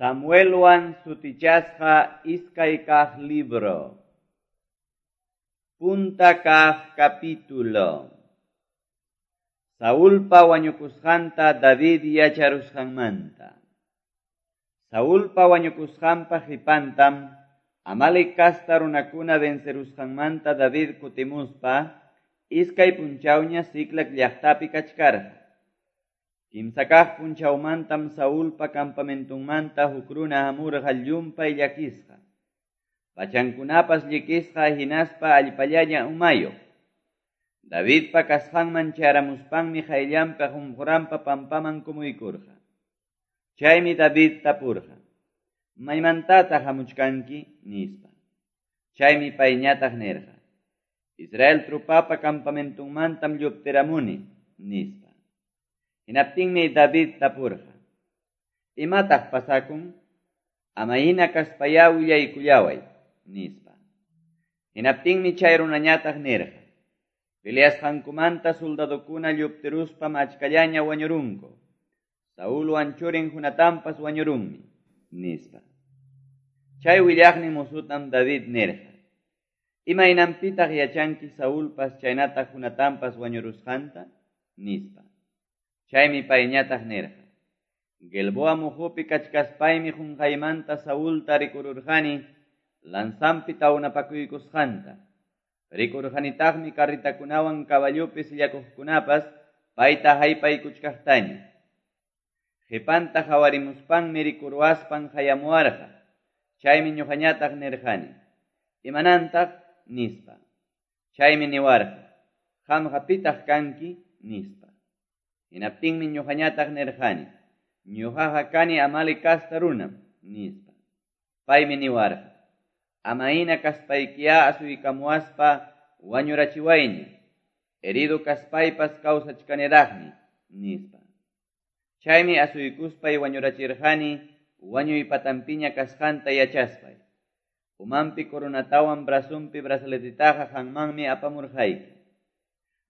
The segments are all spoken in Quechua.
Samuelwan sutichasqa iskay kaq libro. Punta kaq capítulo. Saulpa wañukusqanta David yacharusqanmanta. Saulpa wañukusqanpa qipantam Amalec casta runakuna vencerusqanmanta David kutimuspa iskay punchawña Siclag llaqtapi kachkarqa. Kimsa kaq punchawmantam Saulpa campamentunmanta huk runa hamurqa llumpay llakisqa. Pachankunapas llikisqa hinaspa allpallaña umayuq. Davidpa kasqanman chayaramuspanmi qayllanpi qunquranpa pampaman kumuykurqa. Chaymi David tapurqa: "¿Maymantataq hamuchkanki?" nispa. Chaymi payñataq nirqa: "Israel trupapa campamentunmantam lluptiramuni", nispa. Hinaptinmi David tapurqa: "¿Imataq pasakun? Ama hina kaspayá willaykullaway", nispa. Hinaptinmi chay runañataq nirqa: "Peleasqankumanta soldadokuna lluptiruspam achkallaña wañurunku. Saulwan churin Jonatanpas wañurunmi", nispa. Chay willaqnin musutam David nirqa: "¿Imaynanpitaq yachanki Saulpas chaynataq Jonatanpas wañurusqanta?" nispa. Chaymi payñataq nirqa: "Gilboa muhupi kachkaspaymi qunqaymanta Saulta rikururqani lanzanpi tawnapakuykusqanta. Rikurqanitaqmi carritakunawan caballopi sillakuqkunapas payta haypaykuchkaqtaña. Qipanta qhawarimuspanmi rikuruwaspan hayamuwarqa. Chaymi ñuqañataq nirqani: 'Imanantaq?' nispa. Chaymi niwarqa: 'Qamqa pitaq kanki?' nispa. Hinaptinmi ñuqañataq nirqani: 'Ñuqaqa kani Amalec casta runam', nispa. Paymi niwarqa: 'Ama hina kaspaykiyá asuykamuwaspa wañurachiwayña. Herido kaspaypas kawsachkaniraqmi', nispa. Chaymi asuykuspay wañurachirqani wañuy patanpiña kasqanta yachaspay. Umanpi coronatawan brazonpi brazaletitaqa qanmanmi apamurqayki."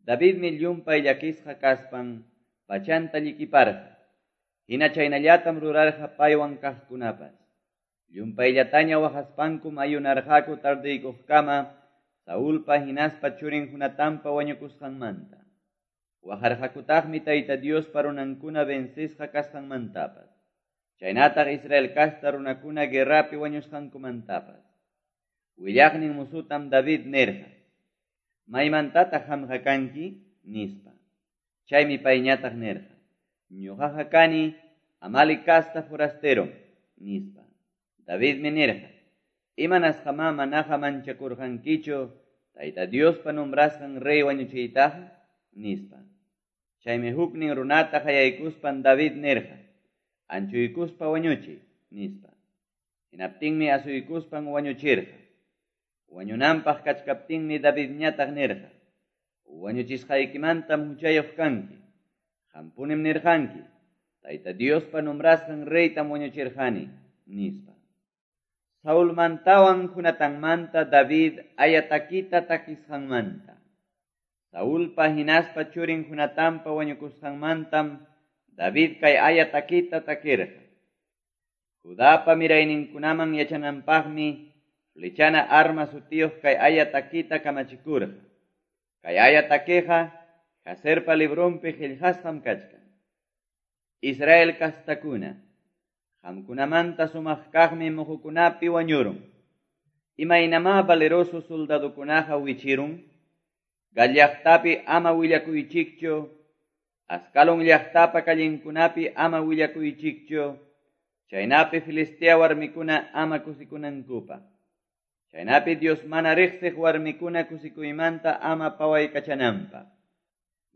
Davidmi llumpay llakisqa kaspan pachanta llikiparqa. Hina chaynallatam rurarqa paywan kaqkunapas. Llumpayllataña waqaspankum ayunarqaku tardeykuqkama Saulpa hinaspa churin Jonatanpa wañukusqanmanta. Waqarqakutaqmi Tayta Diospa runankuna vencisqa kasqanmantapas. Chaynataq Israel casta runakuna guerrapi wañusqankumantapas. Willaqnin musutam David nirqa: "¿Maymantataq qamqa kanki?" nispa. Chaymi payñataq nirqa: "Ñuqaqa kani Amalec casta forasterom", nispa. Davidmi nirqa: "¿Imanasqamá manaqa manchakurqankichu Tayta Diospa nombrasqan rey wañuchiytaqa?" nispa. Chaymi huknin runata qayaykuspan David nirqa: "Anchuykuspa wañuchiy", nispa. Hinaptinmi asuykuspan wañuchirqa. Wañunanpaq kachkaptinmi Davidñataq nirqa: "Wañuchisqaykimantam huchayuq kanki. Qampunim nirqanki: Tayta Diospa nombrasqan reytam wañuchirqani", nispa. Saulmantawan Jonatanmanta David aya takita takisqanmanta. Saulpa hinaspa churin Jonatanpa wañukusqanmantam David kay aya takita takirqa. Judapa mirayninkunaman yachananpaqmi flechana arma sutiyuq kay aya takita kamachikurqa. Kay aya takiqa Jaserpa libronpi qillqasqam kachkan. Israel kastakuna, qamkunamanta sumaq kaqmi muhukunapi wañurun. Imaynamá valeroso soldadokunaqa wichirun? Gat llaqtapi ama willakuychikchu, Ascalon llaqtapa callenkunapi ama willakuychikchu, chaynapi Filistea warmikuna ama kusikunankupaq. Chaynapi Dios mana riqsiq warmikuna kusikuymanta ama pawaykachananpaq.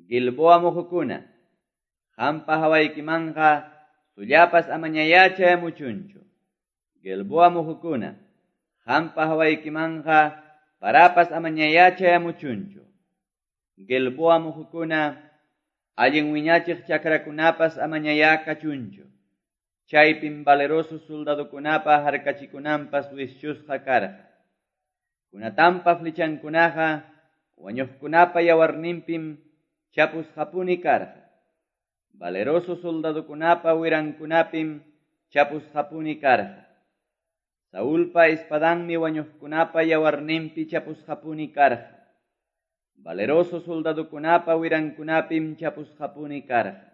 Gilboa muhukuna, qampa hawaykimanqa sullapas amañayá chayamuchunchu. Gilboa muhukuna, qampa hawaykimanqa parapas amañayá chayamuchunchu. Gilboa muhukuna, allin wiñachiq chakrakunapas amañayá kachunchu. Chaypim valeroso soldadokunapa harkachikunanpas wischusqa karqa. Jonatanpa flechankunaqa wañuqkunapa yawarninpim chapusqapuni karqa. Valeroso soldadokunapa wirankunapim chapusqapuni karqa. Saulpa espadanmi wañuqkunapa yawarninpi chapusqapuni karqa. Valeroso soldadokunapa wirankunapim chapusqapuni karqa.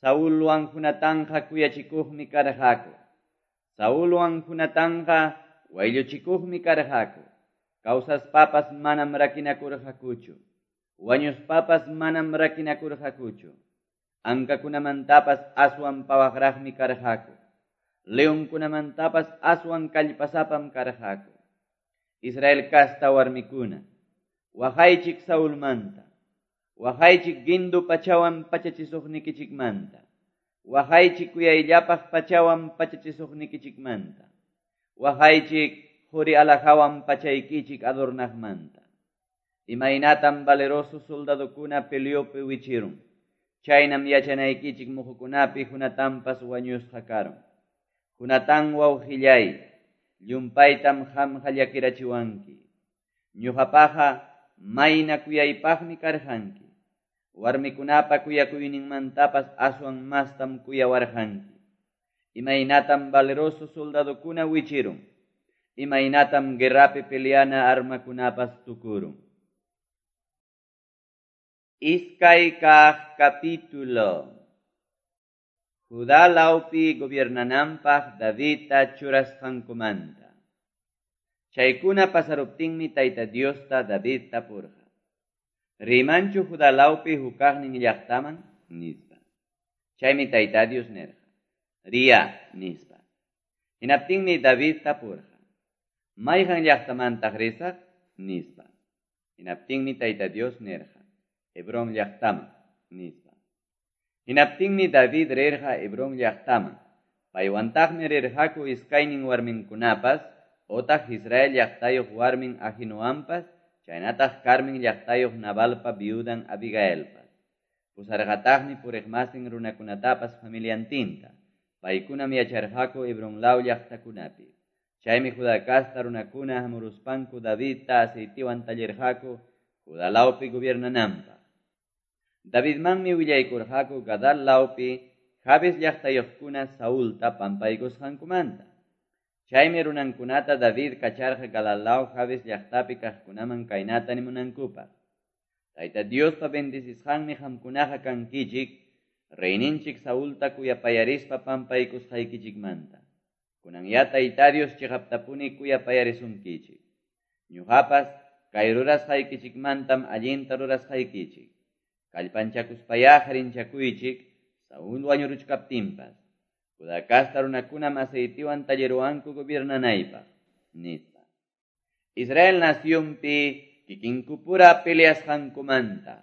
Saulwan Jonatanqa kuyachikuqmi karqaku. Saulwan Jonatanqa waylluchikuqmi karqaku. Kawsaspapas manam rakinakurqakuchu. Wañuspapas manam rakinakurqakuchu. Ankakunamantapas aswan pawaqraqmi karqaku. Leonkunamantapas aswan kallpasapam karqaku. Israel kasta warmikuna, waqaychik Saulmanta, waqaychik gindu pachawan pachachisuqnikichikmanta, waqaychik kuyayllapaq pachawan pachachisuqnikichikmanta, waqaychik quri alhajawan pachaykichik adornaqmanta. Imaynatam valeroso soldadokuna peleopi wichirun, chaynam yachanaykichik muhukunapi Jonatanpas wañusqa karun. Jonatán wawqillay, llumpaytam qamqa llakirachiwanki. Ñuqapaqa mayna kuyaypaqmi karqanki. Warmikunapa kuyakuyninmantapas aswan mastam kuyawarqanki. Imaynatam valeroso soldadokuna wichirun. Imaynatam guerrapi peleana armakunapas tukurun. Iskay kaq capítulo. Judá lawpi gobiernananpaq Davidta churasqankumanta. Chaykuna pasaruptinmi Tayta Diosta David tapurqa. Rimanchu Judá lawpi hukaqnin llaqtaman? Nispa. Chaymi Tayta Dios nirqa. Riya, nispa. Hinaptinmi David tapurqa. Mayqan llaqtamantaq risaq? Nispa. Hinaptinmi Tayta Dios nirqa. Hebrón llaqtaman, nispa. Hinaptinmi David rirqa Hebrón llaqtaman. Paywantaqmi rirqaku iskaynin warminkunapas, otaq Israel llaqtayuq warmin Ahinoampas, chaynataq Carmen llaqtayuq Nabalpa viudan Abigailpas. Pusarqataqmi puriqmasin runakunatapas familiantinta. Paykunam yacharqaku Hebrón law llaqtakunapi. Chaymi Judá kasta runakuna hamuruspanku Davidta aceitiwan tallirqaku Judá lawpi gobiernananpaq. Davidmanmi willaykurqaku Gadal lawpi Jabes llaqtayuqkuna Saulta pampaykusqankumanta. Chaymi runankunata David kacharqa Galal law Jabes llaqtapi kaqkunaman kaynata nimunankupaq. Tayta Diospa bendecisqanmi qamkunaqa kankichik, reyninchik Saulta kuyapayarispa pampaykusqaykichikmanta. Kunan ya Tayta Dios chiqaptapuni kuyapayarisunkichik. Ñuqapas kay rurasqaykichikmantam allinta rurasqaykichik. Kallpanchakuspayá harinchakuychik, Saúl wañuruchkaptinpas. Judá kasta runakunam aceitiwan talliruwanku gobiernanaypaq, nispa. Israel nacionpi kikinkupura peleasqankumanta.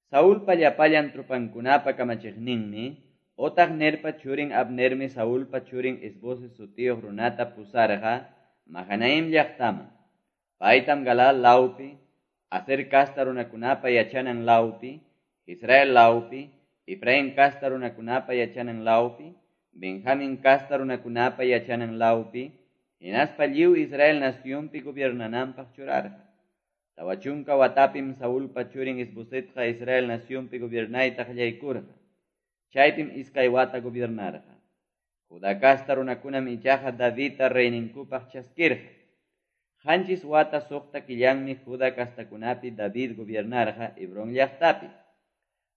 Saulpa llapallan tropankunapa kamachiqninmi, otaq Nerpa churin Abnermi Saulpa churin Isboset sutiyuq runata pusarqa Mahanaim llaqtaman. Paytam Galal lawpi, Aser kasta runakunapa yachanan lawpi, Israel lawpi, Efraín kasta runakunapa yachanan lawpi, Benjamín kasta runakunapa yachanan lawpi, hinaspa lliw Israel nacionpi gobiernananpaq churarqa. 40 watapim Saulpa churin Isbosetqa Israel nacionpi gobiernayta qallaykurqa. Chaypim 2 wata gobiernarqa. Judá kasta runakunam ichaqa Davidta reyninkupaq chaskirqa. 7 wata 6 killanmi Judá kastakunapi David gobiernarqa Hebrón llaqtapi.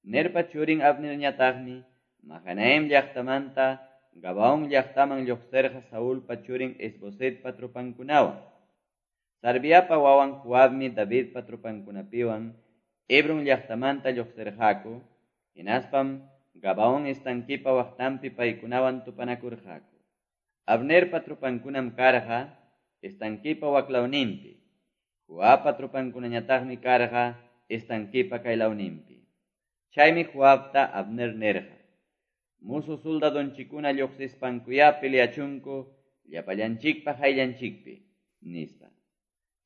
Nerpa churin Abnerñataqmi Mahanaim llaqtamanta Gabaón llaqtaman lluqsirqa Saulpa churin Isbosetpa tropankunawan. Sarviapa wawan Joabmi Davidpa tropankunapiwan Hebrón llaqtamanta lluqsirqaku, hinaspam Gabaón estankipa waqtanpi paykunawan tupanakurqaku. Abnerpa tropankunam karqa estankipa waklawninpi. Joabpa tropankunañataqmi karqa estankipa kaylawninpi. Chaymi Joabta Abner nirqa. Musu soldadonchikuna lluqsispankuyá peleachunku llapallanchikpa hayllanchikpi, nispa.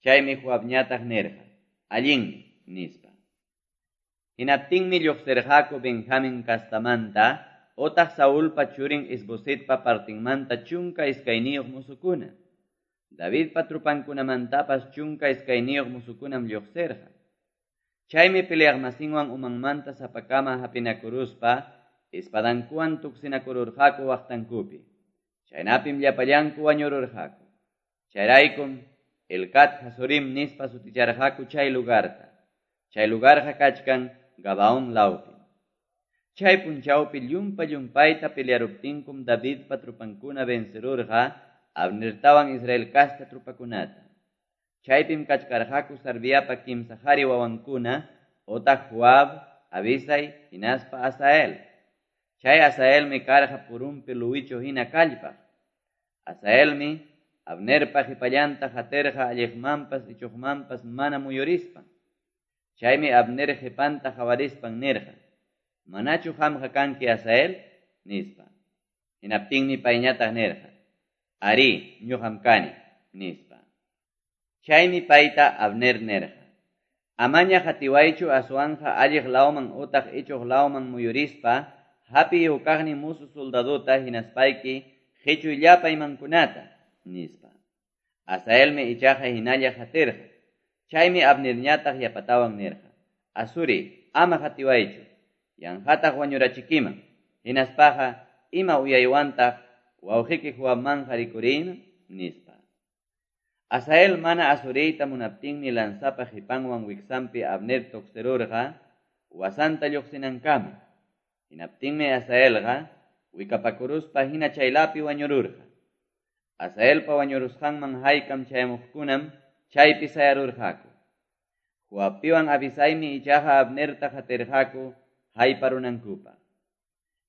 Chaymi Joabñataq nirqa, allinmi, nispa. Hinaptinmi lluqsirqaku Benjamín kastamanta, otaq Saulpa churin Isbosetpa partinmanta 12 musukuna. Davidpa tropankunamantapas 12 musukunam lluqsirqa. Chaymi peleaqmasinwan umanmanta sapakama hapinakuruspa, espadankuwan tuksinakururqaku waqtankupi. Chaynapim llapallanku wañururqaku. Chayraykum Helcat Hazorim nispa suticharqaku chay lugarta. Chay lugarqa kachkan Gabaón lawpi. Chay punchawpi llumpa-llumpayta pelearuptinkum Davidpa trupankuna vencerurqa Abnertawan Israel casta trupakunata. Chaypim kachkarqaku Sarviapa kimsa qari wawankuna otaq Joab, Abisai hinaspa Asael. Chay Asaelmi karqa purunpi luwichu hina kallpaq. Asaelmi Abnerpa qipallanta qatirqa alliqmanpas ichuqmanpas mana muyurispan. Chaymi Abner qipanta qawarispan nirqa: "Manachu qamqa kanki Asael?" nispa. Hinaptinmi payñataq nirqa: "Arí, ñuqam kani", nispa. Chaymi payta Abner nirqa: "Amaña qatiwaychu aswanqa alliq lawman utaq ichuq lawman muyurispa hapiy hukaqnin musu soldadota hinaspayki qichuy llapa imankunata", nispa. Asaelmi ichaqa hinalla qatirqa. Chaymi Abnerñataq yapatawan nirqa: "Asuri, ama qatiwaychu, yanqataq wañurachikiman. Hinaspaqa ima uyaywantaq wawqiyki Joabmanqa rikuriyman", nispa. Asael mana asuriyta munaptinmi lanzapa qipanwan wiksanpi Abner tuqsirurqa wasanta lluqsinankama. Hinaptinmi Asaelqa wikapakuruspa hina chaylapi wañururqa. Asaelpa wañurusqanman haykam chayamuqkunam chaypi sayarurqaku. Joabpiwan Abisaimi ichaqa Abnerta qatirqaku hayparunankupaq.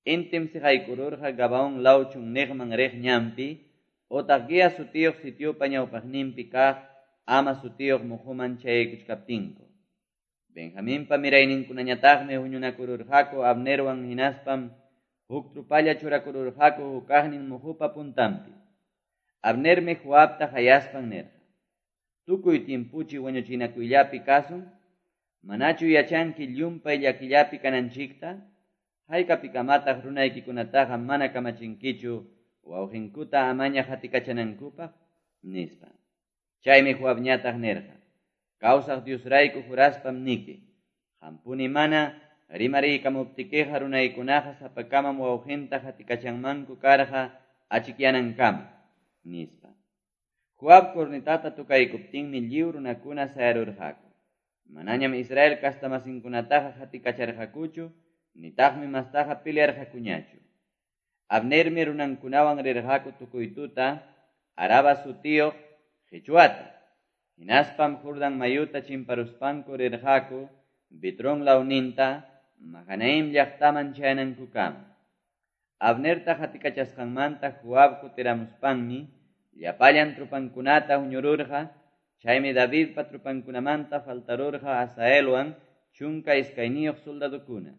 Intim siqaykururqa Gabaón law chunniqman riq ñanpi otaq Gia sutiyuq sitiopa ñawpaqninpi kaq Ama sutiyuq muhuman chayaykuchkaptinku. Benjaminpa mirayninkunañataqmi huñunakururqaku Abnerwan hinaspam huk trupalla churakururqaku hukaqnin muhupa puntanpi. Abnermi Joabta qayaspan nirqa: "Tukuy tiempuchi wañuchinakuyllapi kasun, manachu yachanki llumpay llakillapi kananchikta? Haykapikamataq runaykikunataqa mana kamachinkichu wawqinkuta amaña qatikachanankupaq?" nispa. Chaymi Joabñataq nirqa: "Kawsaq Diosrayku juraspam niki, qampuni mana rimariykamuptikiqa runaykunaqa sapakamam wawqinta qatikachanmanku karqa achikyanankama", nispa. Joab cornetata tukaykuptinmi lliw runakuna sayarurqaku. Manañam Israel kastamasinkunataqa qatikacharqakuchu, nitaqmi mastaqa pelearqakuñachu. Abnermi runankunawan rirqaku tukuy tuta Araba sutiyuq qichwata. Hinaspam Jordán mayuta chimparuspanku rirqaku Bitrón lawninta Mahanaim llaqtaman chayanankukama. Abnerta qatikachasqanmanta Joab kutiramuspanmi llapallan trupankunata huñururqa. Chaymi Davidpa trupankunamanta faltarurqa Asaelwan 12 soldadukuna.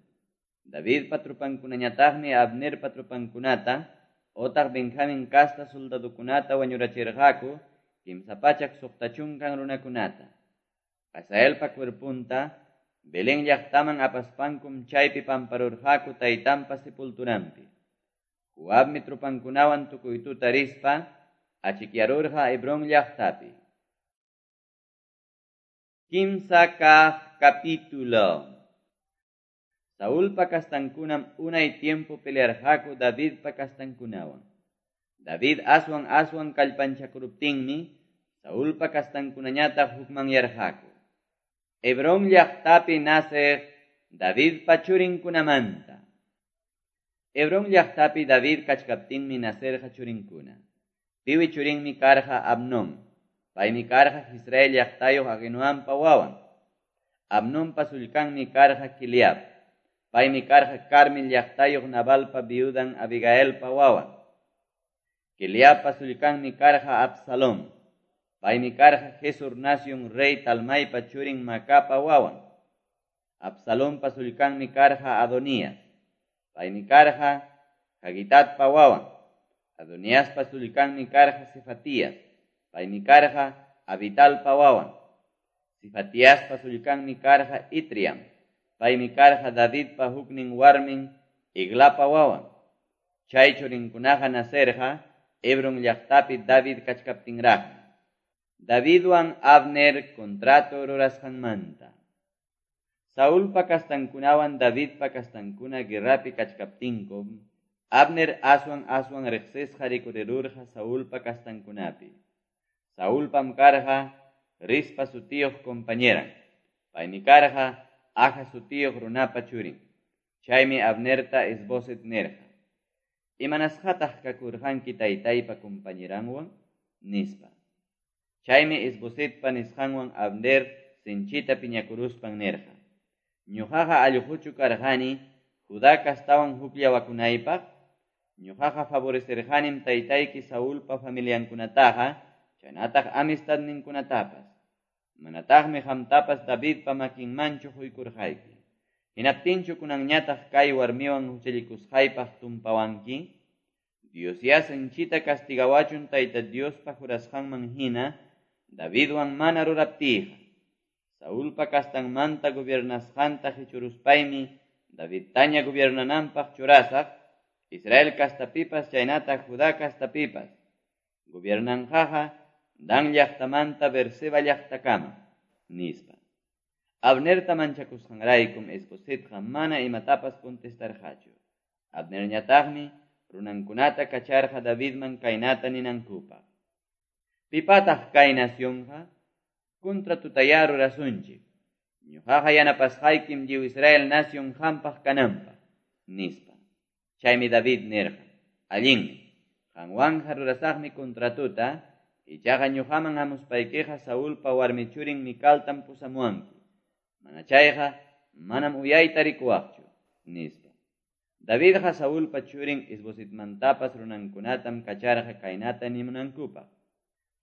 Davidpa trupankunañataqmi Abnerpa trupankunata otaq Benjamin casta soldadukunata wañurachirqaku 360 runakunata. Asaelpa cuerpunta Belén llaqtaman apaspankum chaypi pamparurqaku taytanpa sepulturanpi. Joabmi trupankunawan tukuy tuta rispa achikyarurqa Hebrón llaqtapi. 3 kaq capítulo. Saulpa kastankunam unay tiempo pelearqaku Davidpa kastankunawan. David aswan aswan kallpanchakuruptinmi Saulpa kastankunañataq hukmanyarqaku. Hebrón llaqtapi naceq Davidpa churinkunamanta. Hebrón llaqtapi David kachkaptinmi nacerqa churinkuna. Piwi churinmi karqa Abnón. Paymi karqa Israel llaqtayuq Ahinoampa wawan. Abnonpa sullkanmi karqa Kileab. Paymi karqa Carmel llaqtayuq Nabalpa viudan Abigailpa wawan. Kileabpa sullkanmi karqa Absalón. Paymi karqa Gesur nación rey Talmaipa churin Macapa wawan. Absalonpa sullkanmi karqa Adonías. Paymi karqa Hagitatpa wawan. Adoniaspa sullkanmi karqa Cefatías. Paymi karqa Abitalpa wawan. Cefatiaspa sullkanmi karqa Itriam. Paymi karqa Davidpa huknin warmin Eglapa wawan. Chay churinkunaqa nacerqa Hebrón llaqtapi David kachkaptinraqmi. Davidwan Abner contrato rurasqanmanta. Saulpa kastankunawan Davidpa kastankuna guerrapi kachkaptinkum, Abner aswan-aswan riqsisqa rikurirurqa Saulpa kastankunapi. Saulpam karqa Rispa sutiyuq compañeran. Paymi karqa Aja sutiyuq runapa churin. Chaymi Abnerta Isboset nirqa: "Imanasqataq kakurqanki taytaypa compañeranwan?" nispa. Chaymi Isbosetpa nisqanwan Abner sinchita piñakuruspan nirqa: "Ñuqaqa allquchu karqani Judá kastawan hukllawakunaypaq? Ñuqaqa favorecerqanim taytayki Saulpa familiankunataqa, chaynataq amistadninkunatapas. Manataqmi qamtapas Davidpa makinmanchu quykurqayki. Hinaptinchu kunanñataq kay warmiwan huchallikusqaypaq tumpawanki? Diosyá sinchita castigawachun Tayta Diospa jurasqanman hina Davidwan mana ruraptiyqa. Saulpa kastanmanta gobiernasqanta qichuruspaymi Davidtaña gobiernananpaq churasaq, Israel kastapipas chaynataq Judá kastapipas. Gobiernanqaqa Dan llaqtamanta Berseba llaqtakama", nispa. Abnerta manchakusqanraykum Isbosetqa mana imatapas contestarqachu. Abnerñataqmi runankunata kacharqa Davidman kaynata ninankupaq: "Pipataq kay nacionqa? Contratutayá rurasunchik. Ñuqaqa yanapasqaykim lliw Israel nación qampaq kananpaq", nispa. Chaymi David nirqa: "Allinmi, qanwanqa rurasaqmi contratuta, ichaqa ñuqaman hamuspaykiqa Saulpa warmi churin Micaltam pusamuwanki. Mana chayqa manam uyayta rikuwaqchu", nispa. Davidqa Saulpa churin Isbosetmantapas runankunatam kacharqa kaynata nimunankupaq: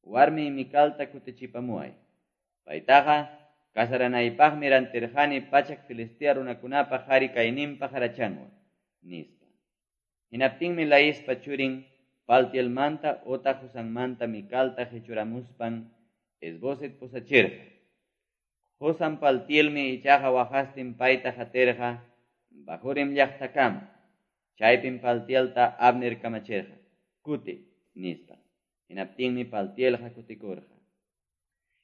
"Warmi Micalta kutichipamuway. Paytaqa casaranaypaqmi rantirqani 100 Filistea runakunapa qhari kayninpa qarachanwan", nispa. Hinaptinmi Laispa churin Paltielmanta otaq Husanmanta Micalta qichuramuspan Isboset pusachirqa. Husan Paltielmi ichaqa waqastin payta qatirqa Bahurim llaqtakama. Chaypim Paltielta Abner kamachirqa: "Kuti", nispa. Hinaptinmi Paltielqa kutikurqa.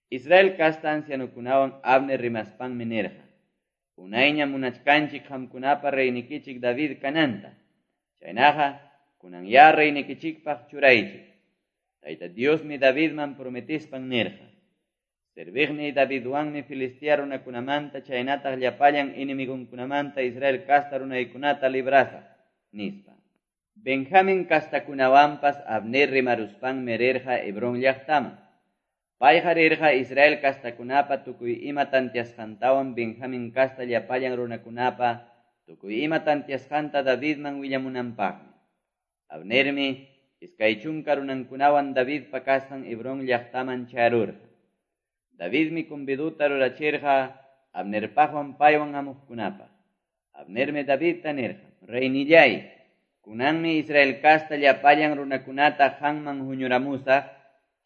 Israel kasta ancianukunawan Abner rimaspanmi nirqa: "Unayña munachkanchik qamkunapa reynikichik David kananta. Chaynaqa kunanyá reynikichikpaq churaychik. Tayta Diosmi Davidman prometispan nirqa: Serviqniy Davidwanmi Filistea runakunamanta chaynataq llapallan enemigonkunamanta Israel kasta runaykunata librasaq", nispa. Benjamin kastakunawanpas Abner rimaruspanmi rirqa Hebrón llaqtaman. Payqa rirqa Israel kastakunapa tukuy ima tantiasqantawan Benjamin kasta llapallan runakunapa tukuy ima tantiasqanta Davidman willamunanpaqmi. Abnermi 20 runankunawan Davidpa kasqan Hebrón llaqtaman chayarurqa. Davidmi conviduta rurachirqa Abnerpaqwan paywan hamuqkunapaq. Abnermi Davidta nirqa: "Reynillay, kunanmi Israel kasta llapallan runakunata qanman huñuramusaq,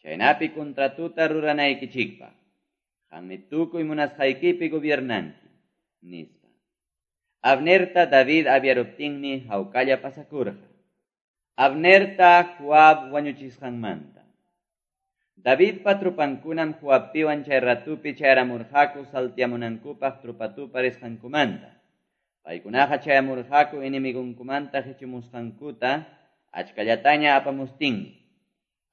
chaynapi contratuta ruranaykichikpaq. Qanmi tukuy munasqaykipi gobiernanki", nispa. Abnerta David aviaruptinmi hawkalla pasakurqa. Abnerta Joab wañuchisqanmanta. Davidpa trupankunam Joabpiwan chay ratupi chayaramurqaku saltiamunankupaq trupatupa risqankumanta. Paykunaqa chayamurqaku enemigonkumanta qichumusqankuta achkallataña apamustinmi.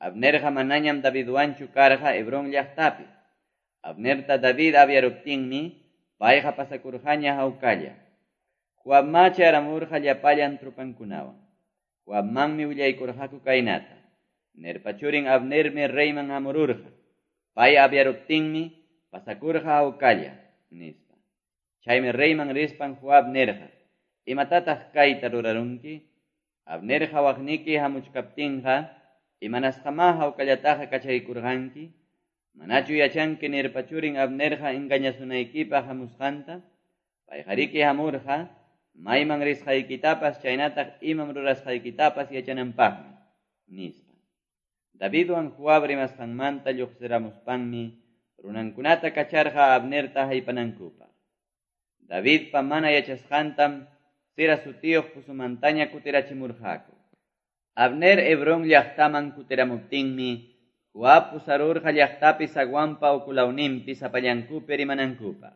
Abnerqa manañam Davidwanchu karqa Hebrón llaqtapi. Abnerta David aviaruptinmi payqa pasakurqaña hawkalla. Joabma chayaramurqa llapallan trupankunawan. Joabmanmi willaykurqaku kaynata: "Nerpa churin Abnermi reyman hamururqa. Pay aviaruptinmi pasakurqa hawkalla", nispa. Chaymi reyman rispan Joab nirqa: "Imatataq kayta rurarunki? Abner hawaqniki hamuchkaptinqa imanasqamá hawkallataqa kachaykurqanki? Manachu yachanki Nerpa churin Abnerqa engañasunaykipaq hamusqanta? Payqariki hamurqa mayman risqaykitapas chaynataq imam rurasqaykitapas yachananpaqmi", nispa. Davidwan Joab rimasqanmanta lluqsiramuspanmi runankunata kacharqa Abnerta haypanankupaq. Davidpa mana yachasqantam Sira sutiyuq pusumantaña kutirachimurqaku. Abner Hebrón llaqtaman kutiramuptinmi Joab pusarurqa llaqtapi zaguanpa ukulawninpi sapallankupi rimanankupaq.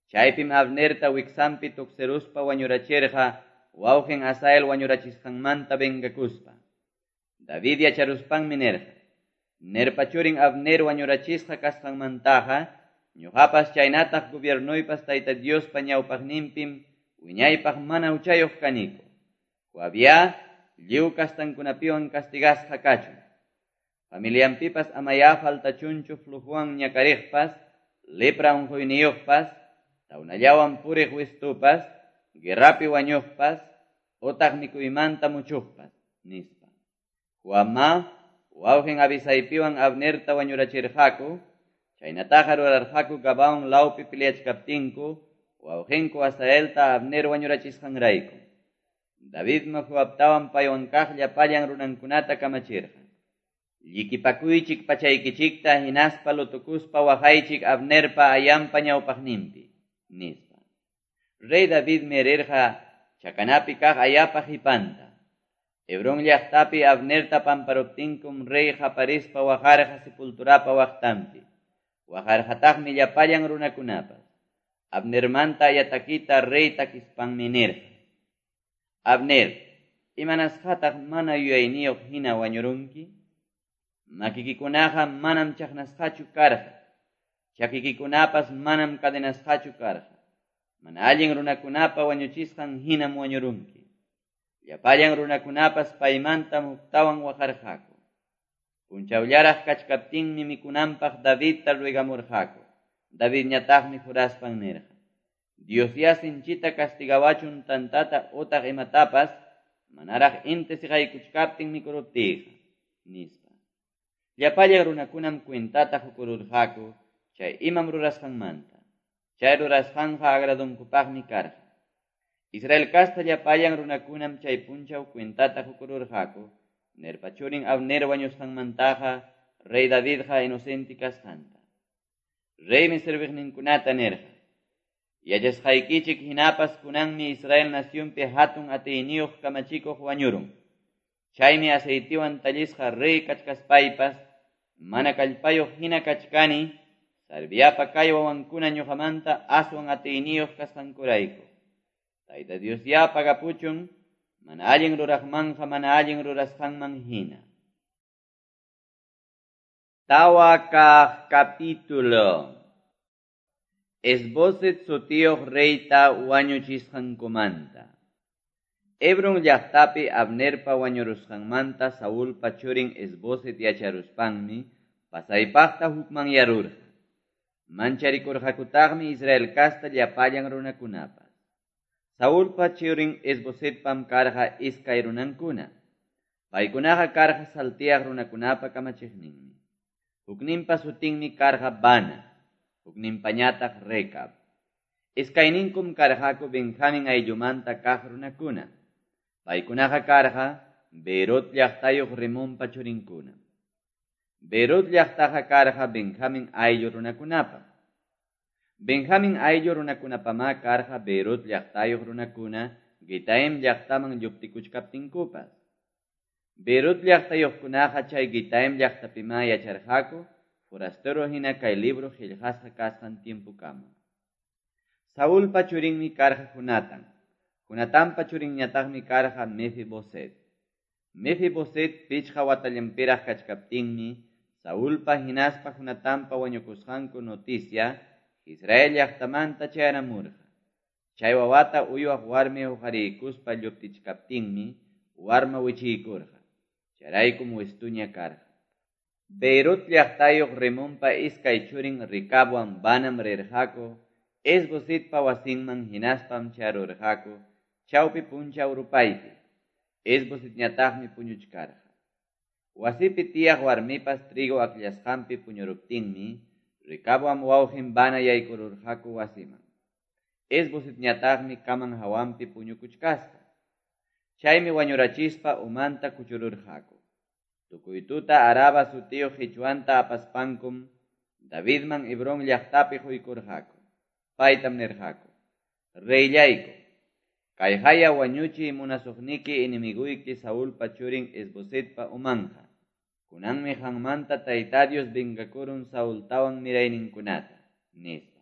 Chaypim Abnerta wiksanpi tuksiruspa wañurachirqa wawqin Asael wañurachisqanmanta vengakuspa. David yacharuspanmi nirqa: Nerpa churin Abner wañurachisqa kasqanmantaqa, ñuqapas chaynataq gobiernoypas Tayta Diospa ñawpaqninpim wiñaypaq mana huchayuq kaniku. Joabyá lliw kastankunapiwan castigasqa kachun. Familianpipas amayá faltachunchu flujowan ñakariqpas, lepra unquyniyuqpas, tawnallawan puriq wistupas, guerrapi wañuqpas, otaq mikuymanta muchuqpas, nispa. Joabmá wawqin Abisaipiwan Abnerta wañurachirqaku, chaynataqa rurarqaku Gabaón lawpi peleachkaptinku, wawqinku Asaelta Abner wañurachisqanrayku. Davidmi Joabtawan paywan kaq llapallan runankunata kamachirqa: Llikipakuychik pachaykichikta hinaspa lutukuspa waqaychik Abnerpa ayanpa ñawpaqninpi, nispa. Rey Davidmi rirqa chakanapi kaq ayapa qipanta. Hebrón llaqtapi Abnerta pamparuptinkum rey qaparispa waqarqa sepulturapa waqtanpi. Waqarqataqmi llapallan runakunapas. Abnermanta ayatakita rey takispanmi nirqa: Abner, imanasqataq mana yuyayniyuq hina wañurunki? Makikikunaqa manam chaqnasqachu karqa, chakikikunapas manam cadenasqachu karqa. Mana allin runakunapa wañuchisqan hinam wañurunki. Llapallan runakunapas paymantam huktawan waqarqaku. Punchawllaraq kachkaptinmi mikunanpaq Davidta ruegamurqaku. Davidñataqmi juraspan nirqa: Diosyá sinchita castigawachun tantata otaq imatapas manaraq inti siqaykuchkaptin mikuruptiyqa, nispa. Llapallan runakunam cuentata qukururqaku chay imam rurasqanmanta. Chay rurasqanqa agradunkupaqmi karqa. Israel kasta llapallan runakunam chay punchaw cuentata qukururqaku Nerpa churin Abner wañusqanmantaqa rey Davidqa inocente kasqanta. Reymi serviqninkunata nirqa: Yachasqaykichik hinapas kunanmi Israel nacionpi hatun atiyniyuq kamachikuq wañurun. Chaymi aceitiwan tallisqa rey kachkaspaypas mana kallpayuq hina kachkani, Sarviapa kay wawankuna ñuqamanta aswan atiyniyuq kasqankurayku. Tayta Diosyá pagapuchun mana allin ruraqmanqa mana allin rurasqanman hina. Tawa kaq capítulo. Esboset sutiyuq reyta wañuchisqankumanta. Hebrón llaqtapi Abnerpa wañurusqanmanta Saulpa churin Esboset yacharuspanmi pasaypaqta hukmanyarurqa. Mancharikurqakutaqmi Israel kasta llapallan runakunapas. Saulpa churin Esbosetpam karqa iskay runankuna. Paykunaqa karqa saltiaq runakunapa kamachiqninmi. Hukninpa sutinmi karqa Bana, hukninpañataq Recab. Iskayninkum karqaku Benjamin ayllumanta kaq runakuna. Paykunaqa karqa Beerot llaqtayuq Rimonpa churinkuna. Beerot llaqtaqa karqa Benjamin ayllu runakunapa. Benjamin ayllu runakunapamá karqa Beerot llaqtayuq runakuna Gitaim llaqtaman lluptikuchkaptinkupas. Beerot llaqtayuqkunaqa chay Gitaim llaqtapimá yacharqaku forastero hina kay libro qillqasqa kasqan tiempokama. Saulpa churinmi karqa Jonatán. Jonatanpa churinñataqmi karqa Mefiboset. Mefiboset pichqa watallanpiraq kachkaptinmi Saulpa hinaspa Jonatanpa wañukusqanku noticia Israel llaqtamanta chayaramurqa. Chay wawata uywaq warmi huqariykuspa lluptichkaptinmi warma wichiykurqa. Chayraykum wistuña karqa. Beirut llaqtayuq Rimonpa iskay churin Ricabwan Banam rirqaku Esbositpa wasinman hinaspam charurqaku chawpi punchaw rupaypi. Esbositñataqmi puñuchkarqa. Wasipi tiyaq warmipas trigo akllasqanpi puñuruptinmi Ricabwan wawqin Bana yaykururqaku wasiman. Esbositñataqmi kaman hawanpi puñukuchkasqa. Chaymi wañurachispa umanta kuchururqaku. Tukuy tuta Araba sutiyuq qichwanta apaspankum Davidman Hebrón llaqtapi quykurqaku. Paytam nirqaku: Reyllayku, kay haya wañuchiy munasuqniki enemiguyki Saulpa churin Esbosetpa umanja. Kunanmi qanmanta Tayta Dios vengakurun Saultawan mirayninkunata, nispa.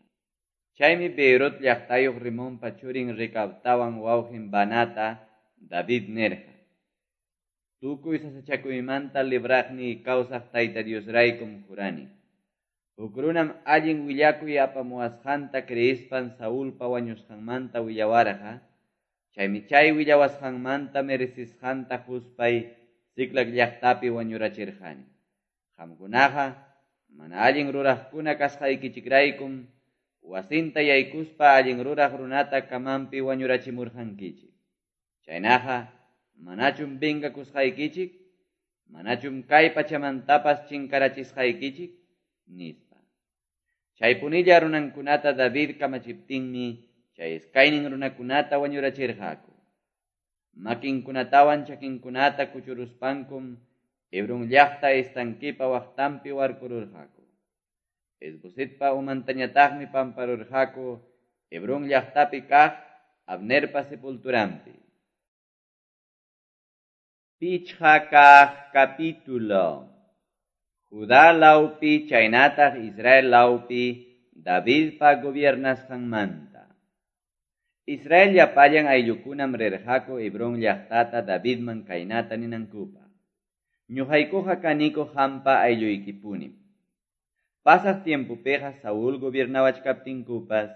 Chaymi Beerot llaqtayuq Rimonpa churin Recabtawan wawqin Banata David nirqa: Tukuy sasachakuymanta libraqniy kawsaq Tayta Diosraykum jurani. Huk runam allin willakuy apamuwasqanta creespan Saulpa wañusqanmanta willawarqa, chaymi chay willawasqanmanta merecisqanta huspay Siclag llaqtapi wañurachirqani. Qamkunaqa mana allin ruraqkuna kasqaykichikraykum wasinta yaykuspa allin ruraq runata kamanpi wañurachimurqankichik. Chaynaqa manachum vengakusqaykichik, manachum kay pachamantapas chinkarachisqaykichik, nispa. Chaypunilla runankunata David kamachiptinmi chay iskaynin runakunata wañurachirqaku. Makinkunatawan chakinkunata kuchuruspankum Hebrón llaqta estanquipa waqtanpi warkururqaku. Isbosetpa umantañataqmi pamparurqaku Hebrón llaqtapi kaq Abnerpa sepulturanpi. Pichqa kaq capítulo. Judá lawpi chaynataq Israel lawpi Davidpa gobiernasqanmanta. Israel llapallan ayllukunam rirqaku Hebrón llaqtata Davidman kaynata ninankupaq: Ñuqaykuqa kaniku qampa aylluykipunim. Pasaq tiempopiqa Saúl gobiernawachkaptinkupas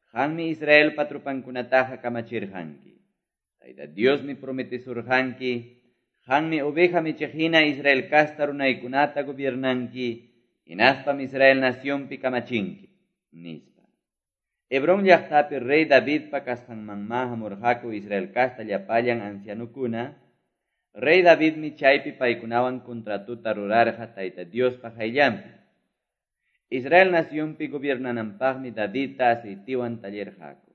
qammi Israelpa trupankunataqa kamachirqanki. Tayta Diosmi prometesurqanki, qammi oveja michiq hina Israel kasta runaykunata gobiernanki, hinaspam Israel nacionpi kamachinki, nispa. Hebrón llaqtapi rey Davidpa kasqanmanma hamurqaku Israel kasta llapallan ancianukuna. Rey Davidmi chaypi paykunawan contratuta rurarqa Tayta Diospa qayllanpi. Israel nacionpi gobiernananpaqmi Davidta aceitiwan tallirqaku.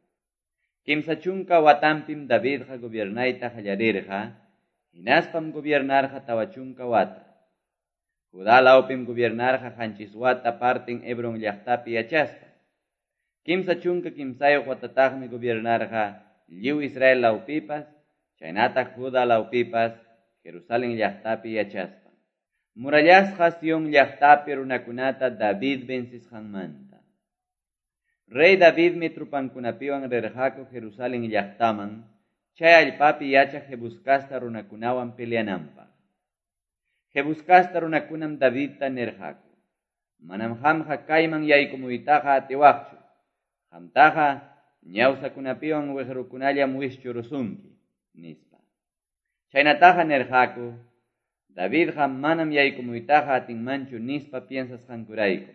30 watanpim Davidqa gobiernayta qallarirqa, hinaspam gobiernarqa 40 wata. Judá lawpim gobiernarqa 7 wata partin Hebrón llaqtapi yachaspa. 33 watataqmi gobiernarqa lliw Israel lawpipas, chaynataq Judá lawpipas, Jerusalén llaqtapi yachaspa. Murallasqa Sion llaqtapi runakunata David vencisqanmanta. Rey Davidmi trupankunapiwan rirqaku Jerusalén llaqtaman, chay allpapi yachaq Jebús kasta runakunawan peleananpaq. Jebús kasta runakunam Davidta nirqaku: Manam qamqa kayman yaykumuytaqa atiwaqchu. Qamtaqa ñawsakunapiwan wiqrukunallam wischurusunki, nispa. Chaynataqa nirqaku, Davidqa manam yaykumuytaqa atinmanchu nispa piensasqankurayku.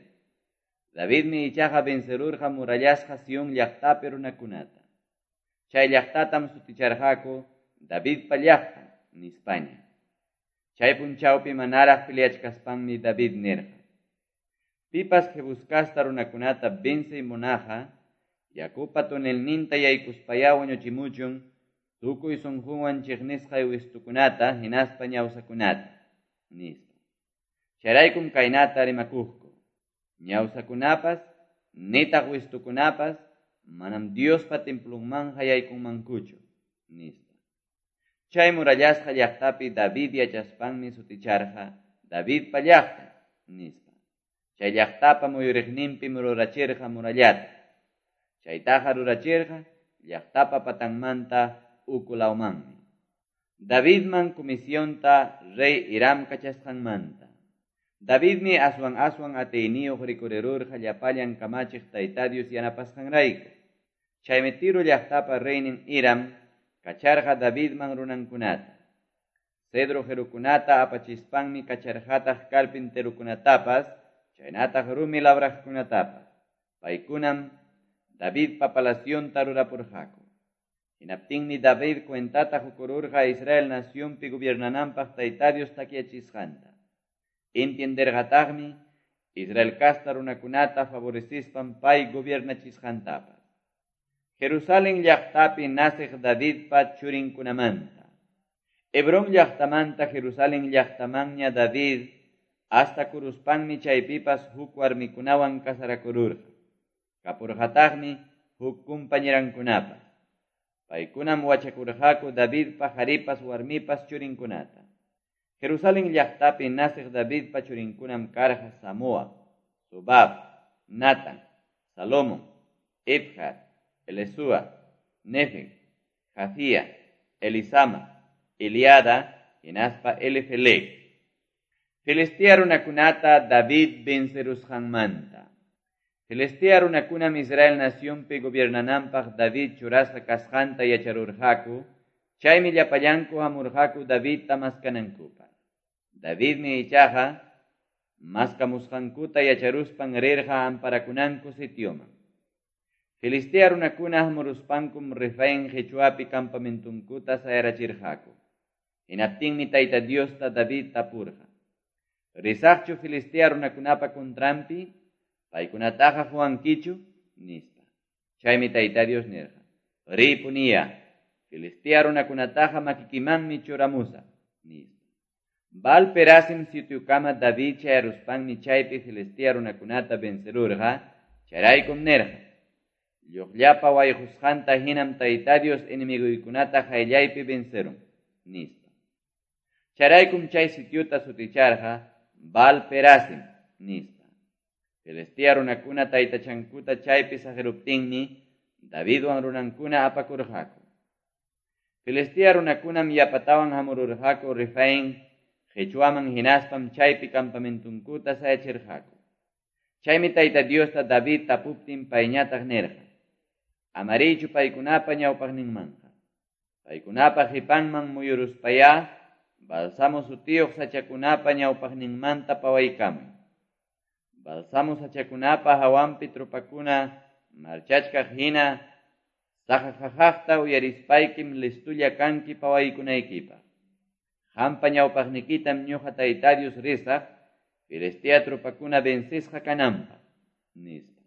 Davidmi ichaqa vencerurqa murallasqa Sion llaqtapi runakunata. Chay llaqtatam suticharqaku Davidpa llaqtan nispaña. Chay punchawpi manaraq peleachkaspanmi David nirqa: Pipas Jebús kasta runakunata vencey munaqqa, yakupa tonelninta yaykuspayá wañuchimuchun tukuy sunqunwan chiqnisqay wistukunata hinaspa ñawsakunata, nispa. Chayraykum kaynata rimakuqku: Ñawsakunapas, nitaq wistukunapas, manam Diospa templonmanqa yaykunmankuchu, nispa. Chay murallasqa llaqtapi David yachaspanmi suticharqa Davidpa llaqtan, nispa. Chay llaqtapa muyuriqninpim rurachirqa murallata. Chaytaqa rurachirqa llaqtapa patanmanta uku lawmanmi. Davidman comisionta rey Hiram kachasqanmanta. Davidmi aswan aswan atiyniyuq rikurirurqa llapallan kamachiq Tayta Dios yanapasqanrayku. Chaymi Tiro llaqtapa reynin Hiram kacharqa Davidman runankunata. Cedro qirukunata apachispanmi kacharqataq carpinterukunatapas, chaynataq rumi labraqkunatapas. Paykunam Davidpa palacionta rurapurqaku. Hinaptinmi David cuentata hukururqa Israel nacionpi gobiernananpaq Tayta Dios takyachisqanta. Entienderqataqmi Israel kasta runakunata favorecispan pay gobiernachisqantapas. Jerusalén llaqtapi naciq Davidpa churinkunamanta. Hebrón llaqtamanta Jerusalén llaqtamanña David hasta kuruspanmi chaypipas huk warmikunawan casarakururqa. Kapurqataqmi huk compañerankunapas. Paykunam wachakurqaku Davidpa qharipas warmipas churinkunata. Jerusalén llaqtapi naciq Davidpa churinkunam karqa Samoa, Sobab, Natan, Salomón, Ibhar, Elesúa, Nefeg, Jafía, Elisama, Eliada hinaspa Elifelet. Filistea runakunata David vencerusqanmanta. Filistea runakunam Israel nacionpi gobiernananpaq David churasqa kasqanta yacharurqaku, chaymi llapallanku hamurqaku Davidta maskanankupaq. Davidmi ichaqa maskamusqankuta yacharuspan rirqa amparakunanku sitioman. Filistea runakuna hamuruspankum Refaín qichwapi campamentunkuta sayarachirqaku. Hinaptinmi Tayta Diosta David tapurqa: "Risaqchu Filistea runakunapa contranpi? Paykunataqa quwankichu?" nispa. Chaymi Tayta Dios nirqa: "Ripuniya, Filistea runakunataqa makikimanmi churamusaq", nispa. Baal Perasim sitiokama David chayaruspanmi chaypi Filistea runakunata vencerurqa, chayraykum nirqa: "Lluqllapa wayqusqanta hinam Tayta Dios enemiguykunata qayllaypi vencerun", nispa. Chayraykum chay sitiota suticharqa Baal Perasim, nispa. Filistea runakuna taytachankuta chaypi saqiruptinmi Davidwan runankuna apakurqaku. Filistea runakunam yapatawan hamururqaku Refaín qichwaman hinaspam chaypi campamentunkuta sayachirqaku. Chaymi Tayta Diosta David tapuptin payñataq nirqa: "Amariychu paykunapa ñawpaqninmanqa. Paykunapa qipanman muyuruspayá bálsamo sutiyuq sachakunapa ñawpaqninmanta pawaykamuy. Bálsamo sachakunapa hawanpi tropakuna marchachkaq hina saqaqaqaqta uyarispaykim listulla kanki pawaykunaykipaq. Qampa ñawpaqnikitam ñuqa Tayta Dios risaq, Filistea tropakuna vencisqa kananpaq", nispa.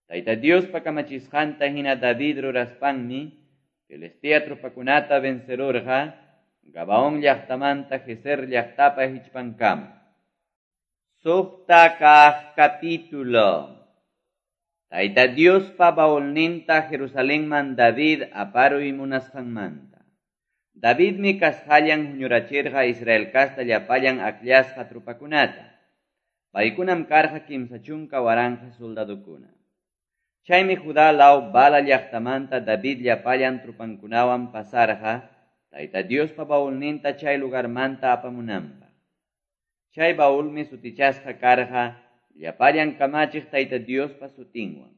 Tayta Diospa kamachisqanta hina David ruraspanmi Filistea tropakunata vencerurqa Gabaón llaqtamanta Gezer llaqtapa hichpankama. Suqta kaq capítulo. Tayta Diospa baulninta Jerusalenman David aparuy munasqanmanta. Davidmi kasqallan huñurachirqa Israel casta llapallan akllasqa tropakunata. Paykunam karqa 30,000 soldadokuna. Chaymi Judá law Bala llaqtamanta David llapallan tropankunawan pasarqa Tayta Diospa baulninta chay lugarmanta apamunanpaq. Chay baulmi sutichasqa karqa llapallan kamachiq Tayta Diospa sutinwan.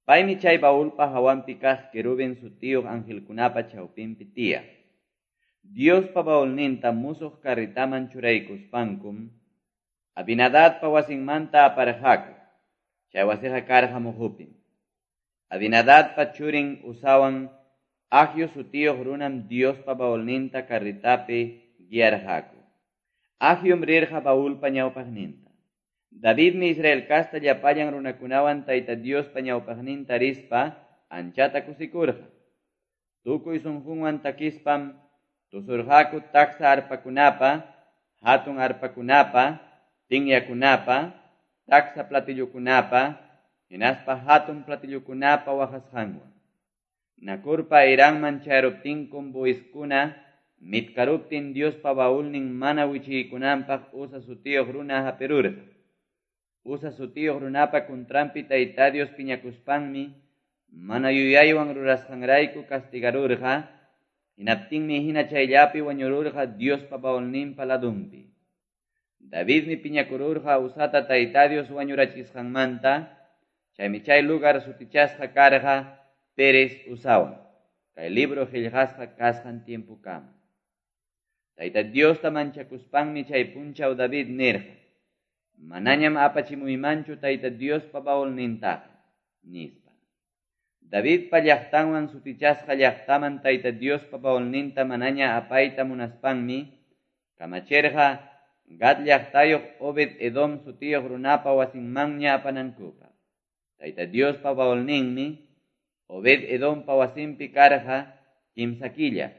Paymi chay baulpa hawanpi kaq querubin sutiyuq angelkunapa chawpinpi tiyaq. Diospa baulninta musuq carretaman churaykuspankum Abinadadpa wasinmanta aparqaku. Chay wasiqa karqa muhupim. Abinadadpa churin Uzawan Ahio sutiyuq runam Diospa baulninta carretapi guiarqaku. Ahiom rirqa baulpa ñawpaqninta. Davidmi Israel casta llapallan runakunawan Tayta Diospa ñawpaqninta rispa anchata kusikurqa. Tukuy sunqunwan takispam tusurqaku taksa arpakunapa, hatun arpakunapa, tinyakunapa, taksa platillukunapa, hinaspa hatun platillukunapa waqasqanwan. Nakurpa Iranman chayaruptinkum buiskuna mitkaruptin Diospa baulnin mana wichiykunanpaq Uza sutiyuq runa hapirurqa. Uza sutiyuq runapa contranpi Tayta Dios piñakuspanmi mana yuyaywan rurasqanrayku castigarurqa, hinaptinmi hina chayllapi wañururqa Diospa baulninpa ladunpi. Davidmi piñakururqa Uzata Tayta Dios wañurachisqanmanta, chaymi chay lugar sutichasqa karqa Pérez Uzawan, kay libro qillqasqa kasqan tiempokama. Tayta Diosta manchakuspanmi chay punchaw David nirqa: "Manañam apachimuymanchu Tayta Diospa baulnintaqa", nispa. Davidpa llaqtanwan sutichasqa llaqtaman Tayta Diospa baulninta manaña apayta munaspanmi kamachirqa Gad llaqtayuq Obed Edom sutiyuq runapa wasinmanña apanankupaq. Tayta Diospa baulninmi Obed Edompa wasinpi karqa kimsa killa.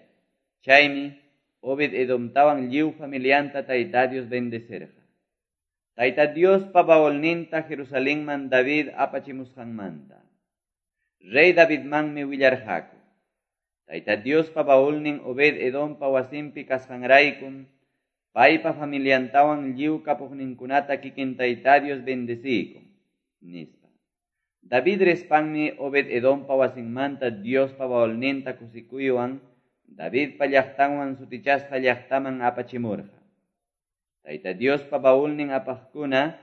Chaymi Obed Edomtawan lliw familianta Tayta Dios bendecerqa. Tayta Diospa baulninta Jerusalenman David apachimusqanmanta. Rey Davidmanmi willarqaku: Tayta Diospa baulnin Obed Edompa wasinpi kasqanraykum paypa familiantawan lliw kapuqninkunata kikin Tayta Dios bendeciykun, nispa. David rispanmi Obed Edompa wasinmanta Diospa baulninta kusikuywan Davidpa Llaqtanwan sutichasqa llaqtaman apachimurqa. Tayta Diospa baulnin apaqkuna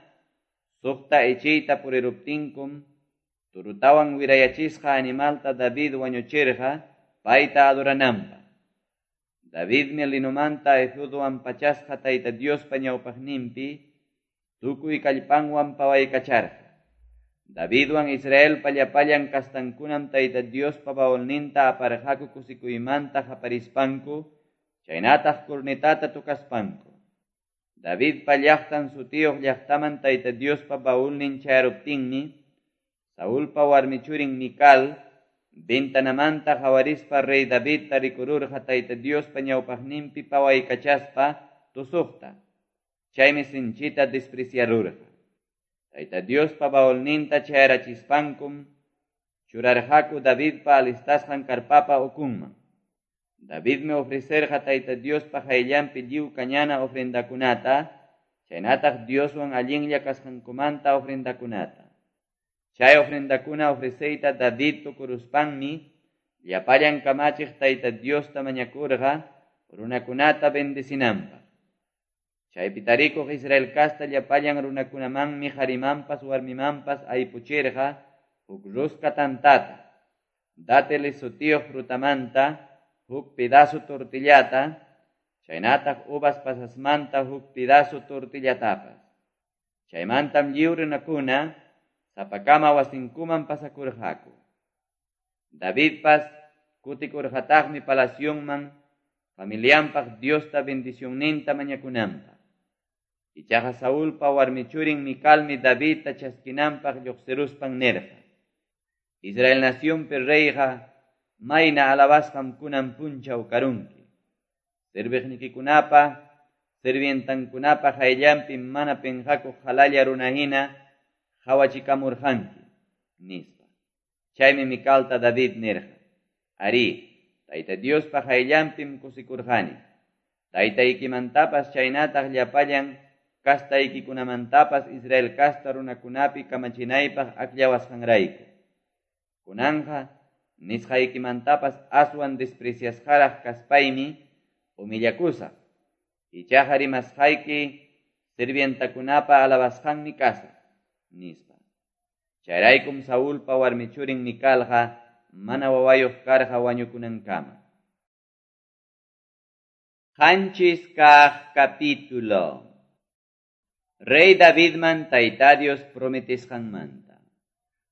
suqta ichiyta puriruptinkum turutawan wirayachisqa animalta David wañuchirqa payta adorananpaq. Davidmi linomanta efodwan pachasqa Tayta Diospa ñawpaqninpi tukuy kallpanwan pawaykacharqa. Davidwan Israelpa llapallan kastankunam Tayta Diospa baulninta aparqaku kusikuymanta qaparispanku, chaynataq cornetata tocaspanku. Davidpa llaqtan sutiyuq llaqtaman Tayta Diospa baulnin chayaruptinmi, Saulpa warmichurin Mical ventanamanta qawarispa rey Davidta rikururqa Tayta Diospa ñawpaqninpi pawaykachaspa tusuqta. Chaymi sinchita despreciarurqa. Tayta Diospa baulninta chayarachispankum churarqaku Davidpa alistasqan karpapa ukunman. Davidmi ofrecerqa Tayta Diospa qayllanpi lliw kañana ofrendakunata, chaynataq Dioswan allinlla kasqankumanta ofrendakunata. Chay ofrendakuna ofreceyta David tukuruspanmi llapallan kamachiq Tayta Diosta mañakurqa runakunata bendecinanpaq. Chaypi tarikuq Israel kasta llapallan runakunamanmi qharimanpas warmimanpas aypuchirqa huk ruska tantata, dáteles sutiyuq frutamanta huk pedazo tortillata, chaynataq uvas pasasmanta huk pedazo tortillatapas. Chaymantam lliw runakuna sapakama wasinkuman pasakurqaku. Davidpas kutikurqataqmi palacionman familianpaq Diosta bendicionninta mañakunanpaq. Ichaqa Saulpa warmichurin Micalmi Davidta chaskinanpaq lluqsiruspan nirqa: Israel nacionpi reyqa mayna alabasqam kunan punchaw karunki. Serviqnikikunapa, sirvientankunapa qayllanpi mana pinqakuq qalalla runahina qawachikamurqanki, nispa. Chaymi Micalta David nirqa: Arí, Tayta Diospa qayllanpim kusikurqani. Taytaykimantapas chaynataq llapallan kastaykikunamantapas Israel kasta runakunapi kamachinaypaq akllawasqanrayku. Kunanqa nisqaykimantapas aswan despreciasqaraq kaspaymi humillakusaq. Ichaqa rimasqayki sirvientakunapa alabasqanmi kasaq, nispa. Chayraykum Saulpa warmichurin Micalqa mana wawayuq karqa wañukunankama. Qanchis kaq capítulo. Rey Davidman Tayta Dios prometisqanmanta.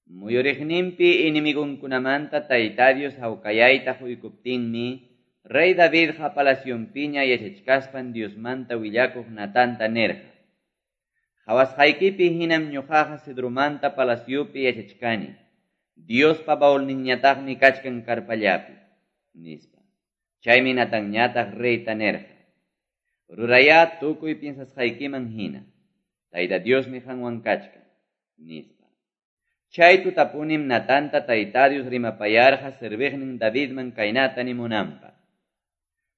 Muyuriqninpi enemigunkunamanta Tayta Dios hawkayayta huykuptinmi, Rey Davidqa palacionpiña yachachkaspan Diosmanta willakuq Natanta nirqa: Qhawasqaykipi hinam ñuqaqa cedromanta palaciopi yachachkani. Diospa baulninñataqmi kachkan karpallapi, nispa. Chaymi Natanñataq reyta nirqa: Rurayá tukuy piensasqaykiman hina. Tayta Diosmi qanwan kachkan, nispa. Chay tutapunim Natanta Tayta Dios rimapayarqa serviqnin Davidman kaynata nimunanpaq: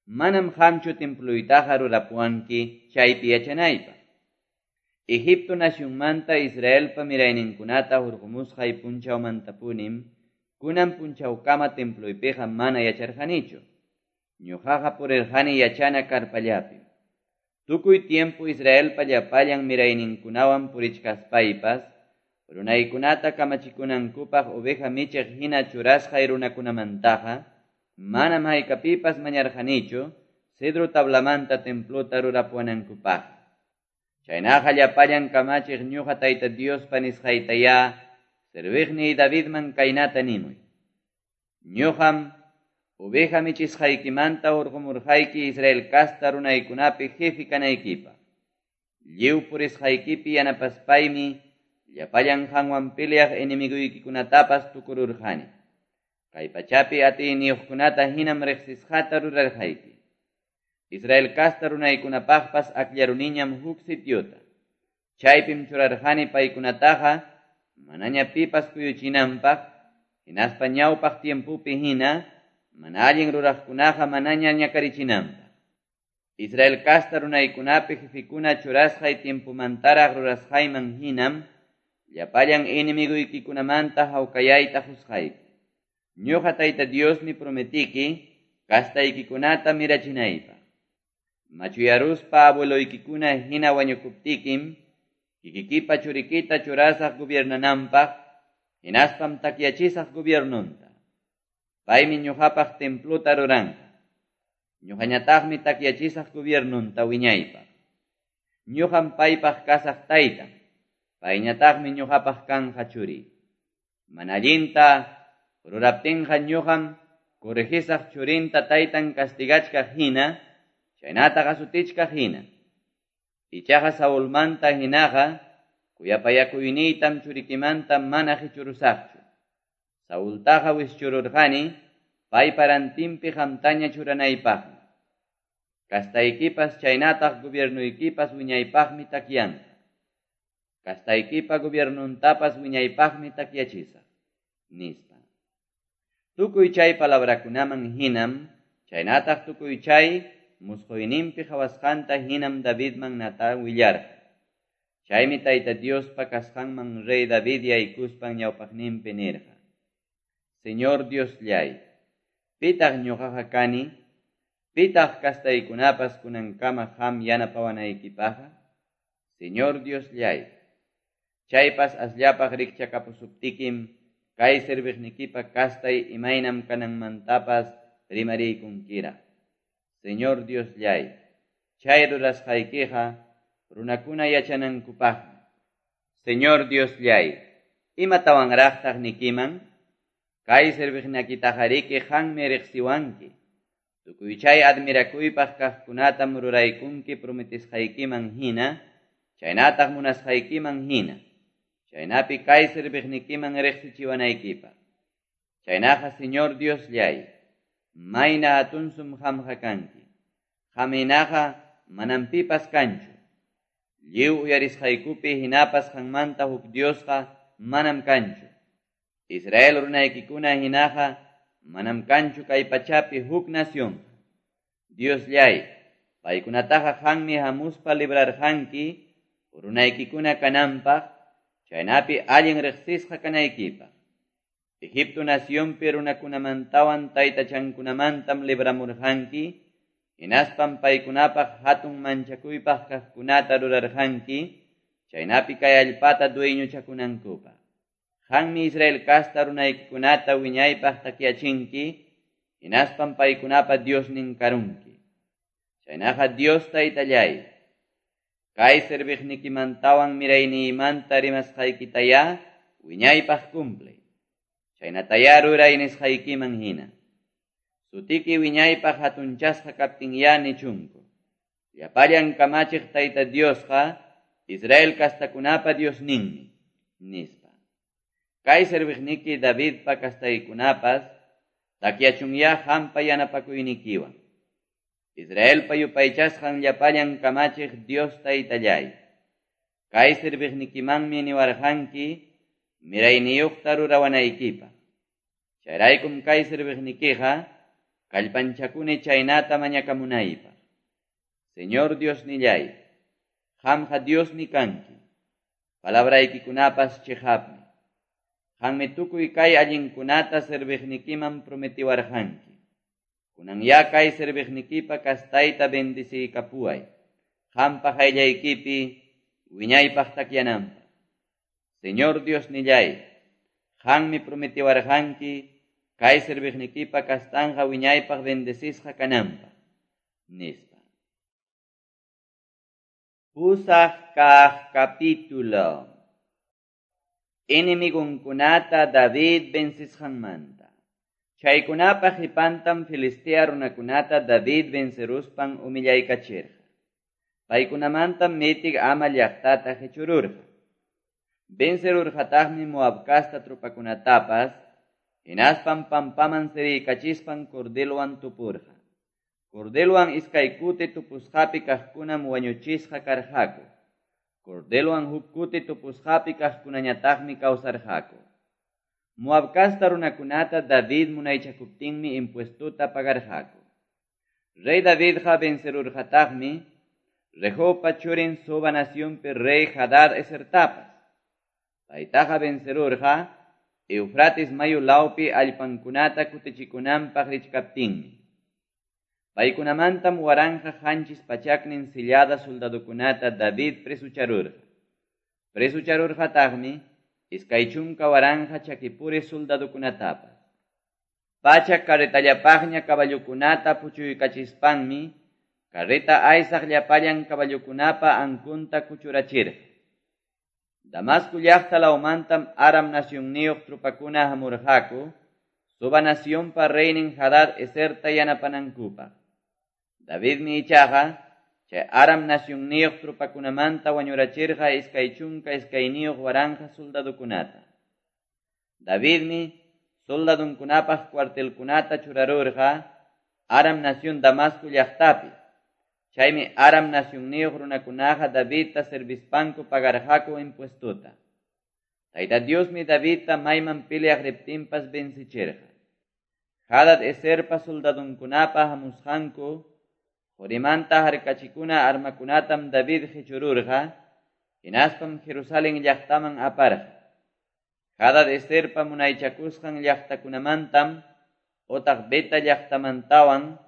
Manam qamchu templuytaqa rurapuwanki chaypi yachanaypaq. Egipto nacionmanta Israelpa mirayninkunata hurqumusqay punchawmantapunim kunan punchawkama templuypiqa mana yacharqanichu. Ñuqaqa purirqani yachana karpallapi. Tukuy tiempo Israelpa llapallan mirayninkunawan purichkaspaypas, runaykunata kamachikunankupaq oveja michiq hina churasqay runakunamantaqa, manam haykapipas mañarqanichu cedro tablamanta templota rurapuwanankupaq. Chaynaqa llapallan kamachiq ñuqa Tayta Diospa nisqaytayá serviqniy Davidman kaynata nimuy: Ñuqam oveja michisqaykimanta hurqumurqayki Israel kasta runaykunapi jefe kanaykipaq. Lliw purisqaykipi yanapaspaymi llapallan qanwan peleaq enemiguykikunatapas tukururqani. Kay pachapi atiyniyuqkunata hinam riqsisqata rurarqayki. Israel kasta runaykunapaqpas akllaruniñam huk sitiota. Chaypim churarqani paykunataqa manaña pipas kuyuchinanpaq, hinaspa ñawpaq tiempopi hina mana allin ruraqkunaqa manaña ñakarichinanpaq. Israel kasta runaykunapi jefikuna churasqay tiempomantaraq rurasqayman hinam llapallan enemiguykikunamanta hawkayayta qusqayki. Ñuqa Tayta Diosmi prometiki Castaykikunata mirachinaypaq. Machuyaruspa abueloykikuna hina wañukuptikim, kikikipa churikita churasaq gobiernananpaq, hinaspam takyachisaq gobiernonta. Paymi ñuqapaq templota ruranqa. Ñuqañataqmi takyachisaq gobiernonta wiñaypaq. Ñuqam paypaq kasaq taytan, payñataqmi ñuqapaq kanja churi. Mana allinta ruraptinqa ñuqam corregisaq churinta taytan castigachkaq hina, chaynataq asutichkaq hina. Ichaqa Saulmanta hinaqa kuyapayakuyniytam churikimanta mana qichurusaqchu. Saultaqa wischururqani paypa rantinpi qamtaña churanaypaqmi. Castaykipas chaynataq gobiernuykipas wiñaypaqmi takyanqa. Castaykipa gobiernuntapas wiñaypaqmi takyachisaq, nispa. Tukuy chay palabrakunaman hinam, chaynataq tukuy chay musquyninpi qhawasqanta hinam Davidman Natán willarqa. Chaymi Tayta Diospa kasqanman rey David yaykuspan ñawpaqninpi nirqa: Señor Diosllay, pitaq ñuqaqa kani? Pitaq kastaykunapas kunankama qam yanapawanaykipaqqa? Señor Diosllay, chaypas asllapaq rikchakapusuptikim kay serviqnikipa kastay imaynam kananmantapas rimariykunkiraq. Señor Diosllay, chay rurasqaykiqa runakuna yachanankupaqmi. Señor Diosllay, imatawanraqtaq nikiman? Kay serviqnikitaqariki qanmi riqsiwanki. Tukuy chay admirakuypaq kaqkunatam ruraykunki prometisqaykiman hina, chaynataq munasqaykiman hina. Chaynapi kay serviqnikiman riqsichiwanaykipaq. Chaynaqa Señor Diosllay, mayna hatunsum qamqa kanki. Qaminaqa manam pipas kanchu. Lliw uyarisqaykupi hinapas qanmanta huk Diosqa manam kanchu. Israel runaykikuna hinaqa manam kanchu kay pachapi huk nación. Diosllay, paykunataqa qanmi hamuspa librarqanki runaykikuna kananpaq, chaynapi allin riqsisqa kanaykipaq. Egipto nacionpi runakunamantawan taytachankunamantam libramurqanki, hinaspam paykunapaq hatun manchakuypaq kaqkunata rurarqanki, chaynapi kay allpata dueñochakunankupaq. Qanmi Israel kasta runaykikunata wiñaypaq takyachinki, hinaspam paykunapa Diosnin karunki. Chaynaqa Dios Taytallay, kay serviqnikimantawan mirayniymanta rimasqaykitayá wiñaypaq cumple. Chaynatayá ruray nisqaykiman hina. Sutiki wiñaypaq hatunchasqa kaptinyá nichunku. Llapallan kamachiq Tayta Diosqa Israel kastakunapa Diosninmi, nispa. Kay serviqniki Davidpa kastaykunapas takyachunyá qampa yanapakuynikiwan. Israelpa yupaychasqan llapallan kamachiq Dios Taytallay, kay serviqnikimanmi niwarqanki mirayniyuqta rurawanaykipaq. Chayraykum kay serviqnikiqa kallpanchakuni chaynata mañakamunaypaq. Señor Diosnillay, qamqa Diosmi kanki, palabraykikunapas chiqapmi. Qanmi tukuy kay allinkunata serviqnikiman prometiwarqanki. Kunanyá kay serviqnikipa kastayta bendiciykapuway, qampa qayllaykipi wiñaypaq takyananpaq. Señor Diosnillay, qanmi prometiwarqanki kay serviqnikipa kastanqa wiñaypaq bendecisqa kananpaq, nispa. Pusaq kaq capítulo. Enemigunkunata David vencisqanmanta. Chaykunapa qipantam Filistea runakunata David venceruspan humillaykachirqa. Paykunamantam mitik ama llaqtata qichururqa. Vencerurqataqmi Moab kasta tropakunatapas, hinaspam pampaman siriykachispan cordelwan tupurqa. Cordelwan iskay kuti tupusqapi kaqkunam wañuchisqa karqaku. Cordelwan huk kuti tupusqapi kaqkunañataqmi kawsarqaku. Moab kasta runakunata David munaychakuptinmi impuestota pagarqaku. Rey Davidqa vencerurqataqmi Rehobpa churin Soba nacionpi rey Hadad Esertapas. Paytaqa vencerurqa Eufrates mayu lawpi allpankunata kutichikunanpaq richkaptinmi. Paykunamantam 1700 sillada soldadokunata David presucharurqa. Presucharurqataqmi 20,000 chakipuri soldadokunatapas. 100 carretallapaqña caballokunata puchuykachispanmi carreta aysaq llapallan caballokunapa ankunta kuchurachirqa. Damasco llaqta lawmantam Aram nacionniyuq tropakuna hamurqaku, Soba nacionpa reynin Hadad Eserta yanapanankupaq. Davidmi ichaqa chay Aram nacionniyuq tropakunamanta wañurachirqa 22,000 soldadokunata. Davidmi soldadunkunapaq cuartelkunata churarurqa Aram nación Damasco llaqtapi. Chaymi Aram nacionniyuq runakunaqa Davidta servispanku pagarqaku impuestota. Tayta Diosmi Davidta mayman peleaq riptinpas vencichirqa. Hadad Eserpa soldadunkunapa hamusqanku qorimanta harkachikuna armakunatam David qichururqa, hinaspam Jerusalén llaqtaman aparqa. Hadad Eserpa munaychakusqan llaqtakunamantam otaq Beta llaqtamantawan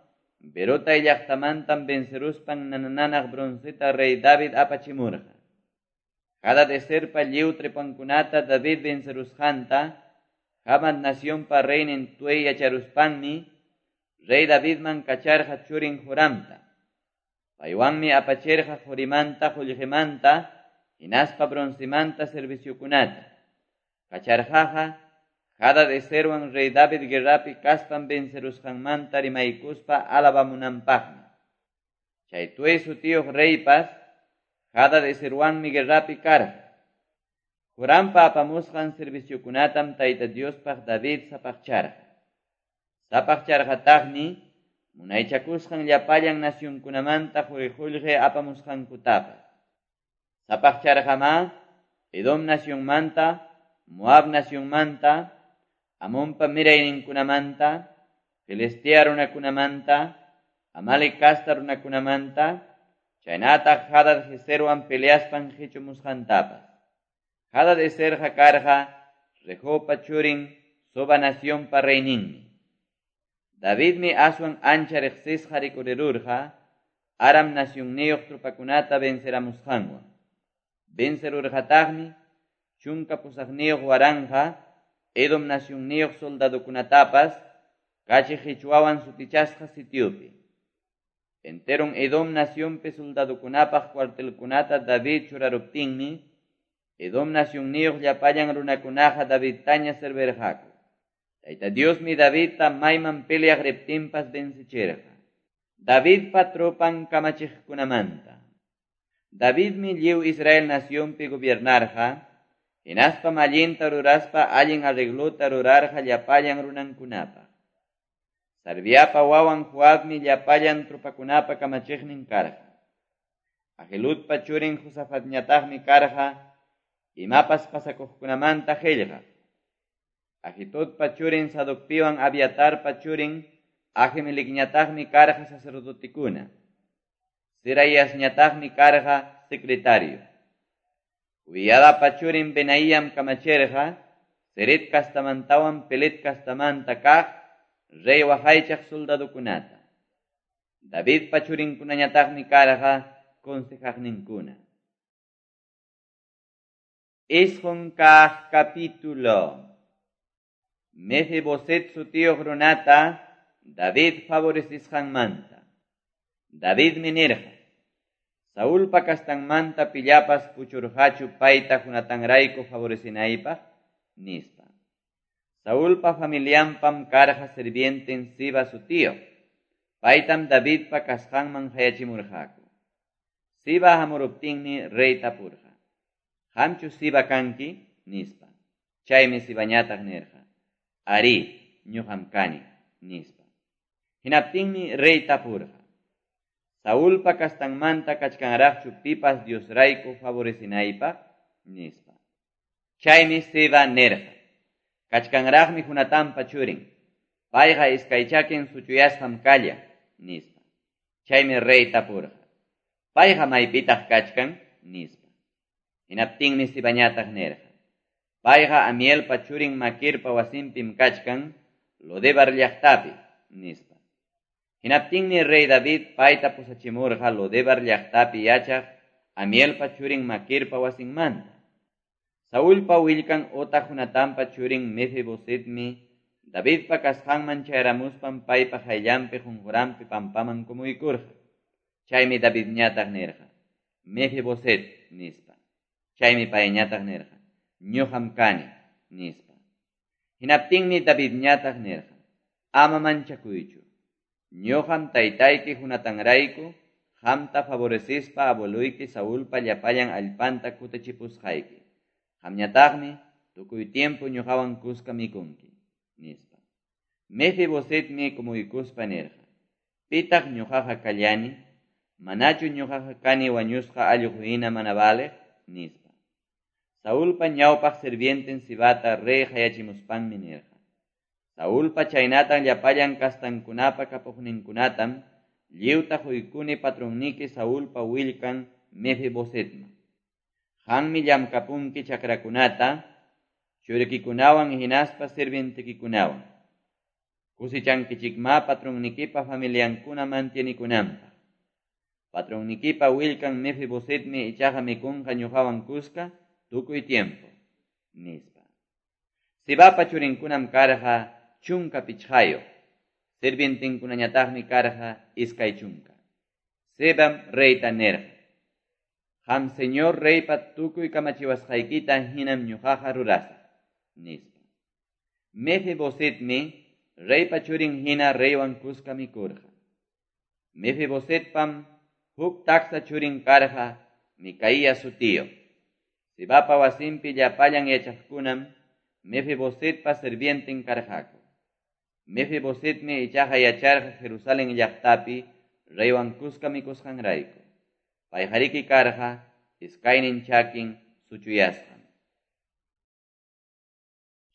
Berotay llaqtamantam venceruspan nanananaq bronceta rey David apachimurqa. Hadad Eserpa lliw trepankunata David vencerusqanta Hamat nacionpa reynin Tuey yacharuspanmi rey Davidman kacharqa churin Joramta. Paywanmi apachirqa qorimanta, qullqimanta, hinaspa broncemanta serviciokunata. Kacharqaqa Hadad Eserwan rey David guerrapi kaspan vencerusqanmanta rimaykuspa alabamunanpaqmi. Chay Tuey sutiyuq reypas Hadad Eserwanmi guerrapi karqa. Jorampa apamusqan serviciokunatam Tayta Diospaq David sapaqcharqa. Sapaqcharqataqmi munaychakusqan llapallan nacionkunamanta quri-qullqi apamusqankutapas. Sapaqcharqamá Edom nacionmanta, Moab nacionmanta, Amonpa mirayninkunamanta, Filistea runakunamanta, Amalek casta runakunamanta, chaynataq Hadad Eserwan peleaspan qichumusqantapas. Hadad Eserqa karqa Rehopa churin Soba nacionpa reyninmi. Davidmi aswan ancha riqsisqa rikurirurqa Aram nacionniyuq tropakunata venceramusqanwan. Vencerurqataqmi 18,000 Edom nacionniyuq soldadokunatapas kachi qichwawan sutichasqa sitiopi. Enteron Edom nacionpi soldadokunapaq cuartelkunata David churaruptinmi Edom nacionniyuq llapallan runakunaqa Davidtaña servirqaku. Tayta Diosmi Davidta mayman peleaq riptinpas vencichirqa. Davidpa tropan kamachiqkunamanta. Davidmi lliw Israel nacionpi gobiernarqa, hinaspam allinta ruraspa allin arreglota rurarqa llapallan runankunapaq. Sarviapa wawan Joabmi llapallan tropakunapa kamachiqnin karqa. Ahiludpa churin Josafatñataqmi karqa imapas pasakuqkunamanta qillqaq. Ahitudpa churin Sadocpiwan Abiatarpa churin Ahimelecñataqmi karqa sacerdotekuna. Seraiasñataqmi karqa secretario. Joiadapa churin Benaíam kamachirqa Ceret castamantawan Pelet castamanta kaq rey waqaychaq soldadokunata. Davidpa churinkunañataqmi karqa consejaqninkuna. 9 kaq capítulo. Mefiboset sutiyuq runata David favorecisqanmanta. Davidmi nirqa: Saulpa kastanmanta pillapas puchurqachu payta Jonatanrayku favorecinaypaq, nispa. Saulpa familianpam karqa sirvienten Siba sutiyuq. Paytam Davidpa kasqanman hayachimurqaku. Siba hamuruptinmi rey tapurqa: Qamchu Siba kanki? Nispa. Chaymi Sibañataq nirqa: Arí, ñuqam kani, nispa. Hinaptinmi rey tapurqa: Saulpa kastanmanta kachkanraqchu pipas Diosrayku favorecinaypaq? Nispa. Chaymi Siba nirqa: Kachkanraqmi Jonatanpa churin. Payqa iskay chakin suchuyasqam kallan, nispa. Chaymi rey tapurqa: Payqa maypitaq kachkan? Nispa. Hinaptinmi Sibañataq nirqa: Payqa Amielpa churin Maquirpa wasinpim kachkan, Lodebar llaqtapi, nispa. Hinaptinmi rey David payta pusachimurqa Lodebar llaqtapi yachaq Amielpa churin Maquirpa wasinmanta. Saulpa willkan otaq Jonatanpa churin Mefibosetmi Davidpa kasqanman chayaramuspan paypa qayllanpi qunquranpi pampaman kumuykurqa. Chaymi Davidñataq nirqa: Mefiboset, nispa. Chaymi payñataq nirqa: Ñuqam kani, nispa. Hinaptinmi Davidñataq nirqa: Ama manchakuychu. Ñuqam taytayki Jonatanrayku qamta favorecispa abueluyki Saulpa llapallan allpanta kutichipusqayki. Qamñataqmi tukuy tiempo ñuqawan kuska mikunki, nispa. Mefibosetmi kumuykuspa nirqa: Pitaq ñuqaqa kallani? Manachu ñuqaqa kani wañusqa allqu hina mana valeq? Nispa. Saulpa ñawpaq sirvienten Sibata rey qayachimuspanmi nirqa: Saulpa chaynatan llapallan kastankunapa kapuqninkunatam lliwta quykuni patronniki Saulpa willkan Mefibosetman. Qammi llamkapunki chakrakunata, churikikunawan hinaspa sirvientekikunawan. Kusichankichikma patronnikipa familiankuna mantienikunanpaq. Patronnikipa willkan Mefibosetmi ichaqa mikunqa ñuqawan kuska tukuy tiempo, nispa. Sibapa churinkunam karqa 15, sirvientinkunañataqmi karqa 20. Sibam reyta nirqa: Qam señor reypa tukuy kamachiwasqaykita hinam ñuqaqa rurasaq, nispa. Mefibosetmi reypa churin hina reywan kuska mikurqa. Mefibosetpam huk taksa churin karqa Micaía sutiyuq. Sibapa wasinpi llapallan yachaqkunam Mefibosetpa sirvienten karqaku. Mefibosetmi ichaqa yacharqa Jerusalén llaqtapi reywan kuska mikusqanrayku. Payqariki karqa iskaynin chakin suchuyasqam.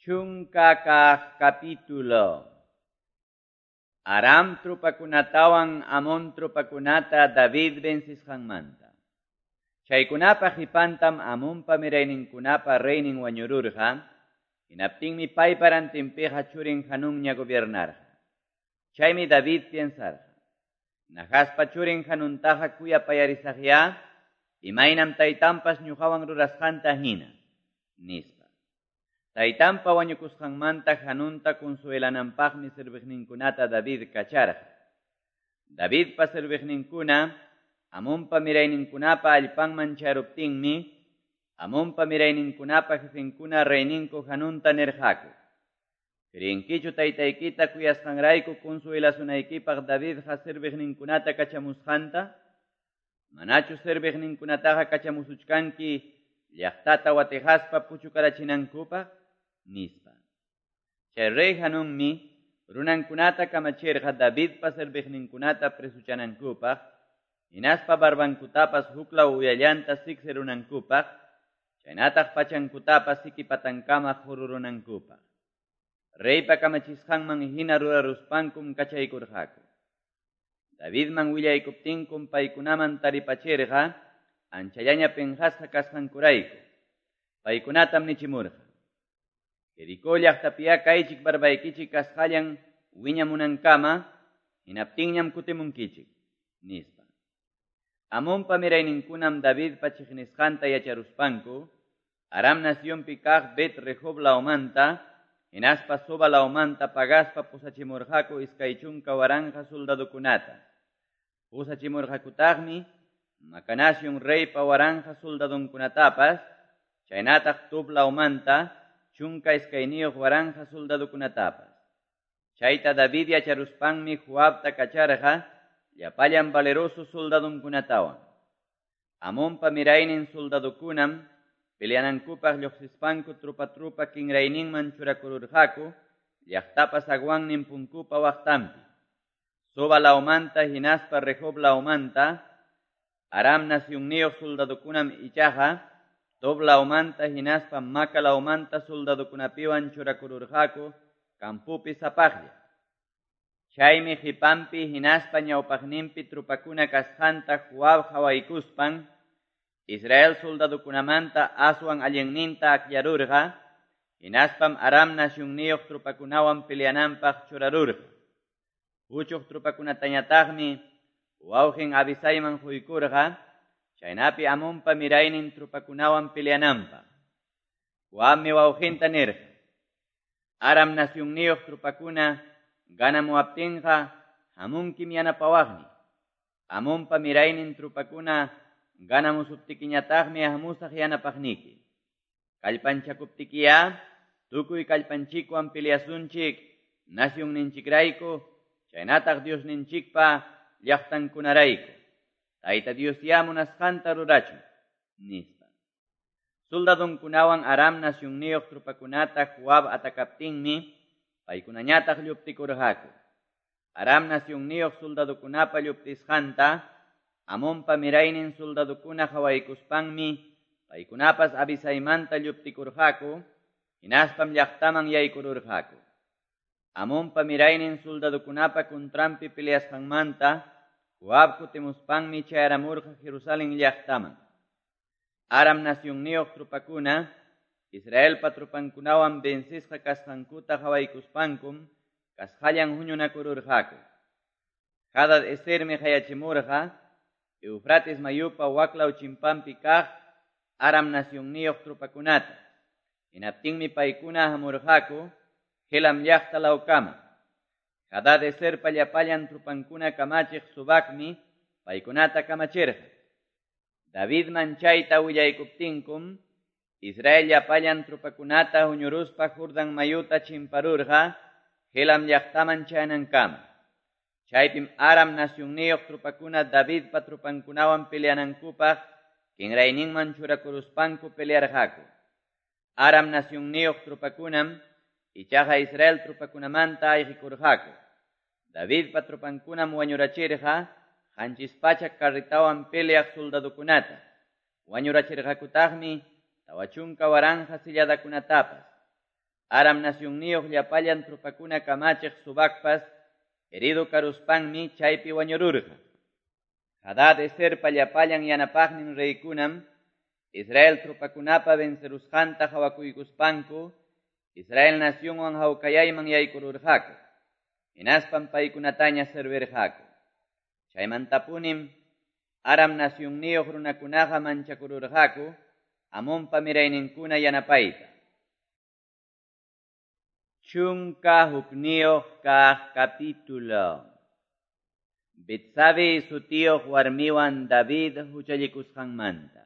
10 kaq capítulo. Aram trupakunatawan Amón trupakunata David vencisqanmanta. Chaykunapa qipantam Amonpa mirayninkunapa reynin wañururqa, hinaptinmi paypa rantinpiqa churin Hanunña gobiernarqa. Chaymi David piensarqa: Nahaspa churin Hanuntaqa kuyapayarisaqya, imaynam taytanpas ñuqawan rurasqanta hina, nispa. Taytanpa wañukusqanmanta Hanunta consuelananpaqmi serviqninkunata David kacharqa. Davidpa serviqninkuna Amonpa mirayninkunapa allpanman charuptinmi, Amonpa mirayninkunapa jefenkuna reyninku Hanunta nirqaku: Creenkichu taytaykita kuyasqanrayku consuelasunaykipaq Davidqa serviqninkunata kachamusqanta? Manachu serviqninkunataqa kachamusuchkanki llaqtata watijaspa puchukarachinankupaq? Nispa. Chay rey Hanunmi runankunata kamachirqa Davidpa serviqninkunata presuchanankupaq, hinaspa barbankutapas huklaw uyallanta siksirunankupaq, chaynataq pachankutapas sikipatankama jururunankupaq. Reypa kamachisqanman hina ruraruspankum kachaykurqaku. Davidman willaykuptinkum paykunaman taripachirqa anchallaña penqasqa kasqankurayku. Paykunatam nichimurqa: Jericó llaqtapiya kaychik barbaykichik kasqallan wiñamunankama, hinaptinñam kutimunkichik, nispa. Amonpa mirayninkunam Davidpa chiqnisqanta yacharuspanku, Aram nacionpi kaq Bet Rehob lawmanta, hinaspa Soba lawmanta pagaspa pusachimurqaku 20,000 soldadokunata. Pusachimurqakutaqmi Macanación reypa 1,000 soldadonkunatapas, chaynataq Tob lawmanta 12,000 soldadokunatapas. Chayta David yacharuspanmi Joabta kacharqa llapallan valeroso soldadonkunatawan. Amonpa miraynin soldadokunam peleanankupaq lluqsispanku trupa kinrayninman churakururqaku llaqtapa zaguannin punkupa waqtanpi. Soba lawmanta hinaspa Rehob lawmanta Aram nacionniyuq soldadokunam ichaqa Tob lawmanta hinaspa Maca lawmanta soldadokunapiwan churakururqaku kampupi sapaqlla. Chaymi qipanpi hinaspa ñawpaqninpi trupakuna kasqanta Joab qhawaykuspan Israel soldadokunamanta aswan allinninta akllarurqa, hinaspam Aram nacionniyuq trupakunawan peleananpaq churarurqa. Puchuq tropakunatañataqmi wawqin Abisaiman quykurqa, chaynapi Amonpa miraynin tropakunawan peleananpaq. Joabmi wawqinta nirqa: Aram nacionniyuq tropakuna ganamuwaptinqa hamunkim yanapawaqni. Amonpa miraynin tropakuna ganamusuptikiñataqmi hamusaq yanapaqniki. Kallpanchakuptikiya tukuy kallpanchikwan peleasunchik nacionninchikrayku, chaynataq Diosninchikpa llaqtankunarayku. Tayta Dios ya munasqanta rurachun, nispa. Soldadunkunawan Aram nacionniyuq tropakunata Joab atakaptinmi paykunañataq lluptikurqaku. Aram nacionniyuq soldadukunapa lluptisqanta Amonpa miraynin soldadukuna qhawaykuspanmi paykunapas Abisaimanta lluptikurqaku, hinaspam llaqtaman yaykururqaku. Amonpa miraynin soldadukunapa kuntranpi peleasqanmanta Joab kutimuspanmi chayaramurqa Jerusalén llaqtaman. Aram nacionniyuq tropakuna Israelpa tropankunawan vencisqa kasqankuta qhawaykuspankum kasqallan huñunakururqaku. Hadad Esermi qayachimurqa Eufrates mayupa waklaw chimpanpi kaq Aram nacionniyuq tropakunata. Hinaptinmi paykuna hamurqaku Helam llaqta lawkama. Hadad Eserpa llapallan tropankuna kamachiq Sobacmi paykunata kamachirqa. Davidman chayta willaykuptinkum Israel llapallan tropakunata huñuruspa Jordán mayuta chimparurqa Helam llaqtaman chayanankama. Chaypim Aram nacionniyuq tropakuna Davidpa tropankunawan peleanankupaq kinrayninman churakuruspanku pelearqaku. Aram nacionniyuq tropakunam ichaqa Israel tropakunamanta ayqikurqaku. Davidpa tropankunam wañurachirqa 700 carretawan peleaq soldadukunata. Wañurachirqakutaqmi 40,000 silladakunatapas. Aram nacionniyuq llapallan tropakuna kamachiq Sobacpas herido karuspanmi chaypi wañururqa. Hadad Eserpa llapallan yanapaqnin reykunam Israel tropakunapa vencerusqanta qhawakuykuspanku Israel nacionwan hawkayayman yaykururqaku. Hinaspam paykunataña servirqaku. Chaymantapunim Aram nacionniyuq runakunaqa manchakururqaku Amonpa mirayninkuna yanapayta. 11 kaq capítulo. Betsabe sutiyuq warmiwan David huchallikusqanmanta.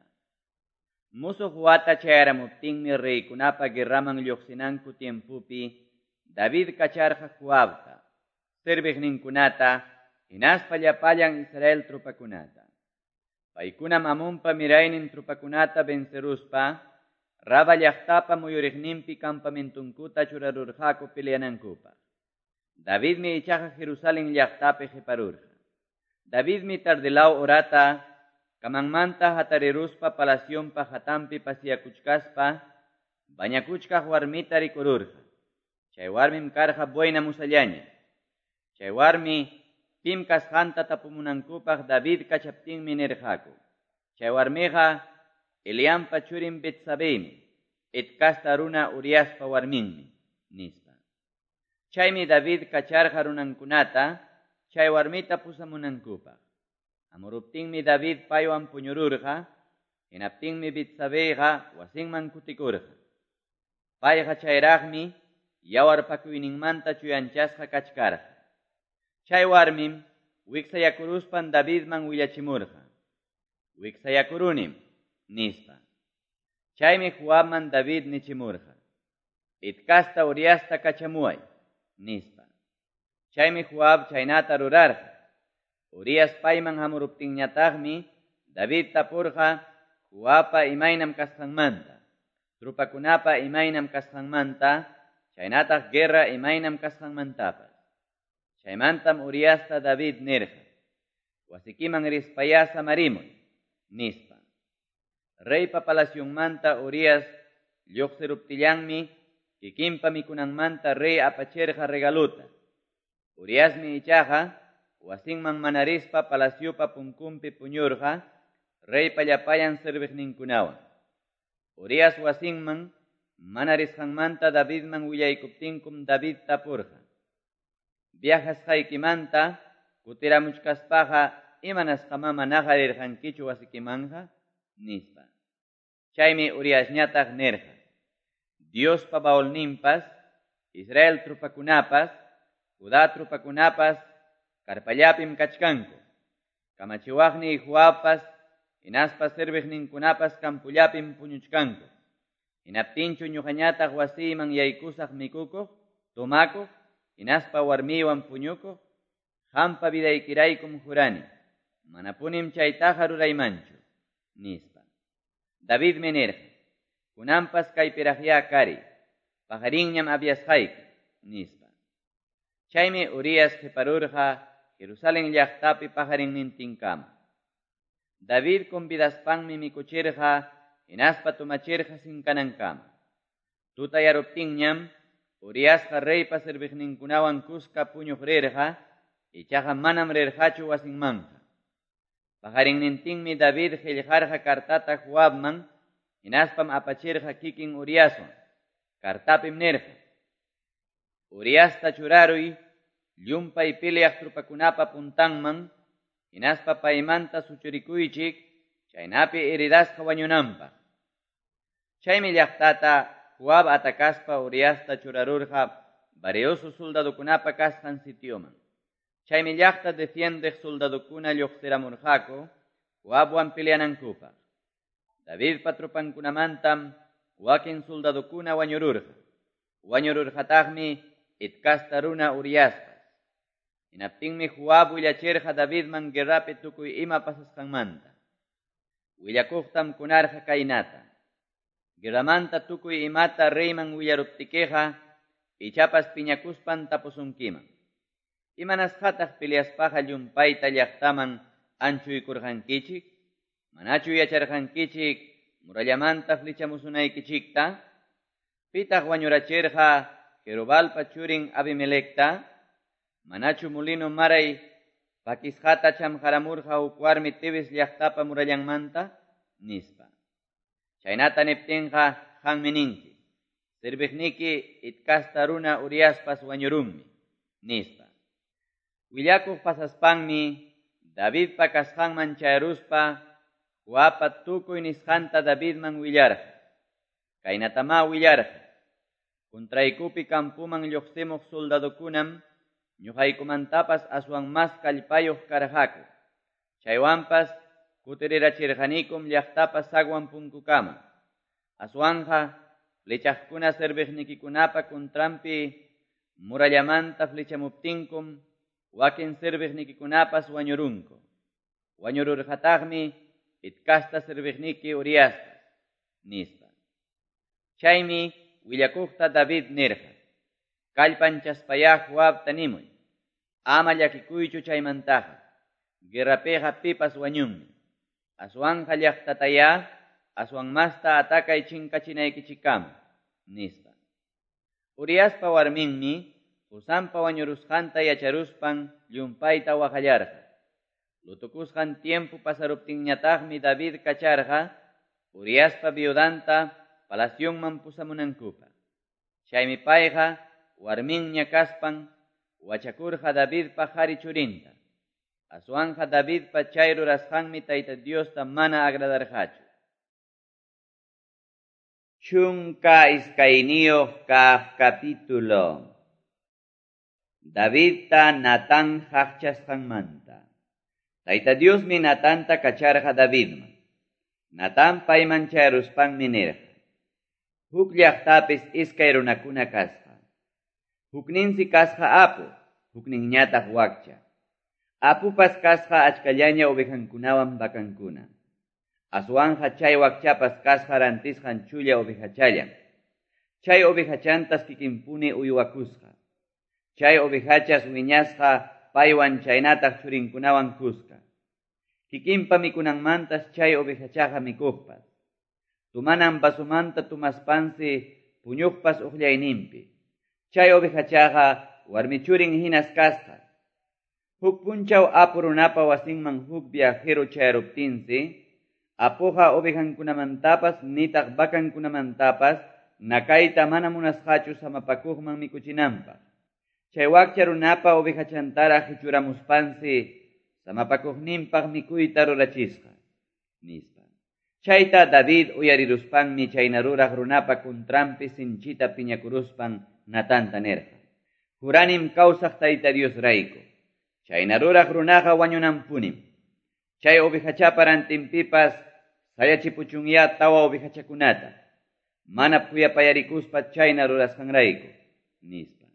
Musuq wata chayaramuptinmi reykunapa guerraman lluqsinanku tiempupi David kacharqa Joabta, serviqninkunata, hinaspa llapallan Israel tropakunata. Paykunam Amonpa miraynin tropakunata venceruspa Raba llaqtapa muyuriqninpi campamentunkuta churarurqaku peleanankupaq. Davidmi ichaqa Jerusalén llaqtapi qiparurqa. Davidmi tardilaw orata kamanmanta hatariruspa palacionpa hatanpi pasiyakuchkaspa bañakuchkaq warmita rikururqa. Chay warmim karqa buena musallaña. Chay warmi pim kasqanta tapumunankupaq David kachaptinmi nirqaku. Chay warmiqa Eliampa churin Betsabemi, Het kasta runa Uriaspa warminmi, nispa. Chaymi David kacharqa runankunata, chay warmita pusamunankupaq. Hamuruptinmi David paywan puñururqa, hinaptinmi Betsabeyqa wasinman kutikurqa. Payqa chayraqmi yawarpakuyninmanta chuyanchasqa kachkarqa. Chay warmim wiksayakuruspan Davidman willachimurqa. Wiksayakurunim, nispa. Chaymi Joabman David nichimurqa. Het kasta Uriasta kachamuay, nispa. Chaymi Joab chaynata rurarqa. Urias payman hamuruptinñataqmi David tapurqa Joabpa imaynam kasqanmanta, tropakunapa imaynam kasqanmanta, chaynataq guerra imaynam kasqanmantapas. Chaymantam Uriasta David nirqa: Wasikiman rispayá samarimuy, nispa. Reypa palacionmanta Urias lluqsiruptillanmi kikinpa mikunanmanta rey apachirqa regaluta. Uriasmi ichaqa wasinman mana rispa palaciopa punkunpi puñurqa reypa llapallan serviqninkunawan. Urias wasinman mana risqanmanta Davidman willaykuptinkum David tapurqa: Viajasqaykimanta kutiramuchkaspaqa imanasqamá manaqa rirqankichu wasikimanja, nispa. Chaymi Uriasñataq nirqa: Diospa baulninpas, Israel trupakunapas, Judá trupakunapas karpallapim kachkanku. Kamachiwaqniy Joabpas hinaspa serviqninkunapas campollapim puñuchkanku. Hinaptinchu ñuqañataq wasiyman yaykusaq mikukuq, tomakuq, hinaspa warmiywan puñukuq, qampa vidaykiraykum jurani, manapunim chaytaqa ruraymanchu, nispa. Davidmi nirqa: Kunanpas kaypiraqyá kari, paqarinñam aviasqayki, nispa. Chaymi Urias qiparurqa Jerusalén llaqtapi paqarinnintinkama. David convidaspanmi mikuchirqa hinaspa tomachirqa sinkanankama. Tutayaruptinñam Uriasqa reypa serviqninkunawan kuska puñuq rirqa, ichaqa manam rirqachu wasinmanja. Paqarinnintinmi David qillqarqa kartata Joabman, hinaspam apachirqa kikin Uriaswan. Kartapim nirqa: Uriasta churaruy llumpay peleaq trupakunapa puntanman, hinaspa paymanta suchurikuychik, chaynapi heridasqa wañunanpaq. Chaymi llaqtata Joab atakaspa Uriasta churarurqa varioso soldadokunapa kasqan sitioman. Chaymi llaqta defiendeq soldadokuna lluqsiramurqaku Joabwan peleanankupaq. Davidpa trupankunamantam wakin soldadokuna wañururqa. Wañururqataqmi Het kasta runa Uriaspas. Hinaptinmi Joab willachirqa Davidman guerrapi tukuy ima pasasqanmanta. Willakuqtam kunarqa kaynata: Guerramanta tukuy imata reyman willaruptikiqa, ichapas piñakuspan tapusunkiman. Imanasqataq peleaspaqa llumpayta llaqtaman anchuykurqankichik? Manachu yacharqankichik murallamanta flechamusunaykichikta? Pitaq wañurachirqa Jerobalpa churin Abimelecta? Manachu mulino maray pakisqata chamqaramurqa huk warmi Tebes llaqtapa murallanmanta? Nispa. Chaynata niptinqa qanmi ninki: Serviqniki Het kasta runa Uriaspas wañurunmi, nispa. Willakuq pasaspanmi Davidpa kasqanman chayaruspa Joabpa tukuy nisqanta Davidman willarqa. Kaynatamá willarqa: Contraykupi campoman lluqsimuq soldadokunam ñuqaykumantapas aswan mas kallpayuq karqaku. Chaywanpas kutirirachirqanikum llaqtapa sagwan punkukama. Aswanja flechaqkuna serviqnikikunapa contranpi murallamanta flechamuptinkum wakin serviqnikikunapas wañurunku. Wañururqataqmi Het kasta serviqniki Uriaspas, nispa. Chaymi willakuqta David nirqa: Kallpanchaspayá Joabta nimuy, ama llakikuychu chaymantaqa, guerrapiqa pipas wañunmi. Aswanja llaqtatayá aswan masta atakay chinkachinaykichikkama, nispa. Uriaspa warminmi qusanpa wañurusqanta yacharuspan llumpayta waqallarqa. Lutukusqan tiempo pasaruptinñataqmi David kacharqa Uriaspa viudanta palacionman pusamunankupaq. Chaymi payqa warminña kaspan wachakurqa Davidpa qhari churinta. Aswanja Davidpa chay rurasqanmi Tayta Diosta mana agradarqachu. 12 kaq capítulo. Davidta Natán haqchasqanmanta. Tayta Diosmi Natanta kacharqa Davidman. Natán payman chayaruspanmi nirqa: Huk llaqtapis iskay runakuna kasqa. Hukninsi kasqa apu, hukninñataq wakcha. Apupas kasqa achkallaña ovejankunawan vakankuna. Aswanja chay wakchapas kasqa rantisqan chulla ovejachallan. Chay ovejachantas kikinpuni uywakusqa. Chay ovejachas wiñasqa paywan chaynataq churinkunawan kuska. Kikinpa mikunanmantas chay ovejachaqa mikuqpas. Tumanan vasomanta tumaspansi puñuqpas uqllayninpi. Chay ovejachaqa warmichurin hinas kasqa. Huk punchaw apu runapa wasinman huk viajero chayaruptinsi, apuqa ovejankunamantapas nitaq vakankunamantapas nakayta mana munasqachu samapakuqman mikuchinanpaq. Chay wakcha runapa ovejachantaraq qichuramuspansi samapakuqninpaq mikuyta rurachisqa, nispa. Chayta David uyariruspanmi chayna ruraq runapa contranpi sinchita piñakuruspan Natanta nirqa: Juranim kawsaq Tayta Diosrayku, chayna ruraq runaqa wañunanpunim. Chay ovejachapa rantinpipas sayachipuchunyá tawa ovejachakunata, mana khuyapayarikuspa chayna rurasqanrayku, nispa.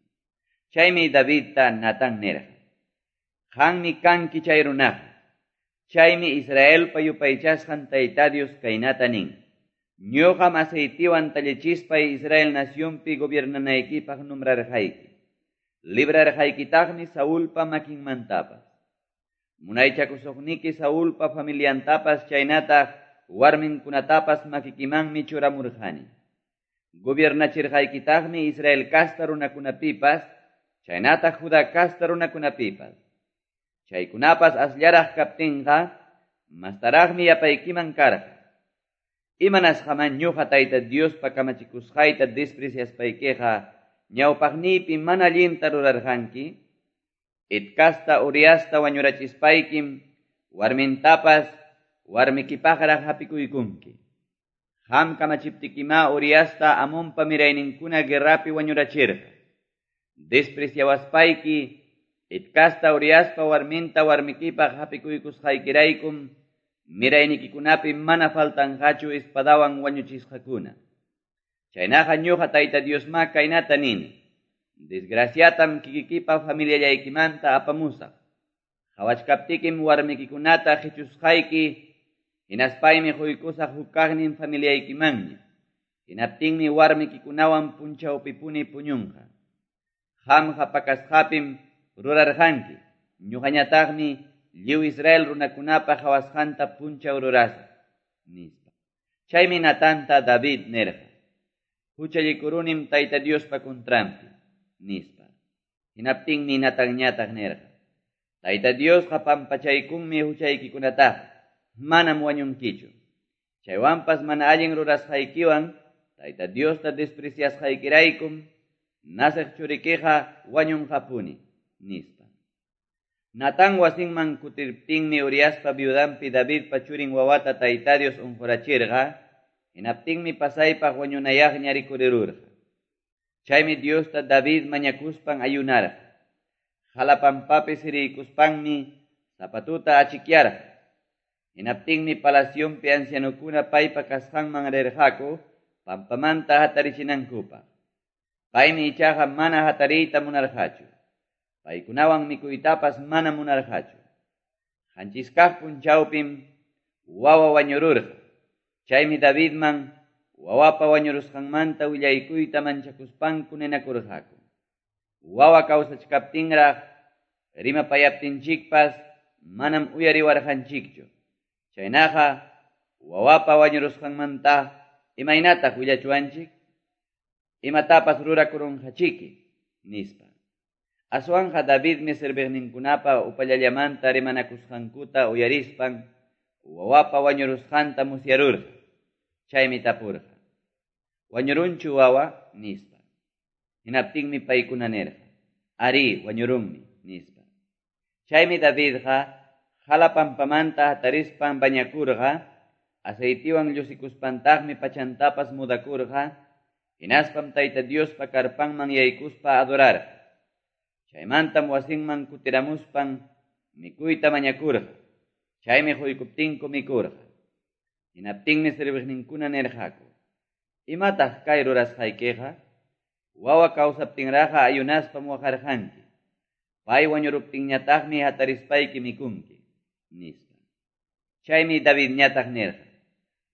Chaymi Davidta Natán nirqa: Qanmi kanki chay runaqa. Chaymi Israelpa yupaychasqan Tayta Dios kaynata nin: Ñuqam aceitiwan tallichispay Israel nacionpi gobiernanaykipaq nombrarqayki. Librarqaykitaqmi Saulpa makinmantapas. Munaychakusuqniki Saulpa familiantapas chaynataq warminkunatapas makikimanmi churamurqani. Gobiernachirqaykitaqmi Israel casta runakunapipas, chaynataq Judá casta runakunapipas. Chaykunapas asllaraq kaptinqa, mastaraqmi yapaykiman karqa. Imanasqaman ñuqa Tayta Diospa kamachikusqayta despreciaspaykiqa ñawpaqniypi mana allinta rurarqanki? Het casta Uriasta wañurachispaykim warmintapas warmikipaqraq hapikuykunki. Qam kamachiptikimá Uriasta Amonpa mirayninkuna guerrapi wañurachirqa. Despreciawaspayki Het casta Uriaspa warminta warmikipaq hapikuykusqaykiraykum miraynikikunapi mana faltanqachu espadawan wañuchisqakuna. Chaynaqa ñuqa Tayta Diosmá kaynata nini: Desgraciatam kikikipa familiallaykimanta apamusaq. Qhawachkaptikim warmikikunata qichusqayki, hinaspaymi quykusaq huk kaqnin familiaykimanña. Hinaptinmi warmikikunawan punchawpipuni puñunqa. Qamqa pakasqapim rurarqanki, ñuqañataqmi lliw Israel runakunapa qhawasqanta punchaw rurasaq, nispa. Chaymi Natanta David nirqa: Huchallikurunim Tayta Diospa contranpi, nispa. Hinaptinmi Natanñataq nirqa: Tayta Diosqa pampachaykunmi huchaykikunataqa, manam wañunkichu. Chaywanpas mana allin rurasqaykiwan Tayta Diosta despreciasqaykiraykum naciq churikiqa wañunqapuni, nispa. Natán wasinman kutirptinmi Uriaspa viudanpi Davidpa churin wawata Tayta Dios unqurachirqa, hinaptinmi pasaypaq wañunayaqña rikurirurqa. Chaymi Diosta David mañakuspan ayunarqa. Jalapampapi siriykuspanmi zapatuta achikyarqa. Hinaptinmi palacionpi ancianokuna paypa kasqanman rirqaku pampamanta hatarichinankupaq. Paymi ichaqa mana hatariyta munarqachu. Paykunawan mikuytapas mana munarqachu. Qanchis kaq punchawpim wawa wañururqa. Chaymi Davidman wawapa wañurusqanmanta willaykuyta manchakuspanku ninakurqaku. Wawa kawsachkaptinraq rimapayaptinchikpas manam uyariwarqanchikchu. Chaynaqa wawapa wañurusqanmanta imaynataq willachuwanchik? Imatapas rurakurunqachiki, nispa. Aswanqa Davidmi serviqninkunapa upallallamanta rimanakusqankuta uyarispan wawapa wañurusqanta musyarurqa. Chaymi tapurqa: Wañurunchu wawa? Nispa. Hinaptinmi paykuna nirqa: Ari, wañurunmi, nispa. Chaymi Davidqa jalapampamanta hatarispan bañakurqa, aceitiwan llusikuspantaqmi pachantapas mudakurqa, hinaspam Tayta Diospa karpanman yaykuspa adorarqa. Chaymantam wasinman kutiramuspan mikuyta mañakurqa. Chaymi quykuptinku mikurqa. Hinaptinmi serviqninkuna nirqaku: Imataq kay rurasqaykiqa? Wawa kawsaptinraqa ayunaspam waqarqanki. Pay wañuruptinñataqmi hatarispayki mikunki, nispa. Chaymi Davidñataq nirqa: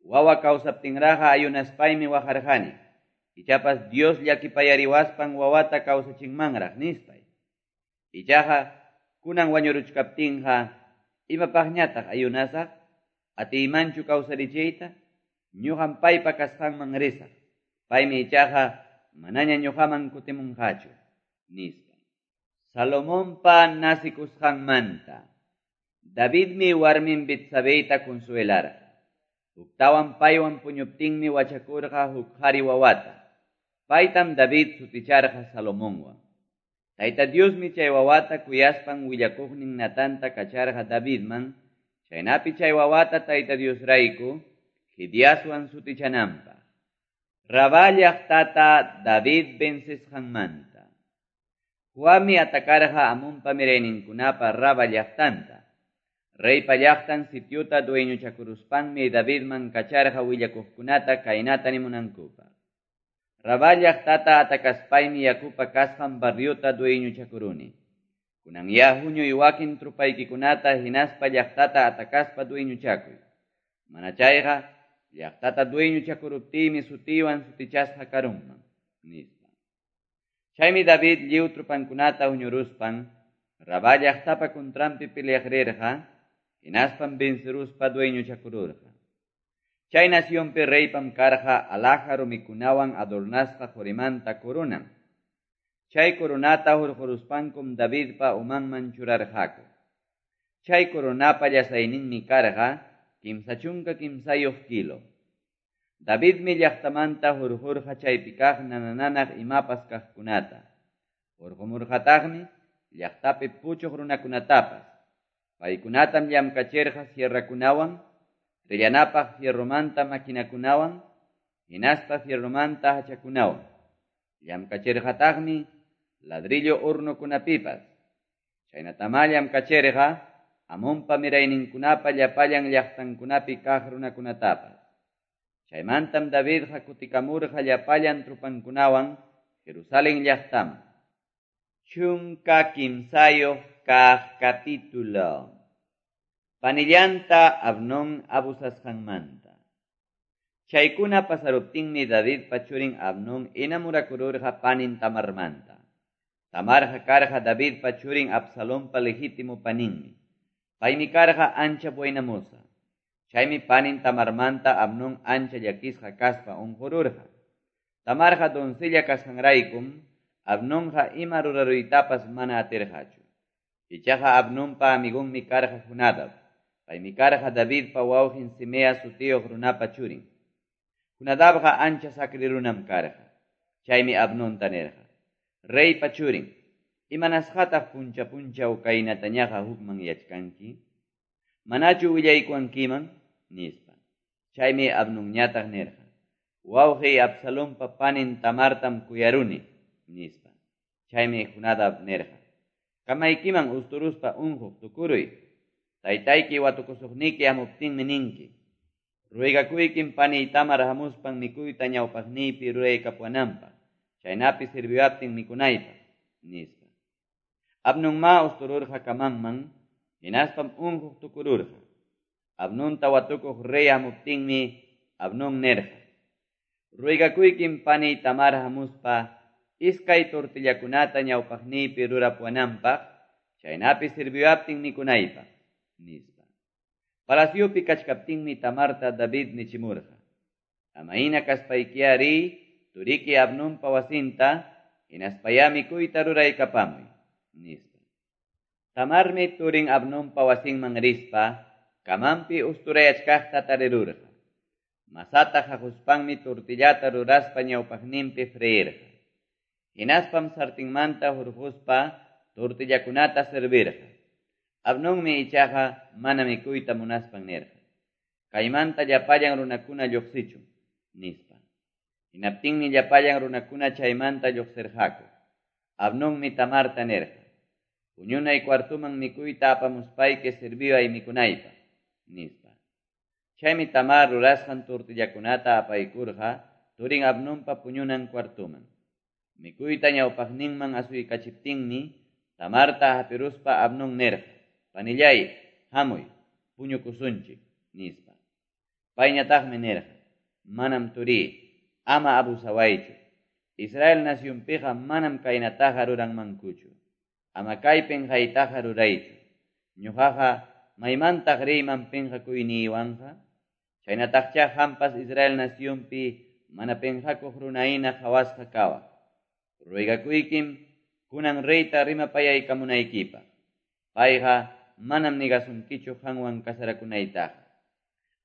Wawa kawsaptinraqa ayunaspaymi waqarqani. Ichapas Dios llakipayariwaspan wawata kawsachinmanraq, nispay. Ichaqa kunan wañuruchkaptinqa imapaqñataq ayunasaq? Atiymanchu kawsarichiyta? Ñuqam paypa kasqanman risaq. Paymi ichaqa manaña ñuqaman kutimunqachu, nispa. Salomonpa nasikusqanmanta. Davidmi warmin Betsabeyta consuelarqa. Huktawan paywan puñuptinmi wachakurqa huk qhari wawata. Paytam David suticharqa Salomonwan. Tayta Diosmi chay wawata kuyaspan willakuqnin Natanta kacharqa Davidman, chaynapi chay wawata Tayta Diosrayku Jediaswan sutichananpaq. Rabá llaqtata David vencesqanmanta. Joabmi atacarqa Amonpa mirayninkunapa Rabá llaqtanta. Reypa llaqtan sitiota dueñochakuruspanmi Davidman kacharqa willakuqkunata kaynata nimunankupaq. Rabá llaqtata atakaspaymi yakupa kasqan barriota dueñochakuruni. Kunanyá huñuy wakin trupaykikunata hinaspa llaqtata atakaspa dueñochakuy. Mana chayqa llaqtata dueñochakuruptiymi sutiywan sutichasqa karunman, nispa. Chaymi David lliw trupankunata huñuruspan Rabá llaqtapa contranpi peleaq rirqa, hinaspam venceruspa dueñochakururqa. Chay nacionpi reypam karqa alhaja rumikunawan adornasqa qorimanta coronan. Chay coronata hurquruspankum Davidpa umanman churarqaku. Chay coronapa llasayninmi karqa 33 kilo. Davidmi llaqtamanta hurqurqa chaypi kaq nanananaq imapas kaqkunata. Hurqumurqataqmi llaqtapi puchuq runakunatapas. Paykunatam llamkachirqa sierrakunawan, trillanapaq fierromanta maquinakunawan, hinaspa fierromanta hachakunawan. Llamkachirqataqmi ladrillo hornokunapipas. Chaynatamá llamkachirqa Amonpa mirayninkunapa llapallan llaqtankunapi kaq runakunatapas. Chaymantam Davidqa kutikamurqa llapallan trupankunawan Jerusalén llaqtaman. 13 kaq capítulo. Panillanta Abnón abusasqanmanta. Chaykuna pasaruptinmi Davidpa churin Abnón enamurakururqa panin Tamarmanta. Tamarqa karqa Davidpa churin Absalompa legítimo paninmi. Paymi karqa ancha buena moza. Chaymi panin Tamarmanta Abnón ancha llakisqa kaspa unqururqa. Tamarqa doncella kasqanraykum Abnonqa ima ruraruytapas mana atirqachu. Ichaqa Abnonpa amigonmi karqa Jonadab. Paymi karqa Davidpa wawqin Simea sutiyuq runapa churin. Jonadabqa ancha sakri runam karqa. Chaymi Abnonta nirqa: Reypa churin, imanasqataq puncha punchaw kaynatañaqa hukman yachkanki? Manachu willaykuwankiman? Nispa. Chaymi Abnonñataq nirqa: Wawqiy Absalompa panin Tamartam kuyaruni, nispa. Chaymi Jonadab nirqa: Kamaykiman usturuspa unquq tukuruy. Taytayki watukusuqniki hamuptinmi ninki: Ruegakuykim paniy Tamar hamuspan mikuyta ñawpaqniypi ruraykapuwananpaq, chaynapi sirviwaptin mikunaypaq, nispa. Abnonma ustururqa kamanman, hinaspam unquq tukururqa. Abnonta watukuq rey hamuptinmi Abnón nirqa: Ruegakuykim paniy Tamar hamuspa iskay tortillakunata ñawpaqniypi rurapuwananpaq, chaynapi sirviwaptin mikunaypaq, nispa. Palaciopi kachkaptinmi Tamarta David nichimurqa: Amayna kaspaykiya riy turiki Abnonpa wasinta, hinaspayá mikuyta ruraykapamuy, nispa. Tamarmi turin Abnonpa wasinman rispa, kamanpi usturayachkaqta tarirurqa. Masata haquspanmi tortillata ruraspa ñawpaqninpi freirqa. Hinaspam sartinmanta hurquspa tortillakunata servirqa. Abnonmi ichaqa mana mikuyta munaspan nirqa: Kaymanta llapallan runakuna lluqsichun, nispa. Hinaptinmi llapallan runakuna chaymanta lluqsirqaku. Abnonmi Tamarta nirqa: Puñunay cuartuman mikuyta apamuspayki sirviway mikunaypaq, nispa. Chaymi Tamar rurasqan tortillakunata apaykurqa turin Abnonpa puñunan cuartuman. Mikuyta ñawpaqninman asuykachiptinmi Tamarta hapiruspa Abnón nirqa: Panillay, hamuy, puñukusunchik, nispa. Payñataqmi nirqa: Manam turiy, ama abusawaychu. Israel nacionpiqa manam kaynataqa ruranmankuchu. Ama kay pinqaytaqa ruraychu. Ñuqaqa maymantaq riyman pinqakuyniywanqa? Chaynataqcha hampas Israel nacionpi mana pinqakuq runahina qhawasqa kawaq. Ruegakuykim kunan reyta rimapayaykamunaykipaq. Payqa manam negasunkichu qanwan kasarakunaytaqa.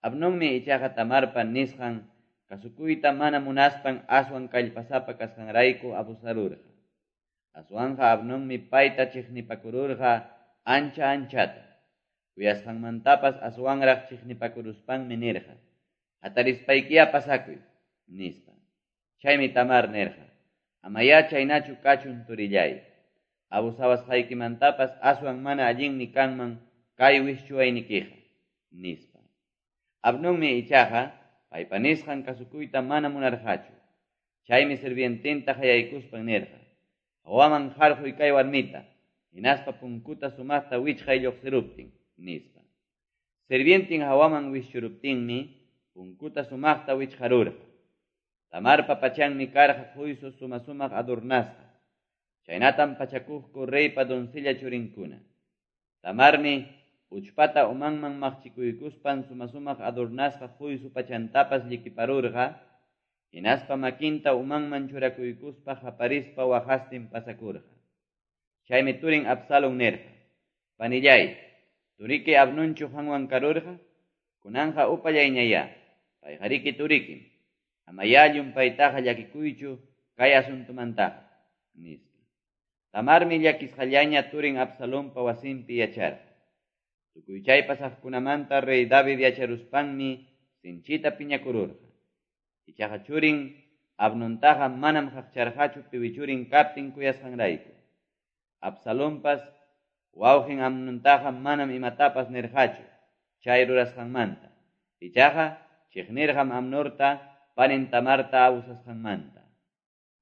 Abnonmi ichaqa Tamarpa nisqan kasukuyta mana munaspan aswan kallpasapa kasqanrayku abusarurqa. Aswanqa Amnonmi payta chiqnipakururqa ancha anchata. Kuyasqanmantapas aswanraq chiqnipakuruspanmi nirqa: "Hatarispaykiya pasakuy", nispa. Chaymi Tamar nirqa: "Amayá chaynachu kachun, turillay. Abusawasqaykimantapas aswan mana allinmi kanman kay wischuwaynikiqa", nispa. Amnonmi ichaqa paypa nisqan kasukuyta mana munarqachu. Chaymi sirviententa qayaykuspan nirqa: "Hawaman qarquy kay warmita, hinaspa punkuta sumaqta wichqay lluqsiruptin", nispa. Sirvientin hawaman wischuruptinmi punkuta sumaqta wichqarurqa. Tamarpa pachanmi karqa quysu suma-sumaq adornasqa. Chaynatam pachakuqku reypa doncella churinkuna. Tamarmi uchpata umanman maqchikuykuspan suma-sumaq adornasqa quysu pachantapas llikiparurqa, hinaspa makinta umanman churakuykuspa qaparispa waqastin pasakurqa. Chaymi turin Absalón nirqa: "Panillay, turiki Amnonchu qanwan karurqa? Kunanqa upallayñayá, payqariki turikim. Amayá llumpaytaqa llakikuychu kay asuntomantaqa", nispa. Tamarmi llakisqallaña turin Absalonpa wasinpi yacharqa. Tukuy chay pasaqkunamanta rey David yacharuspanmi sinchita piñakururqa. Ichaqa churin Amnontaqa manam qaqcharqachu piwi churin kaptin kuyasqanrayku. Absalonpas wawqin Amnontaqa manam imatapas nirqachu chay rurasqanmanta. Ichaqa chiqnirqam Amnonta panin Tamarta abusasqanmanta.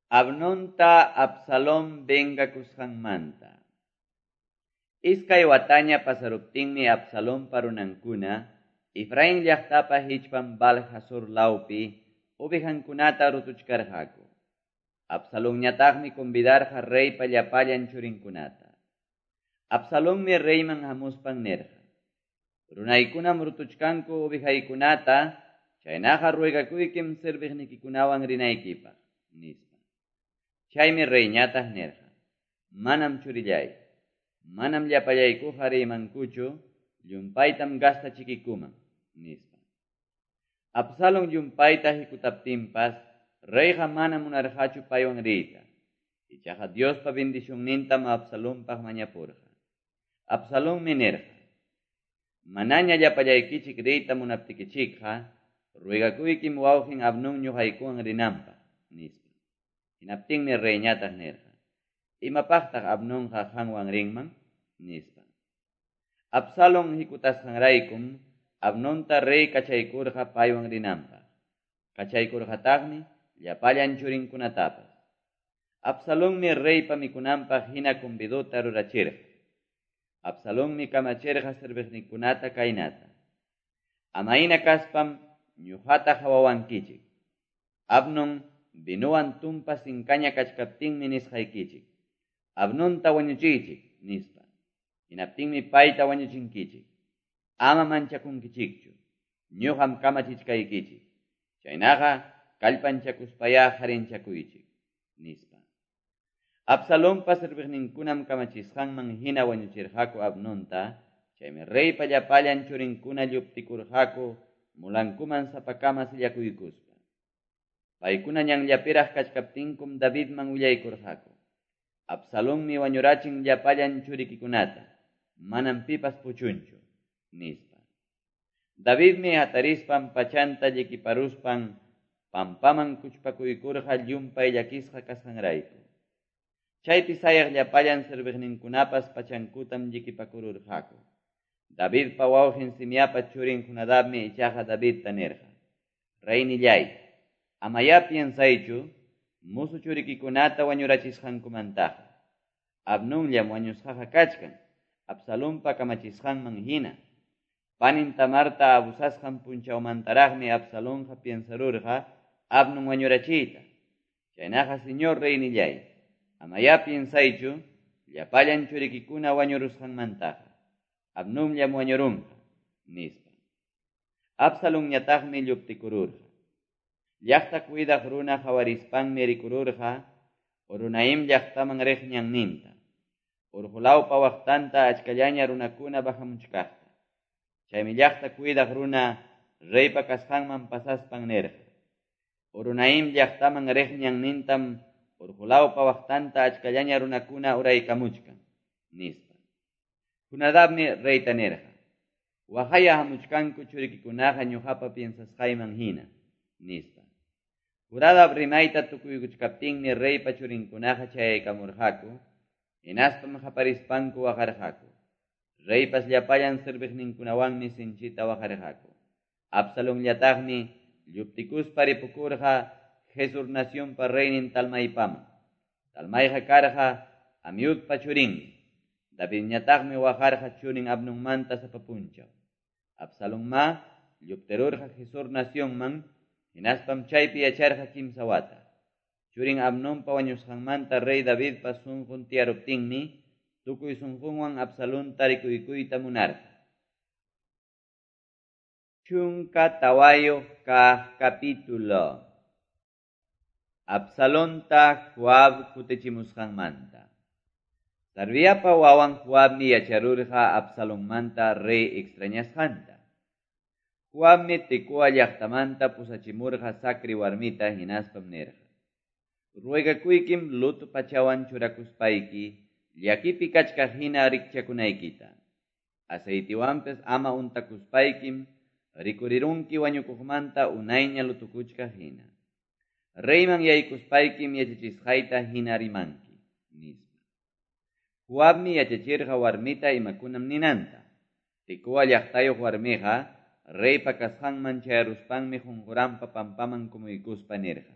Amnonta Absalón vengakusqanmanta. Iskay wataña pasaruptinmi Absalonpa runankuna Efraín llaqtapa hichpan Baal-Hazor lawpi ovejankunata rutuchkarqaku. Absalonñataqmi convidarqa reypa llapallan churinkunata. Absalonmi reyman hamuspan nirqa: "Runaykunam rutuchkanku ovejaykunata, chaynaqa ruegakuykim serviqnikikunawan rinaykipaq", nispa. Chaymi reyñataq nirqa: "Manam, churillay, manam llapallaykuqa riymankuchu, llumpaytam gastachikikuman", nispa. Absalón llumpayta hikutaptinpas reyqa mana munarqachu paywan riyta. Ichaqa Diospa bendicionnintam Absalonpaq mañapurqa. Absalonmi nirqa: "Manaña llapallaykichik riyta munaptikichikqa, ruegakuykim wawqin Amnón ñuqaykuwan rinanpaq", nispa. Hinaptinmi reyñataq nirqa: "Imapaqtaq Amnonqa qanwan rinman?", nispa. Absalón hikutasqanraykum Amnonta rey kachaykurqa paywan rinanpaq. Kachaykurqataqmi llapallan churinkunatapas. Absalonmi reypa mikunanpaq hina convidota rurachirqa. Absalonmi kamachirqa serviqninkunata kaynata: "Amayna kaspam ñuqata qawawankichik. Amnón vinowan tumpa sinkaña kachkaptinmi nisqaykichik: 'Amnonta wañuchiychik', nispa. Hinaptinmi payta wañuchinkichik. Ama manchakunkichikchu. Ñuqam kamachichkaykichik. Chaynaqa kallpanchakuspayá qarinchakuychik", nispa. Absalonpa serviqninkunam kamachisqanman hina wañuchirqaku Amnonta, chaymi reypa llapallan churinkuna lluptikurqaku mulankuman sapakama sillakuykuspa. Paykuna ñanllapiraq kachkaptinkum Davidman willaykurqaku: "Absalonmi wañurachin llapallan churikikunata, manam pipas puchunchu", nispa. Davidmi hatarispan pachanta llikiparuspan pampaman kuchpakuykurqa llumpay llakisqa kasqanrayku. Chaypi sayaq llapallan serviqninkunapas pachankutam llikipakururqaku. Davidpa wawqin Simeapa churin Jonadabmi ichaqa Davidta nirqa: "Reynillay, amayá piensaychu musu churikikunata wañurachisqankumantaqa. Amnonllam wañusqaqa kachkan, Absalonpa kamachisqanman hina. Panin Tamarta abusasqan punchawmantaraqmi Absalonqa piensarurqa Amnon wañurachiyta. Chaynaqa, señor reynillay, amayá piensaychu llapallan churikikuna wañurusqanmantaqa. Amnonllam wañurunqa", nispa. Absalonñataqmi lluptikururqa. Llaqta cuidaq runa qawarispanmi rikururqa Horonaim llaqtaman riq ñanninta. Urqulawpa waqtanta achkallaña runakuna bajamuchkaqta. Chaymi llaqta cuidaq runa reypa kasqanman pasaspan nirqa: "Horonaim llaqtaman riq ñannintam Urqulawpa waqtanta achkallaña runakuna uraykamuchkan, nispa. Jonadabmi reyta nirqa: Waqaya hamuchkanku churikikunaqa ñuqapa piensasqayman hina, nispa. Jonadab rimayta tukuykuchkaptinmi reypa churinkunaqa chayaykamurqaku, hinaspam qaparispanku waqarqaku. Reypas llapallan serviqninkunawanmi sinchita waqarqaku. Absalonllataqmi lluptikuspa ripukurqa Gesur nacionpa reynin Talmaypaman. Talmayqa karqa Amiudpa churinmi. Davidñataqmi waqarqa churin Amnonmanta sapa punchaw. Absalonmá lluptirurqa Gesur nacionman, hinaspam chaypi yacharqa 3 wata. Churin Amnonpa wañusqanmanta rey Davidpa sunqun tiyaruptinmi, tukuy sunqunwan Absalonta rikuykuyta munarqa. 14 kaq capítulo. Absalonta Joab kutichimusqanmanta. Sarviapa wawan Joabmi yacharurqa Absalonmanta rey extrañasqanta. Joabmi Tecoa llaqtamanta pusachimurqa Sacri warmita hinaspam nirqa: Ruegakuykim luto pachawan churakuspayki llakipi kachkaq hina rikchakunaykita. Aceitiwanpas ama untakuspaykim rikurirunki wañukuqmanta unayña lutukuchkaq hina. Reyman yaykuspaykim yachachisqayta hina rimanki, nispa. Joabmi yachachirqa warmita imakunam ninanta. Tecoa llaqtayuq warmiqa reypa kasqanman chayaruspanmi qunquranpa pampaman kumuykuspa nirqa: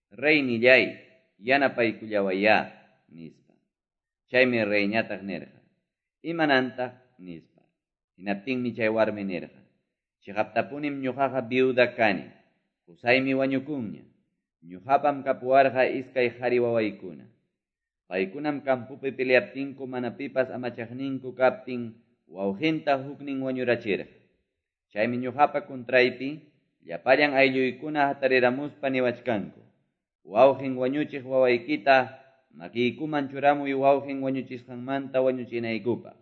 Reynillay, yanapaykullawayá, nispa. Chaymi reyñataq nirqa: Imanantaq, nispa. Hinaptinmi chay warmi nirqa: Chiqaptapunim ñuqaqa viuda kani, qusaymi wañukunña. Ñuqapam kapuwarqa iskay qhari wawaykuna. Paykunam campopi peleaptinku mana pipas amachaqninku kaptin wawqinta huknin wañurachirqa. Chaymi ñuqapa contraypi llapallan aylluykuna hatariramuspa niwachkanku: Wawqin wañuchiq wawaykita makiykuman churamuy wawqin wañuchisqanmanta wañuchinaykupaq.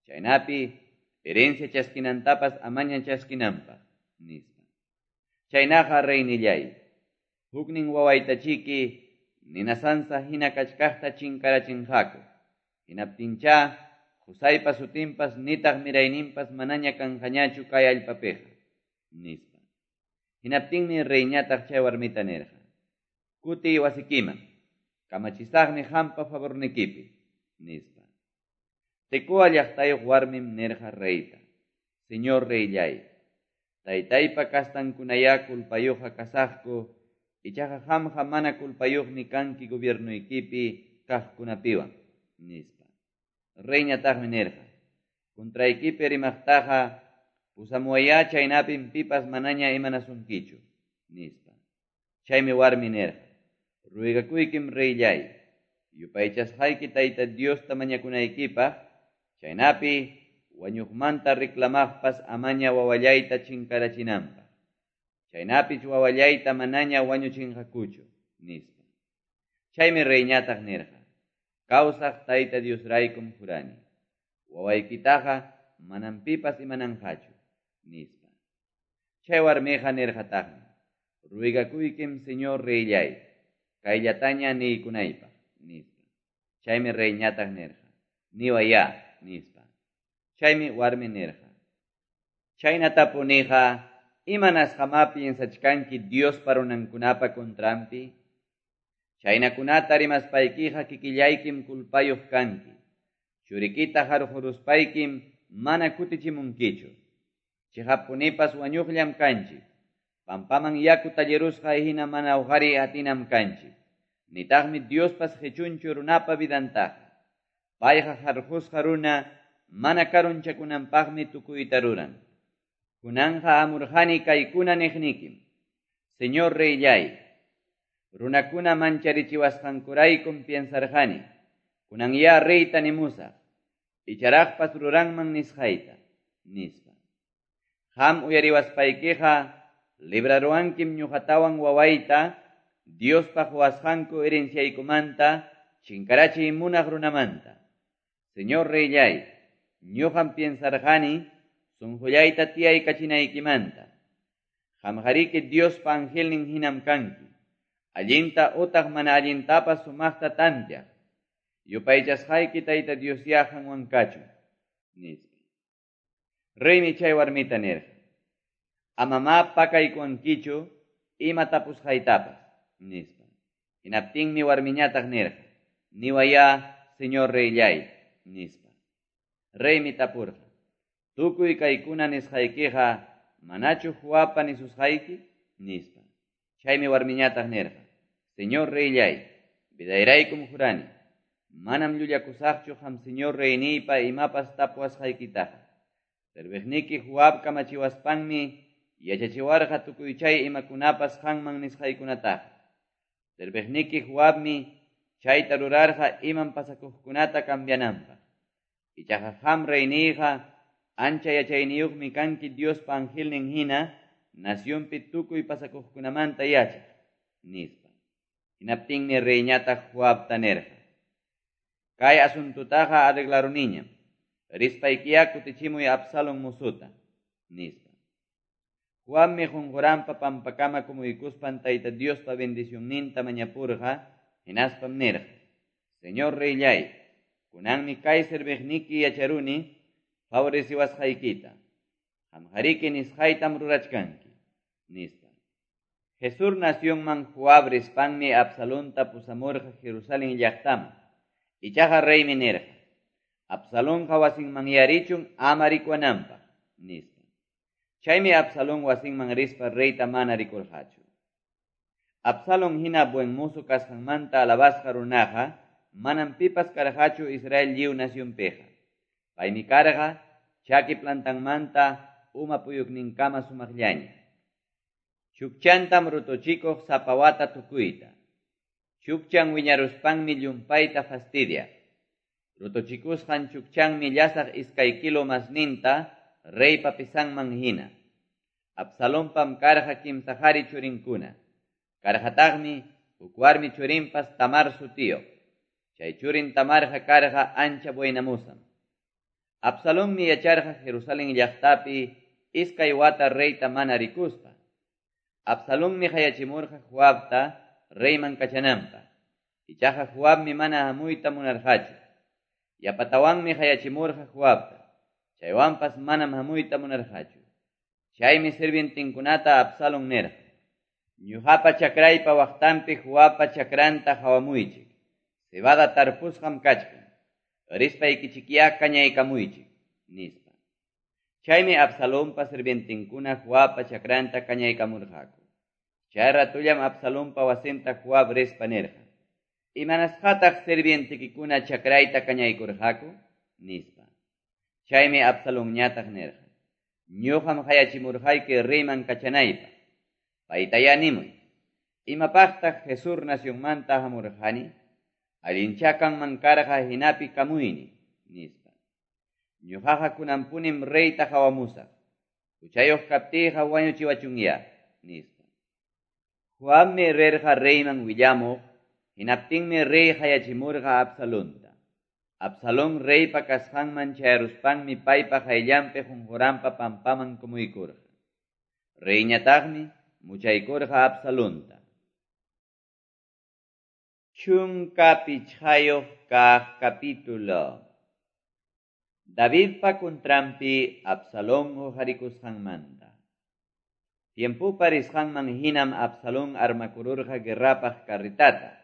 Chaynapi herencia chaskinantapas amaña chaskinanpaq, nispa. Chaynaqa reynillay, huknin wawaytachiki ninasansa hina kachkaqta chinkarachinqaku. Hinaptincha qusaypa sutinpas nitaq mirayninpas manaña kanqañachu kay allpapiqa, nispa. Hinaptinmi reyñataq chay warmita nirqa: Kutiy wasikiman, kamachisaqmi qampa favornikipi, nispa. Tecoa llaqtayuq warmim nirqa reyta: Señor reyllay, taytaypa kastankunayá culpayuqqa kasaqku, ichaqa qamqa mana culpayuqmi kanki gobiernuykipi kaqkunapiwan, nispa. Reyñataqmi nirqa: Contraykipi rimaqtaqa pusamuwayá chaynapim pipas manaña imanasunkichu, nispa. Chaymi warmi nirqa: Ruegakuykim reyllay, yupaychasqayki Tayta Diosta mañakunaykipaq, chaynapi wañuqmanta reclamaqpas amaña wawallayta chinkarachinanpaq. Chaynapich wawallayta manaña wañuchinqakuchu, nispa. Chaymi reyñataq nirqa: Kawsaq Tayta Diosraykum jurani, wawaykitaqa manam pipas imananqachu, nispa. Chay warmiqa nirqataqmi: Ruegakuykim señor reyllay, kayllataña niykunaypaq, nispa. Chaymi reyñataq nirqa: Niwayá, nispa. Chaymi warmi nirqa: Chaynatapuniqa, imanasqamá piensachkanki Diospa runankunapa contranpi? Chaynakunata rimaspaykiqa kikillaykim culpayuq kanki. Churikita harquruspaykim mana kutichimunkichu. Chiqapunipas wañuqllam kanchik. Pampaman yaku tallirusqa hina mana uqari atinam kanchik. Nitaqmi Diospas qichunchu runapa vidantaqa. Payqa harqusqa runa mana karunchakunanpaqmi tukuyta ruran. Kunanqa amurqani kaykuna niqnikim: Señor reyllay, runakuna mancharichiwasqankuraykum piensarqani, kunanyá reyta nimusaq, icharaqpas ruranman nisqayta, nispa. Qam uyariwaspaykiqa libraruwankim ñuqatawan wawayta Diospa quwasqanku herenciaykumanta chinkarachiy munaq runamanta. Señor reyllay, ñuqam piensarqani sunqullayta tiyaykachinaykimanta. Qamqariki Diospa angelnin hinam kanki. Allinta utaq mana allintapas sumaqta tantiaq. Yupaychasqayki Tayta Diosyá qanwan kachun, nispa. Reymi chay warmita nirqa: Amamá pakaykuwankichu ima tapusqaytapas, nispa. Hinaptinmi warmiñataq nirqa: Niwayá, señor reyllay, nispa. Reymi tapurqa: Tukuy kaykuna nisqaykiqa manachu Joabpa nisusqayki? Nispa. Chaymi warmiñataq nirqa: Señor reyllay, vidayraykum jurani, manam llullakusaqchu qam señor reyniypa imapas tapuwasqaykitaqa. Serviqniki Joab kamachiwaspanmi yachachiwarqa tukuy chay imakunapas qanman nisqaykunataqa. Serviqniki Joabmi chayta rurarqa imam pasakuqkunata cambiananpaq. Ichaqa qam reyniyqa ancha yachayniyuqmi kanki Diospa angelnin hina nacionpi tukuy pasakuqkunamanta yachaq, nispa. Hinaptinmi reyñataq Joabta nirqa: Kay asuntutaqa arreglaruniñam. Rispaykiyá kutichimuy Absalón mozuta, nispa. Joabmi qunquranpa pampakama kumuykuspan Tayta Diospa bendicionninta mañapurqa, hinaspam nirqa: Señor reyllay, kunanmi kay serviqniki yacharuni favoreciwasqaykita. Qamqariki nisqaytam rurachkanki, nispa. Gesur nacionman Joab rispanmi Absalonta pusamurqa Jerusalén llaqtaman. Ichaqa reymi nirqa: Absalonqa wasinman yarichun ama rikuwananpaq, nispa. Chaymi Absalón wasinman rispa reyta mana rikurqachu. Absalón hina buen mozo kasqanmanta alabasqa runaqa manam pipas karqachu Israel lliw nacionpiqa. Paymi karqa chaki plantanmanta uma puyukninkama sumaqllaña. Chukchantam rutuchikuq sapa wata tukuyta. Chukchan wiñaruspanmi llumpayta fastidiaq. Rutuchikusqan chukchanmi llasaq 2 kilo masninta reypa pisanman hina. Absalonpam karqa 3 qari churinkuna. Karqataqmi huk warmi churinpas Tamar sutiyuq. Chay churin Tamarqa karqa ancha buenamuzam. Absalonmi yacharqa Jerusalén llaqtapi 2 wata reyta mana rikuspa. Absalonmi qayachimurqa Joabta reyman kachananpaq. Ichaqa Joabmi mana hamuyta munarqachu. Yapatawanmi qayachimurqa Joabta. Chaywanpas manam hamuyta munarqachu. Chaymi sirvientinkunata Absalón nirqa: Ñuqapa chakraypa waqtanpi Joabpa chakranta qawamuychik. Cebada tarpusqam kachkan. Rispaykichikyá kañaykamuychik, nispa. Chaymi Absalonpa sirvientinkuna Joabpa chakranta kañaykamurqaku. Chay ratullam Absalonpa wasinta Joab rispa nirqa: Imanasqataq sirvientikikuna chakrayta kañaykurqaku? Nispa. Chaymi Absalonñataq nirqa: Ñuqam qayachimurqayki reyman kachanaypaq. Paytayá nimuy: Imapaqtaq Gesur nacionmanta hamurqani? Allinchá kanman karqa hinapi kamuyni, nispa. Ñuqaqa kunanpunim reyta qawamusaq. Huchayuq kaptiyqa wañuchiwachunyá, nispa. Joabmi rirqa reyman willamuq, hinaptinmi rey qayachimurqa Absalonta. Absalón reypa kasqanman chayaruspanmi paypa qayllanpi qunquranpa pampaman kumuykurqa. Reyñataqmi muchaykurqa Absalonta. 15 kaq capítulo. Davidpa contranpi Absalón uqarikusqanmanta. Tiempopa risqanman hinam Absalón armakururqa guerrapaq carretata,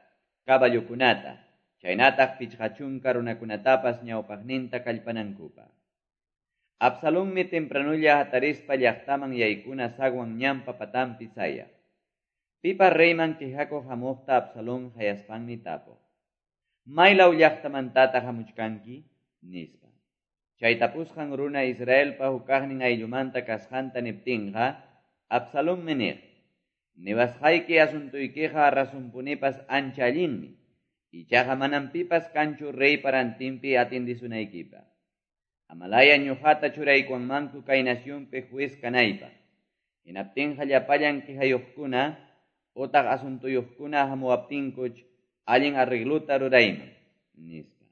caballokunata, chaynataq 50 runakunatapas ñawpaqninta kallpanankupaq. Absalonmi tempranulla hatarispa llaqtaman yaykuna zaguan ñanpa patanpi sayaq. Pipa reyman quejakuq hamuqta Absalón hayaspanmi tapuq: Maylaw llaqtamantataq hamuchkanki? Nispa. Chay tapusqan runa Israelpa hukaqnin ayllumanta kasqanta niptinqa, Absalonmi niq: Niwasqayki asuntuykiqa rasunpunipas ancha allinmi, ichaqa manam pipas kanchu reypa rantinpi atindisunaykipaq. Amalaya ñuqata churaykuwanmanku kay nacionpi juez kanaypaq. Hinaptinqa llapallan quejayuqkuna utaq asuntuyuqkuna hamuwaptinkuch allin arregluta rurayman, nispa.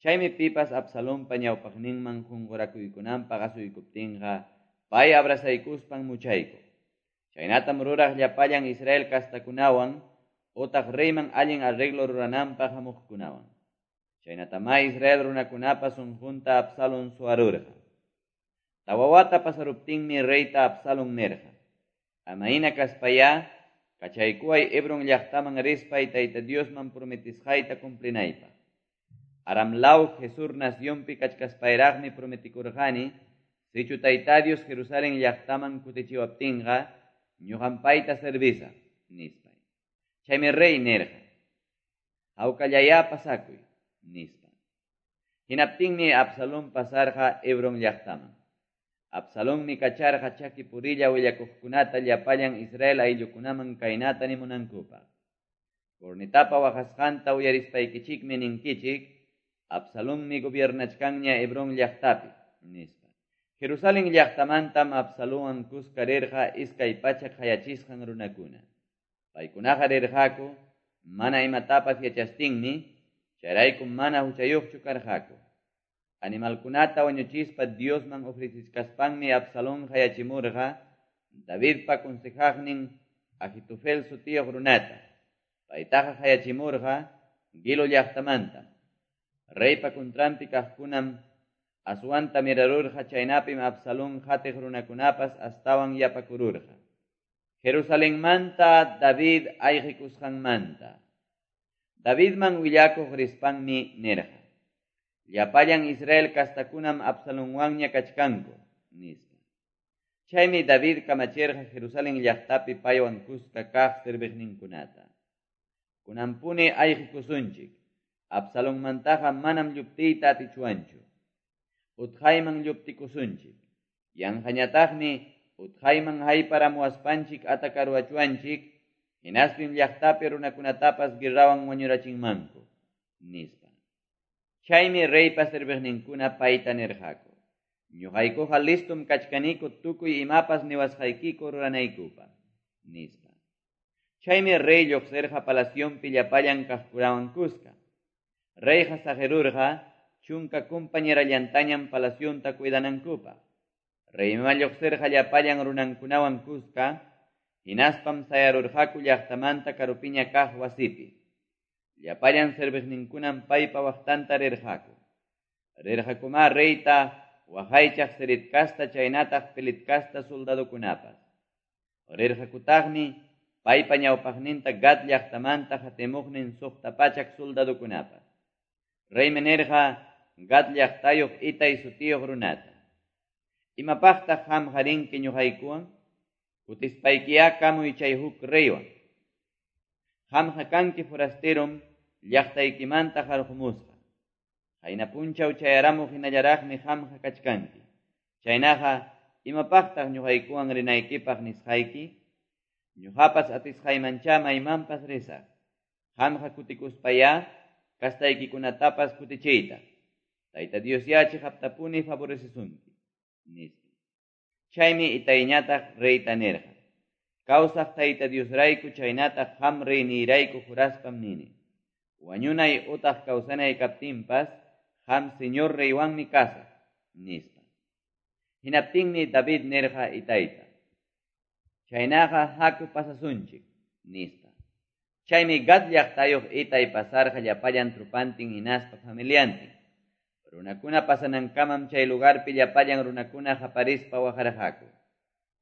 Chaymi pipas Absalonpa ñawpaqninman qunqurakuykunanpaq asuykuptinqa pay abrazaykuspan muchaykuq. Chaynatam ruraq llapallan Israel kastakunawan otaq reyman allin arreglo rurananpaq hamuqkunawan. Chaynatamá Israel runakunapa sunqunta Absalón suwarurqa. Tawa wata pasaruptinmi reyta Absalón nirqa: Ama hina kaspayá, kachaykuway Hebron llaqtaman rispay Tayta Diosman prometisqayta cumplinaypaq. Aram law Gesur nacionpi kachkaspayraqmi prometikurqani, sichu Tayta Dios Jerusalén llaqtaman kutichiwaptinqa, ñuqam payta servisaq, nispay. Chaymi rey nirqa: Hawkallayá pasakuy, nispa. Hinaptinmi Absalón pasarqa Hebron llaqtaman. Absalonmi kacharqa chaki purilla willakuqkunata llapallan Israel ayllukunaman kaynata nimunankupaq: Cornetapa waqasqanta uyarispaykichikmi ninkichik, Absalonmi gobiernachkanña Hebron llaqtapi, nispa. Jerusalén llaqtamantam Absalonwan kuska rirqa 200 qayachisqan runakuna. Paykunaqa rirqaku mana imatapas yachastinmi, chayraykum mana huchayuqchu karqaku. Animalkunata wañuchispa Diosman ofrecichkaspanmi Absalón qayachimurqa Davidpa consejaqnin Ahitofel sutiyuq runata. Paytaqa qayachimurqa Gilo llaqtamanta. Reypa contranpi kaqkunam aswanta mirarurqa, chaynapim Absalón qatiq runakunapas astawan yapakururqa. Jerusalenmanta David ayqikusqanmanta. Davidman willakuq rispanmi nirqa: Llapallan Israel kastakunam Absalonwanña kachkanku, nispa. Chaymi David kamachirqa Jerusalén llaqtapi paywan kuska kaq serviqninkunata: Kunanpuni ayqikusunchik, Absalonmantaqa manam lluptiyta atichwanchu. Utqayman lluptikusunchik, yanqañataqmi utqayman hayparamuwaspanchik atakaruwachwanchik, hinaspim llaqtapi runakunatapas guerrawan wañurachinmanku, nispa. Chaymi reypa serviqninkuna payta nirqaku: Ñuqaykuqa listom kachkaniku tukuy imapas niwasqaykiku ruranaykupaq, nispa. Chaymi rey lluqsirqa palacionpi llapallan kaqkunawan kuska. Reyqa saqirurqa 10 compañerallantañam palacionta cuidanankupaq. Reyma lluqsirqa llapallan runankunawan kuska, hinaspam sayarurqaku llaqtamanta karupiña kaq wasipi. Llapallan serviqninkunam paypa waqtanta rirqaku. Rirqakumá reyta waqaychaq Ceret kasta chaynataq Pelet kasta soldadokunapas. Rirqakutaqmi paypa ñawpaqninta Gad llaqtamanta hatimuqnin 600 soldadokunapas. Reymi nirqa Gad llaqtayuq Itay sutiyuq runata: Imapaqtaq qamqa rinki ñuqaykuwan? Kutispaykiya kamuy chay huk reywan. Qamqa kanki forasterom llaqtaykimanta qarqumusqa. Qayna punchaw chayaramuq hinallaraqmi qamqa kachkanki. Chaynaqa imapaqtaq ñuqaykuwan rinaykipaq nisqayki? Ñuqapas atisqaymancha maymanpas risaq. Qamqa kutikuspayá kastaykikunatapas kutichiytaq. Tayta Dios ya chiqaptapuni favorecesunki, nispa. Chaymi Itayñataq reyta nirqa: Kawsaq Tayta Diosrayku chaynataq qam reyniyrayku juraspam nini: Wañunay utaq kawsanay kaptinpas qam señor reywanmi kasaq, nispa. Hinaptinmi David nirqa Itayta: Chaynaqa haku pasasunchik, nispa. Chaymi Gad llaqtayuq Itay pasarqa llapallan trupantin hinaspa familiantin. Runakuna pasanankamam chay lugarpi llapallan runakuna qaparispa waqarqaku.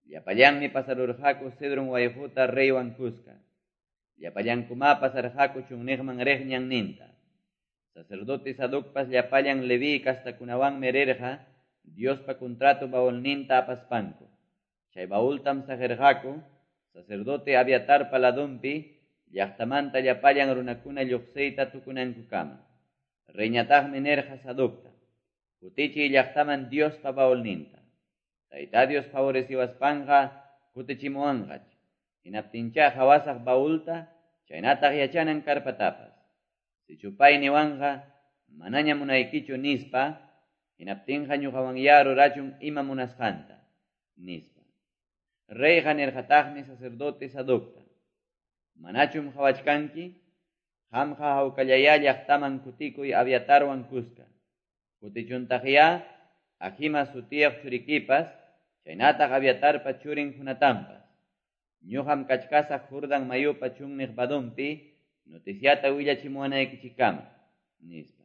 Llapallanmi pasarurqaku Cedron wayquta reywan kuska. Llapallankumá pasarqaku chunniqman riq ñanninta. Sacerdote Sadocpas llapallan Leví kastakunawanmi rirqa Diospa contrato baulninta apaspanku. Chay baultam saqirqaku sacerdote Abiatarpa ladunpi llaqtamanta llapallan runakuna lluqsiyta tukunankukama. Reyñataqmi nirqa Sadocta: Kutichiy llaqtaman Diospa baulninta. Tayta Dios favoreciwaspanqa kutichimuwanqach. Hinaptincha qhawasaq baulta, chaynataq yachanan karpatapas. Sichu pay niwanqa manaña munaykichu nispa, hinaptinqa ñuqawanyá rurachun ima munasqanta, nispa. Reyqa nirqataqmi sacerdote Sadocta: Manachum qhawachkanki? Qamqa hawkallayá llaqtaman kutikuy Abiatarwan kuska. Kutichuntaqyá Ahimaas sutiyuq churikipas, chaynataq Abiatarpa churin Jonatanpas. Ñuqam kachkasaq Jordán mayupa chunniq vadonpi noticiata willachimuwanaykichikkama, nispa.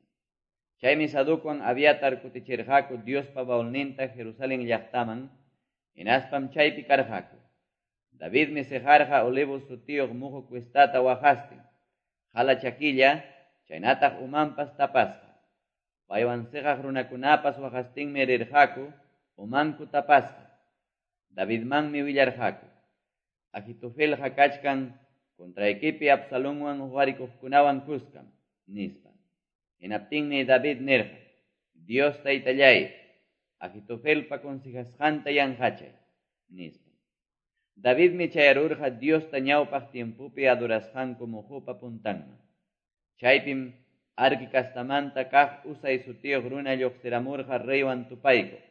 Chaymi Sadocwan Abiatar kutichirqaku Diospa baulninta Jerusalén llaqtaman, hinaspam chaypi karqaku. Davidmi siqarqa Olivos sutiyuq muqu cuestata waqastin, qala chakilla, chaynataq umanpas tapasqa. Paywan siqaq runakunapas waqastinmi rirqaku, umanku tapasqa. Davidmanmi willarqaku: Ahitofelqa kachkan contraykipi Absalonwan huqarikuqkunawan kuskam, nispa. Hinaptinmi David nirqa: Dios Taytalláy, Ahitofelpa consejasqanta yanqachay, nispa. Davidmi chayarurqa Diosta ñawpaq tiempopi adorasqanku muqupa puntanman. Chaypim Arqui castamanta kaq Husai sutiyuq runa lluqsiramurqa reywan tupaykuq.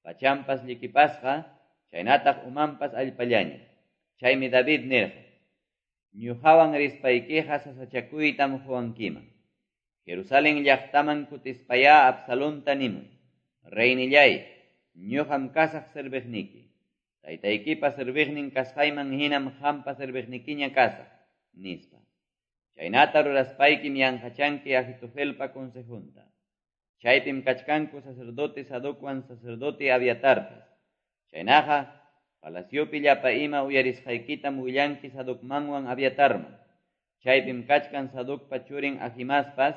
Pachanpas llikipasqa, chaynataq umanpas allpallaña. Chaymi David nirqa: Ñuqawan rispaykiqa sasachakuytam quwankiman. Jerusalén llaqtaman kutispayá Absalonta nimuy: Reynilláy, ñuqam kasaq serviqniki. Taytaykipa serviqnin kasqayman hinam qampa serviqnikiña kasaq, nispa. Chaynata ruraspaykim yanqachanki Ahitofelpa consejonta. Chaypim kachkanku sacerdote Sadocwan sacerdote Abiatarpas. Chaynaqa, palaciopi llapa ima uyarisqaykitam willanki Sadocmanwan Abiatarman. Chaypim kachkan Sadocpa churin Ahimaaspas,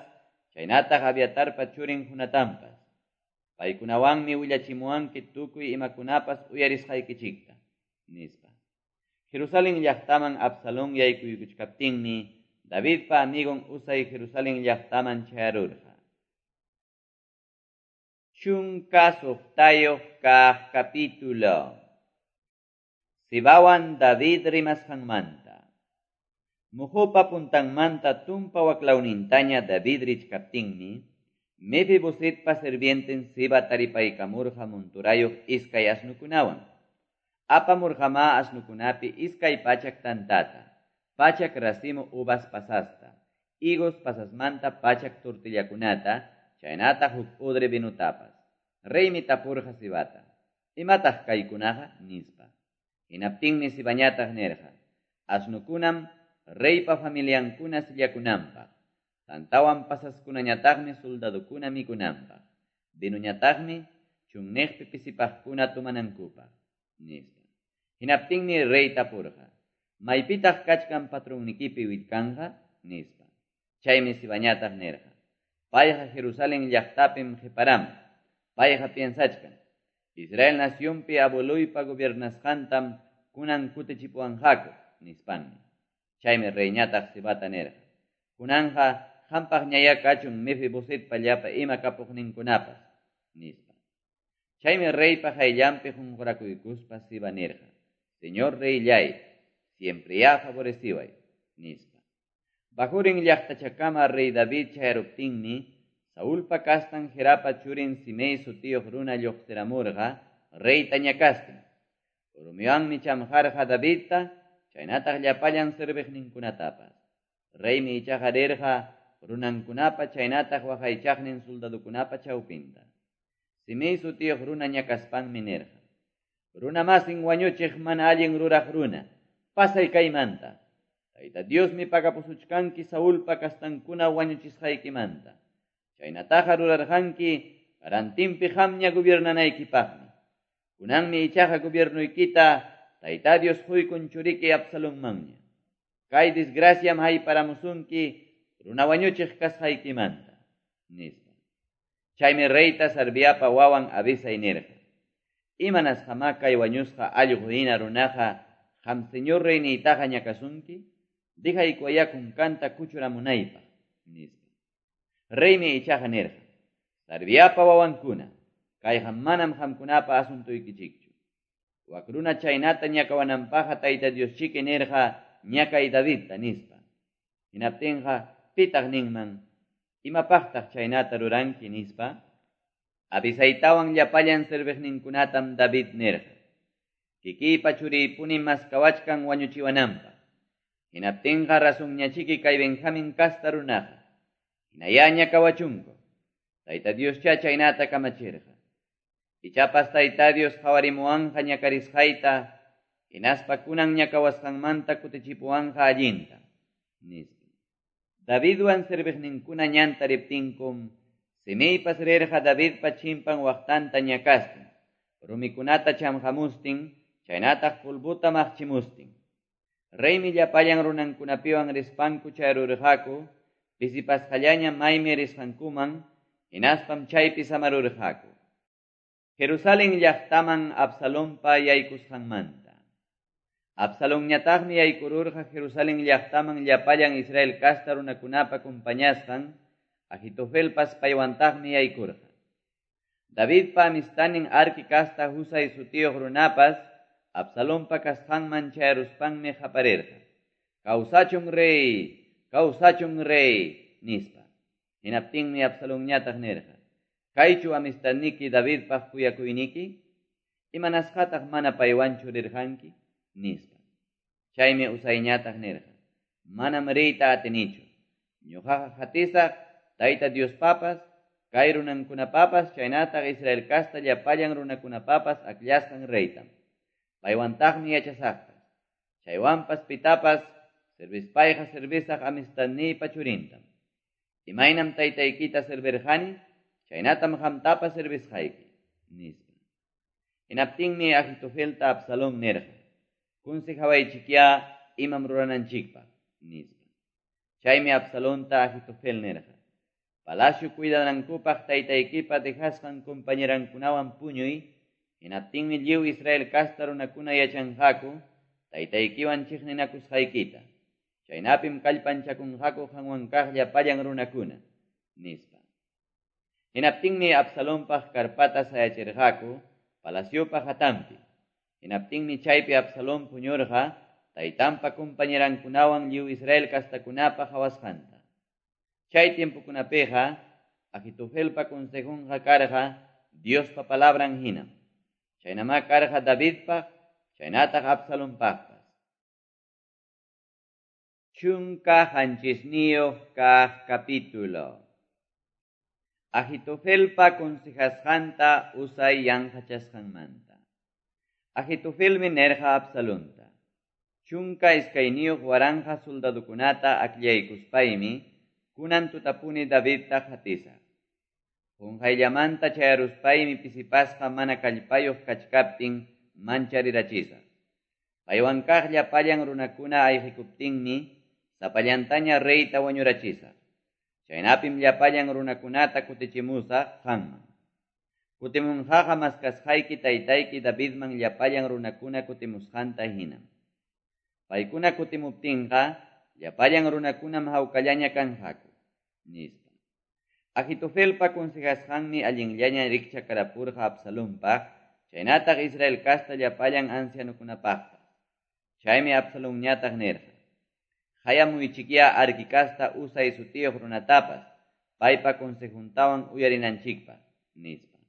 chaynataq Abiatarpa churin Jonatanpas. Paykunawanmi willachimuwanki tukuy imakunapas uyarisqaykichikta, nispa. Jerusalén llaqtaman Absalón yaykuykuchkaptinmi Davidpa amigon Husai Jerusalén llaqtaman chayarurqa. 16 kaq capítulo. Sibawan David rimasqanmanta. Muqupa puntanmanta tumpa waklawnintaña David richkaptinmi, Mefibosetpa sirvienten Siba taripaykamurqa monturayuq iskay asnukunawan. Apamurqamá asnukunapi 200 tantata, 100 racimo uvas pasasta, higos pasasmanta 100 tortillakunata, chaynataq huk odre vinotapas. Reymi tapurqa Sibata: Imataq kaykunaqa? Nispa. Hinaptinmi Sibañataq nirqa: Asnukunam reypa familiankuna sillakunanpaq, tantawan pasaskunañataqmi soldadokuna mikunanpaq, vinoñataqmi chunniqpi pisipaqkuna tomanankupaq, nispa. Hinaptinmi rey tapurqa: Maypitaq kachkan patronnikipi willkanqa? Nispa. Chaymi Sibañataq nirqa: Payqa Jerusalén llaqtapim qiparamun. Payqa piensachkan: Israel nacionpi abueloypa gobiernasqantam kunan kutichipuwanqaku, nispanmi. Chaymi reyñataq Sibata nirqa: Kunanqa qampaqñayá kachun Mefibosetpa llapa ima kapuqninkunapas, nispa. Chaymi reypa qayllanpi qunqurakuykuspa Siba nirqa: Señor reyllay, siempreyá favoreciway, nispa. Bahurim llaqtachakama rey David chayaruptinmi, Saulpa kastan Gerapa churin Simei sutiyuq runa lluqsiramurqa reyta ñakastin. Rumiwanmi chamqarqa Davidta, chaynataq llapallan serviqninkunatapas. Reymi ichaqa rirqa runankunapa chaynataq waqaychaqnin soldadokunapa chawpinta. Simei sutiyuq runa ñakaspanmi nirqa: Runamasin wañuchiq mana allin ruraq runa, pasay kaymanta. Tayta Diosmi pagapusuchkanki Saulpa kastankuna wañuchisqaykimanta. Chaynataqa rurarqanki rantinpi qamña gobiernanaykipaqmi. Kunanmi ichaqa gobiernoykita Tayta Dios quykun churiki Absalonmanña. Kay desgraciam hayparamusunki runa wañuchiq kasqaykimanta, nispa. Chaymi reyta Sarviapa wawan Abisai nirqa: Imanasqamá kay wañusqa allqu hina runaqa qam señor reyniytaqa ñakasunki? Dejaykuwayá kunkanta kuchuramunaypaq, nispa. Reymi ichaqa nirqa: Sarviapa wawankuna, kayqa manam qamkunapa asuntuykichikchu. Wak runa chaynata ñakawananpaqqa Tayta Dioschiki nirqa ñakay Davidta, nispa. Hinaptinqa pitaq ninman: Imapaqtaq chaynata ruranki, nispa. Abisaitawan llapallan serviqninkunatam David nirqa: Kikiypa churiypunim maskawachkan wañuchiwananpaq. Hinaptinqa razonñachiki kay Benjamín casta runaqa. Hinayá ñakawachunku. Tayta Dioscha chaynata kamachirqa. Ichapas Tayta Dios qhawarimuwanqa ñakarisqayta, Hinaspa kunan ñakawasqanmanta kutichipuwanqa allinta, nispa. Davidwan serviqninkuna ñanta riptinkum, Simeipas rirqa Davidpa chimpan waqtanta ñakastin, rumikunata chamqamustin, chaynataq pulbuta maqchimustin. Reymi llapallan runankunapiwan rispanku chayrurqaku, pisipasqallaña maymi risqankuman, hinaspam chaypi samarurqaku. Jerusalén llaqtaman Absalonpa yaykusqanmanta. Absalonñataqmi yaykururqa Jerusalén llaqtaman llapallan Israel casta runakunapa compañasqan, Ahitofelpas paywantaqmi yaykurqa. Davidpa amistanin Arki casta Husai sutiyuq runapas Absalonpa kasqanman chayaruspanmi qaparirqa. Kawsachun rey, kawsachun rey, nispa. Hinaptinmi Absalonñataq nirqa. Kaychu amistadniki Davidpaq kuyakuyniki? Imanasqataq mana paywanchu rirqanki? Nispa. Chaymi Husaiñataq nirqa. Manam riyta atinichu. Ñuqaqa qatisaq Tayta Diospapas, kay runankunapapas, chaynataq Israel casta llapallan runakunapapas akllasqan reytam. Paywantaqmi yachasaqpas. Chaywanpas pitapas servispayqa servisaq amistadniypa churintam. Imaynam taytaykita servirqani, chaynatam qamtapas servisqayki, nispa. Hinaptinmi Ahitofelta Absalón nirqa. Consejawaychikya imam rurananchikpaq, nispa. Chaymi Absalonta Ahitofel nirqa. Palacio cuidanankupaq taytaykipa dejasqan compañerankunawan puñuy, hinaptinmi lliw Israel casta runakuna yachanqaku, taytaykiwan chiqninakusqaykita. Chaynapim kallpanchakunqaku qanwan kaq llapallan runakuna, nispa. Hinaptinmi Absalonpaq karpata sayachirqaku palaciopa hatanpi. Hinaptinmi chaypi Absalón puñurqa taytanpa compañerankunawan lliw Israel kastakunapa qhawasqanta. Chay tiempokunapiqa Ahitofelpa consejunqa karqa Diospa palabran hinam. Chaynamá karqa Davidpaq, chaynataq Absalonpaqpas. 17 kaq capítulo. Ahitofelpa consejasqanta Husai yanqachasqanmanta. Ahitofelmi nirqa Absalonta. 12 waranqa soldadukunata akllaykuspaymi kunan tutapuni Davidta qatisaq. Qunqayllamanta chayaruspaymi pisipasqa mana kallpayuq kachkaptin mancharirachisaq. Paywan kaq llapallan runakuna ayqikuptinmi sapallantaña reyta wañurachisaq. Chaynapim llapallan runakunata kutichimusaq qanman. Kutimunqaqa maskasqayki taytayki Davidman llapallan runakuna kutimusqanta hinam. Paykuna kutimuptinqa llapallan runakunam hawkallaña kanqaku, nispa. Ahitofelpa consejasqanmi allinllaña rikchakarapurqa Absalonpaq, chaynataq Israel casta llapallan ancianukunapaqpas. Chaymi Absalonñataq nirqa. Hayamuychikya Arki casta Husai sutiyuq runatapas, paypa consejuntawan uyarinanchikpaq, nispa.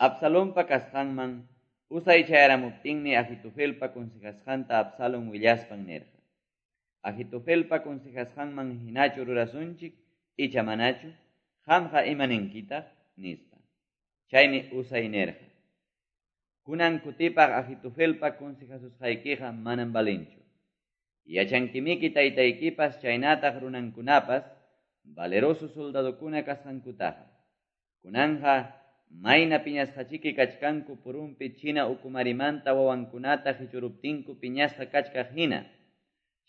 Absalonpa kasqanman Husai chayaramuptinmi Ahitofelpa consejasqanta Absalón willaspan nirqa. Ahitofelpa consejasqanman hinachu rurasunchik, icha manachu, qamqa imaninkitaq, nispa. Chaymi Husai nirqa. Kunan kutipaq Ahitofelpa consejasusqaykiqa manam valinchu. Yachankimiki taytaykipas chaynataq runankunapas valeroso soldadokuna kasqankutaqa. Kunanja mayna piñasqachiki kachkanku purunpi china ukumarimanta wawankunata hichuruptinku piñasqa kachkaq hina.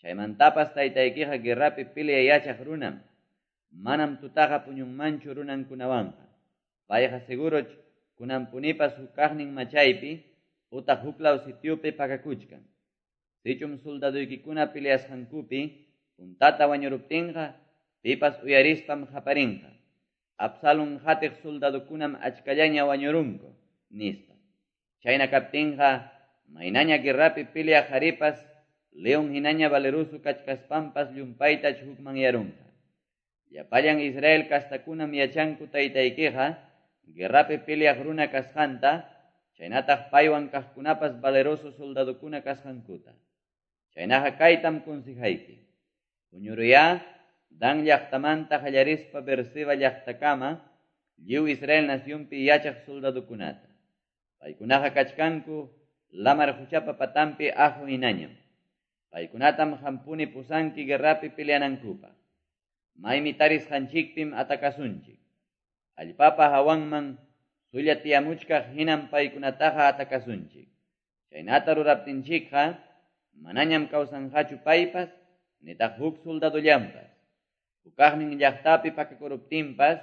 Chaymantapas taytaykiqa guerrapi pelea yachaq runam. Manam tutaqa puñunmanchu runankunawanqa. Payqa seguroch kunanpunipas hukaqnin machaypi utaq huklaw sitiopi pakakuchkan. Sichum soldaduykikuna peleasqankupi puntata wañuruptinqa pipas uyarispam qaparinqa. Absalón qatiq soldadukunam achkallaña wañurunku, nispa. Chayna kaptinqa maynaña guerrapi peleaq qharipas león hinaña valeroso kachkaspampas llumpayta hukmanyarunqa. Llapallan Israel kastakunam yachanku taytaykiqa guerrapi peleaq runa kasqanta, chaynataq paywan kaqkunapas valeroso soldadukuna kasqankuta. Chaynaqa kaytam consejayki. Puñuruyá Dan llaqtamanta qallarispa Berseba llaqtakama lliw Israel nacionpi yachaq soldadukunata. Paykunaqa kachkanku lamar quchapa patanpi aqo hinañam. Paykunatam qampuni pusanki guerrapi peleanankupaq. Maymi tarisqanchikpim atakasunchik. Allpapa hawanman sulla tiyamuchkaq hinam paykunataqa atakasunchik. Chaynata ruraptinchikqa manañam kawsanqachu paypas nitaq huk soldadollanpas. Hukaqnin llaqtapi pakakuruptinpas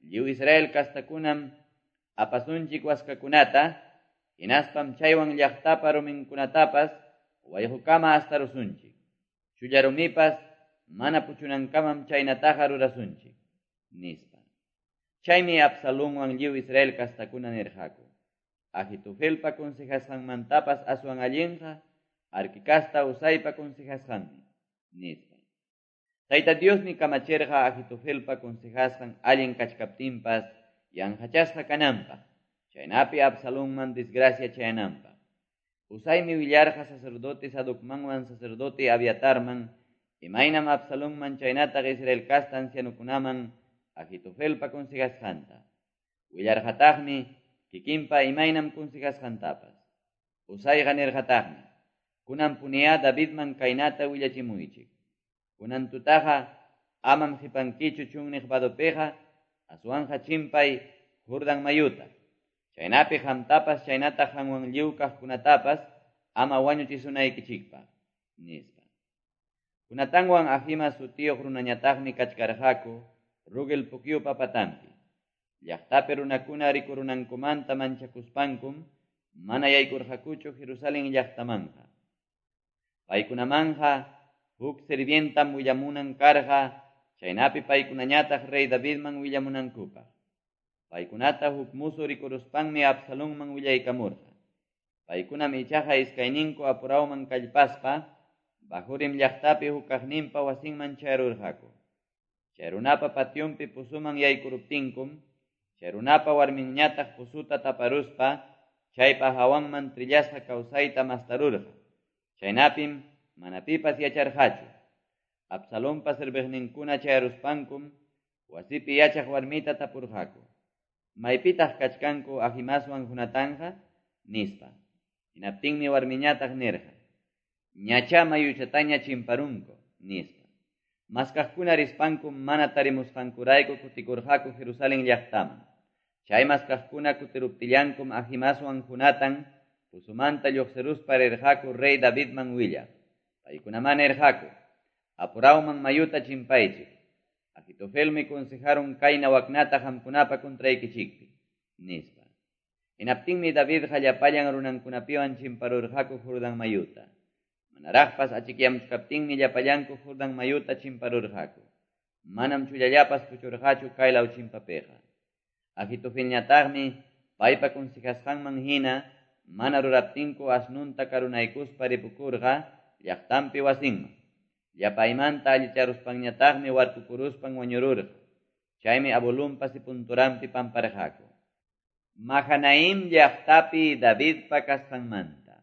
lliw Israel kastakunam apasunchik waskakunata hinaspam chaywan llaqtapa ruminkunatapas wayqukama astarusunchik. Chulla rumipas mana puchunankamam chaynataqa rurasunchik, nispa. Chaymi Absalonwan lliw Israel kastakuna nirqaku. Ahitofelpa consejasqanmantapas aswan allinqa Arqui kasta Husaipa consejasqanmi, nispa. Tayta Diosmi kamachirqa Ahitofelpa consejasqan allin kachkaptinpas yanqachasqa kananpaq, chaynapi Absalonman desgracia chayananpaq. Husaimi willarqa sacerdote Sadocmanwan sacerdote Abiatarman, imaynam Absalonman chaynataq Israel kasta ancianukunaman Ahitofelpa consejasqanta. Willarqataqmi kikinpa imaynam consejasqantapas. Husayqa nirqataqmi, kunan puniya Davidman kaynata willachimuychik. Kunan tutaqa amam qipankichu chunniq vadopiqa, aswanqa chimpay Jordán mayuta. Chaynapi qamtapas chaynataq qanwan lliw kaqkunatapas ama wañuchisunaykichikpaq, nispa. Jonatanwan Ahimaas sutiyuq runañataqmi kachkarqaku Rogel pukyupa patanpi. Llaqtapi runakuna rikurunankumanta manchakuspankum mana yaykurqakuchu Jerusalén llaqtamanqa. Paykunamanja huk sirvientam willamunan karqa, chaynapi paykunañataq rey Davidman willamunankupaq. Paykunata huk musu rikuruspanmi Absalonman willaykamurqa. Paykunam ichaqa iskayninku apurawman kallpaspa, Bahurim llaqtapi hukaqninpa wasinman chayarurqaku. Chay runapa pationpi pusuman yaykuruptinkum, chay runapa warminñataq pusuta taparuspa, chaypa hawanman trillasqa kawsayta mastarurqa. Chaynapim mana pipas yacharqachu. Absalonpa serviqninkuna chayaruspankum, wasipi yachaq warmita tapurqaku. Maypitaq kachkanku Ahimaaswan Jonatanja, nispa. Hinaptinmi warmiñataq nirqa, ñacha mayuchataña chimparunku, nispa. Maskaqkuna rispankum mana tarimusqankurayku kutikurqaku Jerusalén llaqtaman. Chay maskaqkuna kutiruptillankum Ahimaaswan Jonatan pusumanta lluqsiruspa rirqaku rey Davidman willaq. Paykunaman nirqaku, apurawman mayuta chimpaychik. Ahitofelmi consejaron kayna waknata qamkunapa contraykichikpi, nispa. Hinaptinmi Davidqa llapallan runankunapiwan chimparurqaku Jordán mayuta. Manaraqpas achikyamuchkaptinmi llapallanku Jordán mayuta chimparurqaku. Manam chullallapas puchurqachu kaylaw chimpapiqa. Ahitofelñataqmi paypa consejasqanman hina mana ruraptinku asnunta karunaykuspa ripukurqa llaqtanpi wasinman. Llapaymanta allicharuspanñataqmi warkukuruspan wañururqa. Chaymi abuelunpa sepulturanpi pamparqaku. Mahanaim llaqtapi Davidpa kasqanmanta.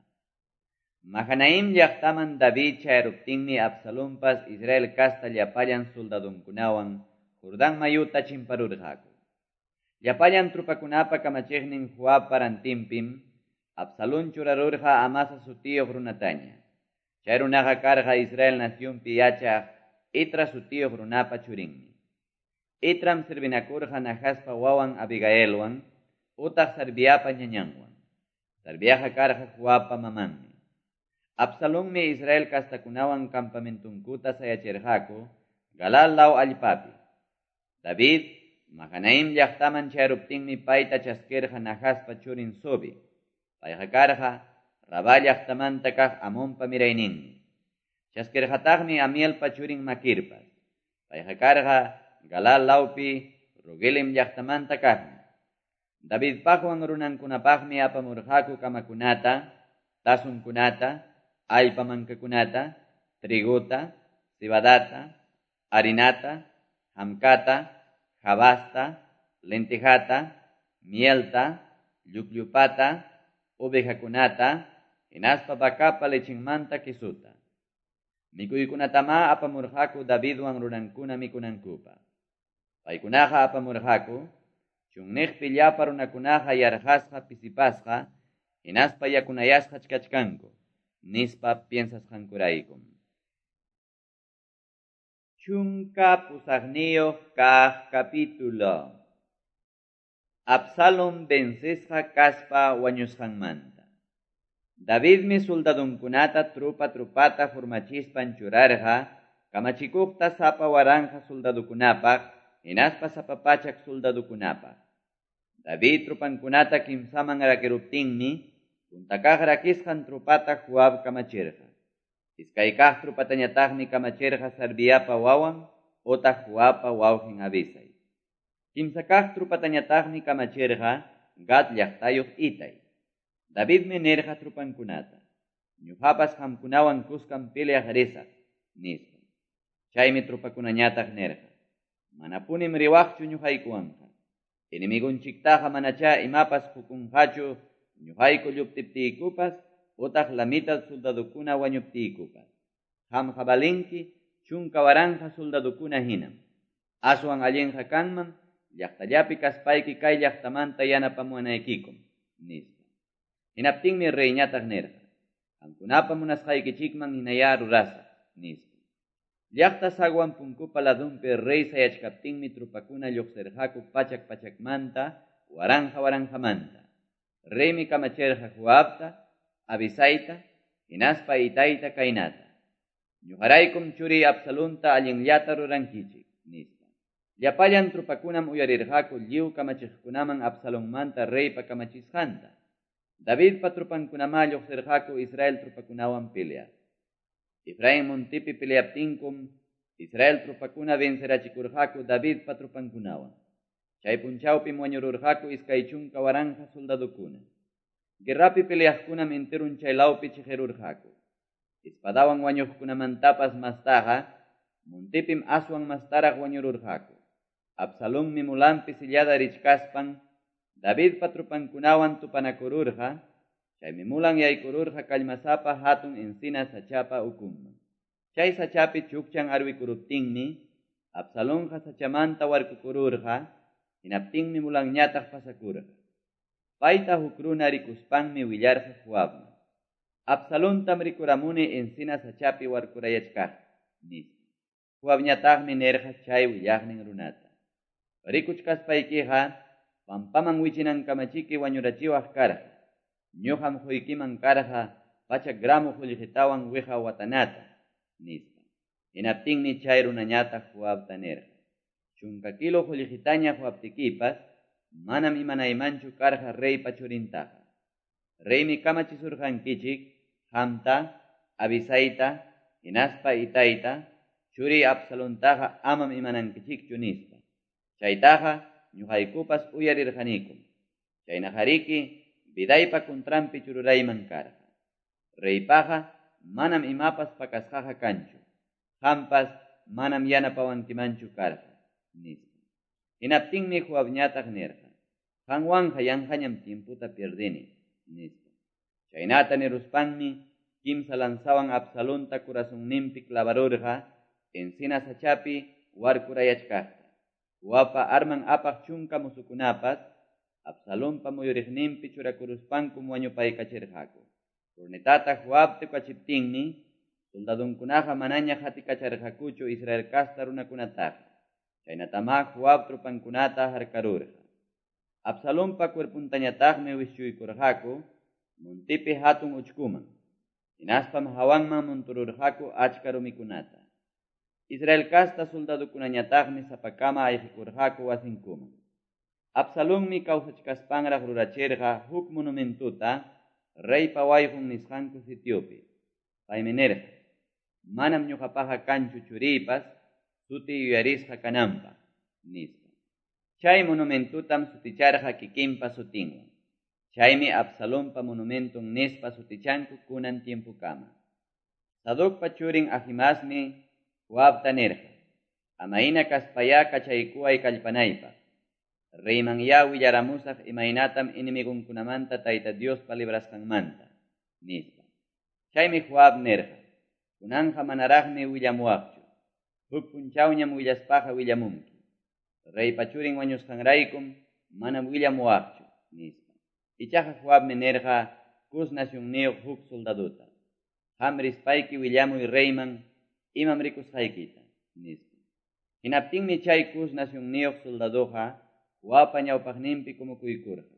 Mahanaim llaqtaman David chayaruptinmi Absalonpas Israel kasta llapallan soldadunkunawan Jordán mayuta chimparurqaku. Llapallan trupakunapa kamachiqnin Joabpa rantinpim Absalón churarurqa Amasa sutiyuq runataña. Chay runaqa karqa Israel nacionpi yachaq Itra sutiyuq runapa churinmi. Itram servinakurqa Nahaspa wawan Abigailwan utaq Sarviapa ñañanwan. Sarviaqa karqa Joabpa mamanmi. Absalonmi Israel kastakunawan campamentunkuta sayachirqaku Galal law allpapi. David Mahanaim llaqtaman chayaruptinmi payta chaskirqa Nahaspa churin Sobi. Payqa karqa Rabá llaqtamanta kaq Amonpa mirayninmi. Chaskirqataqmi Amielpa churin Makirpas. Payqa karqa Galal lawpi Rogelim llaqtamanta kaqmi. Davidpaqwan runankunapaqmi apamurqaku kamakunata, tasunkunata, allpa mankakunata, trigota, cebadata, harinata, hamkata, jabasta, lentejata, mielta, llukllupata, ovejakunata, hinaspa vacapa lechinmanta quisuta. Mikuykunatama apamurqaku Davidwan runankuna mikunankupaq. Paykunaqa apamurqaku, chunniqpi llapa runakunaqa yarqasqa pisipasqa, hinaspa yakunayasqach kachkanku, nispa piensasqankuraykum. 18 kaq capítulo. Absalom vencesqa kaspa wañusqanmanta. Davidmi soldadunkunata trupa trupata formachispan churarqa, kamachikuqta sapa waranja soldadukunapaq, hinaspa sapa pachak soldadukunapaq. David trupankunata kimsaman rakiruptinmi, punta kaq rakisqan trupata Joab kamachirqa. Iskay kaq trupatañataqmi kamachirqa Sarviapa wawan otaq Joabpa wawqin Abisai. Kimsa kaq trupatañataqmi kamachirqa Gad llaqtayuq Itai. Davidmi nirqa trupankunata: Ñuqapas qamkunawan kuskam peleaq risaq, nispa. Chaymi trupakunañataq nirqa: Manapunim riwaqchu ñuqaykuwanqa. Enemigunchiktaqa manachá imapas qukunqachu ñuqayku lluptiptiykupas utaq la mitad soldadukuna wañuptiykupas. Qamqa valinki 10,000 soldadukuna hinam. Aswan allinqa kanman llaqtallapi kaspayki kay llaqtamanta yanapamuwanaykikum, nispa. Hinaptinmi reyñataq nirqa: Qamkunapa munasqaykichikman hinayá rurasaq, nispa. Llaqta zaguan punkupa ladunpi rey sayachkaptinmi trupakuna lluqsirqaku pachak pachakmanta, waranja waranjamanta. Reymi kamachirqa Joabta, Abisaita, hinaspa Itaita kaynata: Ñuqaraykum churiy Absalonta allinllata rurankichik, nispa. Llapallan trupakunam uyarirqaku lliw kamachiqkunaman Absalonmanta reypa kamachisqanta. Davidpa trupankunamá lluqsirqaku Israel trupakunawan peleaq. Efraín montipi peleaptinkum Israel trupakuna vencerachikurqaku Davidpa trupankunawan. Chay punchawpim wañururqaku 20,000 soldadukuna. Guerrapi peleaqkunam enterun chay lawpi chiqirurqaku. Espadawan wañuqkunamantapas mastaqa montipim aswan mastaraq wañururqaku. Absalonmi mulanpi sillada richkaspan Davidpa trupankunawan tupanakururqa, chaymi mulan yaykururqa kallmasapa hatun encina sachapa ukunman. Chay sachapi chukchan arwikuruptinmi Absalonqa sachamanta warkukururqa, hinaptinmi mulanñataq pasakurqa. Payta huk runa rikuspanmi willarqa Joabman: Absalontam rikuramuni encina sachapi warkurayachkaqta, nispa. Joabñataqmi nirqa chay willaqnin runata: Rikuchkaspaykiqa pampaman wichinankamachiki wañurachiwaq karqa. Ñuqam quykiman karqa 100 gramo qullqitawan wiqa watanata, nispa. Hinaptinmi chay runañataq Joabta nirqa: 10 kilo qullqitaña quwaptikipas manam imanaymanchu karqa reypa churintaqa. Reymi kamachisurqankichik qamta, Abisaita, hinaspa Itaita, churiy Absalontaqa amam imanankichikchu, nispa. Chaytaqa ñuqaykupas uyarirqanikum. Chaynaqariki vidaypa kuntranpi chururayman karqa. Reypaqa manam imapas pakasqaqa kanchu. Qampas manam yanapawankimanchu karqa, nispa. Hinaptinmi Joabñataq nirqa: Qanwanqa yanqañam tiemputa pierdini, nispa. Chaynata niruspanmi kimsa lanzawan Absalonta corazonninpi clavarurqa encina sachapi warkurayachkaqta. Joabpa arman apaq 10 musukunapas Absalonpa muyuriqninpi churakuruspankum wañupaykachirqaku. Cornetata Joab tukachiptinmi soldadunkunaqa manaña qatikacharqakuchu Israel casta runakunataqa. Chaynatamá Joab trupankunata harkarurqa. Absalonpa cuerpuntañataqmi wischuykurqaku montipi hatun uchkuman. Hinaspam hawanman montururqaku achka rumikunata. Israel casta soldadukunañataqmi sapakama ayqikurqaku wasinkuman. Absalonmi kawsachkaspanraq rurachirqa huk monumentuta reypa wayqun nisqanku sitiopi. Paymi nirqa: Manam ñuqapaqa kanchu churiypas sutiy yuyarisqa kananpaq, nispa. Chay monumentutam suticharqa kikinpa sutinwan. Chaymi Absalonpa monumentun nispa sutichanku kunan tiempukama. Sadocpa churin Ahimaasmi Joabta nirqa: Amayna kaspayá kachaykuway kallpanaypaq. Reyman ya willaramusaq imaynatam enemigunkunamanta Tayta Diospa librasqanmanta, nispa. Chaymi Joab nirqa: Kunanqa manaraqmi willamuwaqchu. Huk punchawñam willaspaqa willamunki. Reypa churin wañusqanraykum manam willamuwaqchu, nispa. Ichaqa Joabmi nirqa Cus nacionniyuq huk soldadota, Qam rispayki willamuy reyman imam rikusqaykita, nispa. Hinaptinmi chay Cus nacionniyuq soldadoqa Joabpa ñawpaqninpi kumukuykurqa.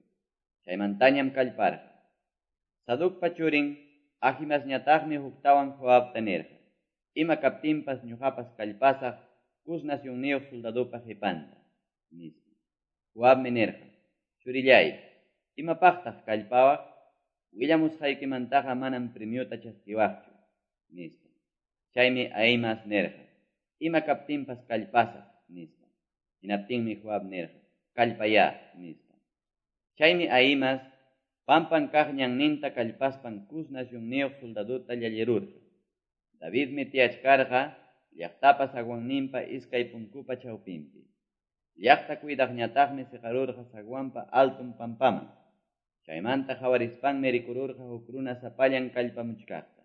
Chaymantañam kallparqa. Sadocpa churin Ahimaasñataqmi huktawan Joabta nirqa, Ima kaptinpas ñuqapas kallpasaq Cus nacionniyuq soldadopa qipanta, nispa. Joabmi nirqa, Churilláy, imapaqtaq kallpawaq? Willamusqaykimantaqa manam premiota chaskiwaqchu, nispa. Chaymi Ahimaas nirqa, Ima kaptinpas kallpasaq, nispa. Hinaptinmi Joab nirqa, Kallpayá, nispa. Chaymi Ahimaas pampan kaq ñanninta kallpaspan Cus nacionniyuq soldadota llallirurqa. Davidmi tiyachkarqa llaqtapa zaguanninpa iskay punkupa chawpinpi. Llaqta cuidaqñataqmi seqarurqa zaguanpa alton pampaman. Chaymanta qawarispanmi rikururqa huk runa sapallan kallpamuchkaqta.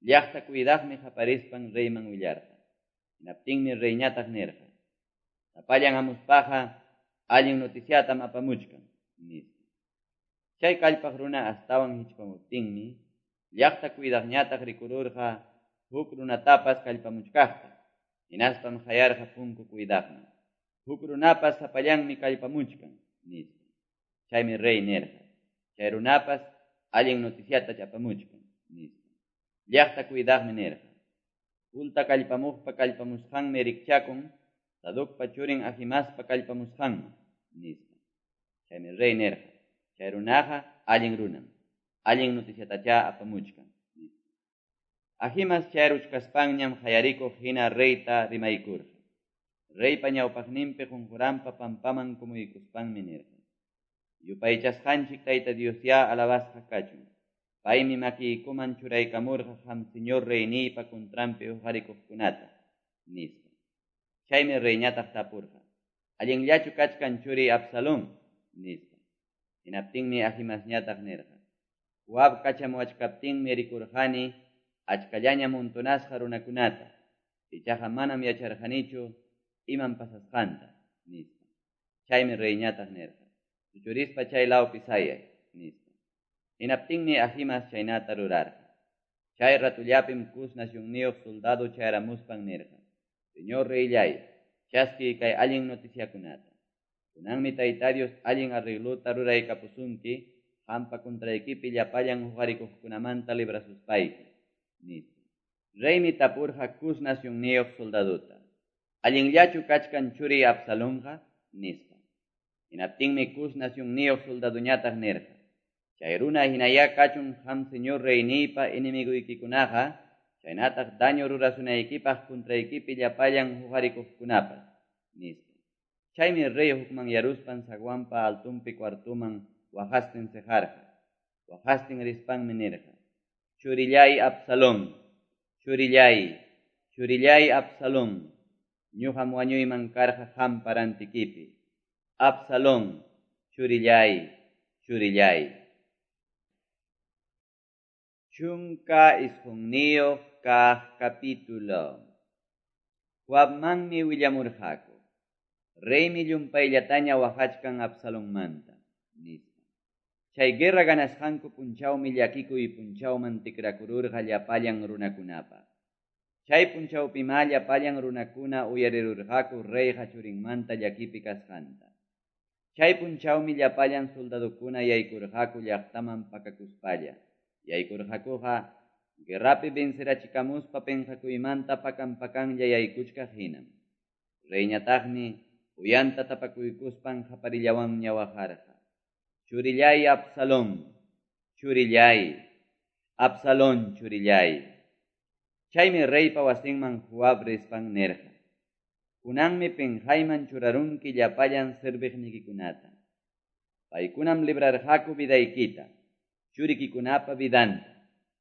Llaqta cuidaqmi qaparispan reyman willarqa. Hinaptinmi reyñataq nirqa, Sapallan hamuspaqa allin noticiatam apamuchkan, nispa. Chay kallpaq runa astawan hichpamuptinmi llaqta cuidaqñataq rikururqa huk runatapas kallpamuchkaqta. Hinaspam qayarqa punku cuidaqman, Huk runapas sapallanmi kallpamuchkan, nispa. Chaymi rey nirqa, Chay runapas allin noticiata apamuchkan, nispa. Llaqta cuidaqmi nirqa, Punta kallpamuqpa kallpamusqanmi rikchakun Sadocpa churin Ahimaaspa kallpamusqanman, nispa. Chaymi rey nirqa, Chay runaqa allin runam, allin noticiatachá apamuchkan, nispa. Ahimaas chayaruchkaspanñam qayarikuq hina reyta rimaykurqa. Reypa ñawpaqninpi qunquranpa pampaman kumuykuspanmi nirqa, Yupaychasqanchik Tayta Diosyá alabasqa kachun. Paymi makiykuman churaykamurqa qam señor reyniypa contranpi huqarikuqkunata, nispa. Chaymi reyñataq tapurqa, Allinllachu kachkan churiy Absalón? nispa. Hinaptinmi Ahimaasñataq nirqa, Joab kachamuwachkaptinmi rikurqani achkallaña montonasqa runakunata, ichaqa manam yacharqanichu imam pasasqanta, nispa. Chaymi reyñataq nirqa, Suchurispa chay lawpi sayay, nispa. Hinaptinmi Ahimaas chaynata rurarqa. Chay ratollapim Cus nacionniyuq soldado chayaramuspan nirqa, Señor reylláy, chaskiy kay allin noticiakunata. Kunanmi Tayta Dios allin arreglota ruraykapusunki qampa contraykipi llapallan huqarikuqkunamanta librasuspayki, nispa. Reymi tapurqa Cus nacionniyuq soldadota, Allinllachu kachkan churiy Absalonqa? nispa. Hinaptinmi Cus nacionniyuq soldadoñataq nirqa, Chay runa hinayá kachun qam señor reyniypa enemigoykikunaqa chaynataq daño rurasunaykipaq contraykipi llapallan huqarikuqkunapas, nispa. Chaymi rey hukmanyaruspan zaguanpa altonpi cuartoman waqastin seqarqa. Waqastin rispanmi nirqa, Churilláy Absalón, churilláy, churilláy Absalón, ñuqam wañuyman karqa qampa rantikipi. Absalón, churilláy, churilláy. 19 kaq capítulo. Joabmanmi willamurqaku, Reymi llumpayllataña waqachkan Absalonmanta, nispa. Chay guerra ganasqanku punchawmi llakikuy punchawman tikrakururqa llapallan runakunapaq. Chay punchawpimá llapallan runakuna uyarirurqaku reyqa churinmanta llakipi kasqanta. Chay punchawmi llapallan soldadokuna yaykurqaku llaqtaman pakakuspalla. Yaykurqakuqa guerrapi vencerachikamuspa penqakuymanta pakan-pakanlla yaykuchkaq hinam. Reyñataqmi uyanta tapakuykuspan qaparillawanña waqarqa, Churilláy Absalón, churilláy, Absalón churilláy. Chaymi reypa wasinman Joab rispan nirqa, Kunanmi penqayman churarunki llapallan serviqnikikunata. Paykunam librarqaku vidaykita, churikikunapa vidanta,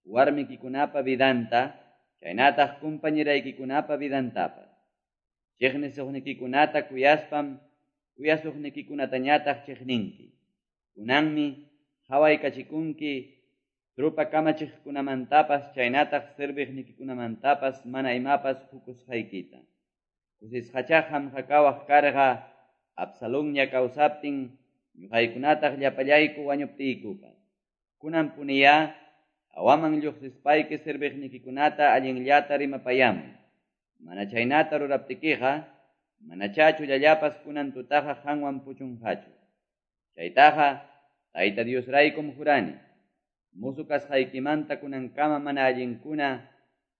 warmikikunapa vidanta, chaynataq compañeraykikunapa vidantapas. Cheqnisuqnikikunata kuyaspam kuyasuqnikikunatañataq cheqninki. Kunanmi qawaykachikunki tropa kamachiqkunamantapas chaynataq serviqnikikunamantapas mana imapas qukusqaykita. Kusisqachá qamqa kawaq karqa Absalonña kawsaptin ñuqaykunataq llapallayku wañuptiykupas. Kunanpuniyá hawaman lluqsispayki serviqnikikunata allinllata rimapayamuy. Mana chaynata ruraptikiqa, manachá chullallapas kunan tutaqa qanwan puchunqachu. Chaytaqa Tayta Diosraykum jurani. Musu kasqaykimanta kunankama mana allinkuna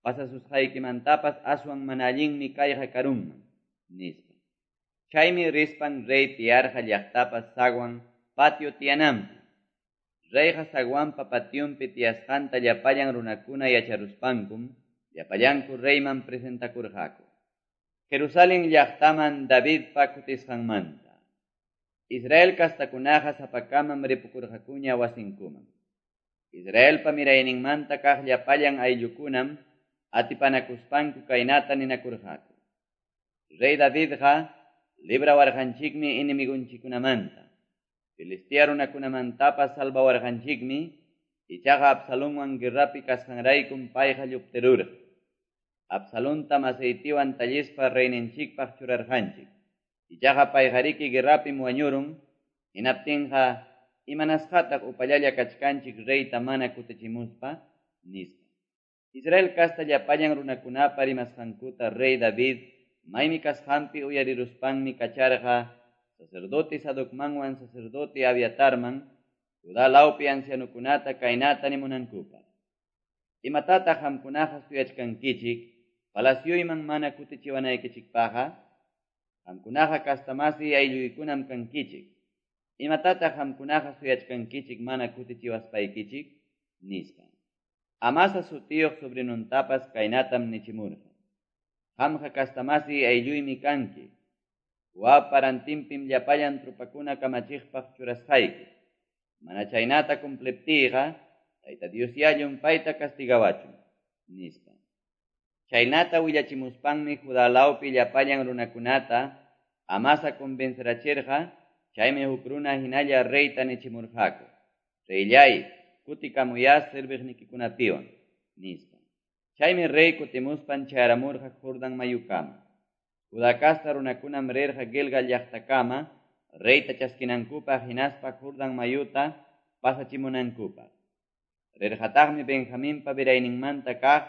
pasasusqaykimantapas aswan mana allinmi kayqa karunman, nispa. Chaymi rispan rey tiyarqa llaqtapa zaguan patio tiyananpi. Reyqa zaguanpa pationpi tiyasqanta llapallan runakuna yacharuspankum llapallanku reyman presentakurqaku. Jerusalén llaqtaman Davidpa kutisqanmanta. Israel kastakunaqa sapakamam ripukurqakuña wasinkuman. Israelpa mirayninmanta kaq llapallan ayllukunam atipanakuspanku kaynata ninakurqaku. Rey Davidqa librawarqanchikmi enemigonchikunamanta. Filistea runakunamantapas salvawarqanchikmi, ichaqa Absalonwan guerrapi kasqanraykum payqa lluptirurqa. Absalontam aceitiwan tallispa reyninchikpaq churarqanchik. Ichaqa payqariki guerrapim wañurun, hinaptinqa imanasqataq upallalla kachkanchik reyta mana kutichimuspa, nispa. Israel kasta llapallan runakunapa rimasqankuta rey David maymi kasqanpi uyariruspanmi kacharqa sacerdote Sadocmanwan sacerdote Abiatarman, Judá lawpi ancianukunata kaynata nimunankupaq. Imatataq qamkunaqa suyachkankichik palacioyman mana kutichiwanaykichikpaqqa? Qamkunaqa kastamasi aylluykunam kankichik. Imatataq qamkunaqa suyachkankichik mana kutichiwaspaykichik? Nispa. Amasa sutiyuq sobrinuntapas kaynatam nichimurqa. Qamqa kastamasi aylluymi kanki. Joabpa rantinpim llapallan tropakuna kamachiqpaq churasqayki. Mana chaynata cumpliptiyqa, Tayta Diosyá llumpayta castigawachun, nispa. Chaynata willachimuspanmi Judá lawpi llapallan runakunata Amasa convencerachirqa, chaymi huk runa hinalla reyta nichimurqaku. Reyllay, kutikamuyá serviqnikikunapiwan, nispa. Chaymi rey kutimuspan chayaramurqa Jordan mayukama. Judá kasta runakunam rirqa Gilgal llaqtakama, reyta chaskinankupaq hinaspa Jordan mayuta pasachimunankupaq. Rirqataqmi Benjaminpa mirayninmanta kaq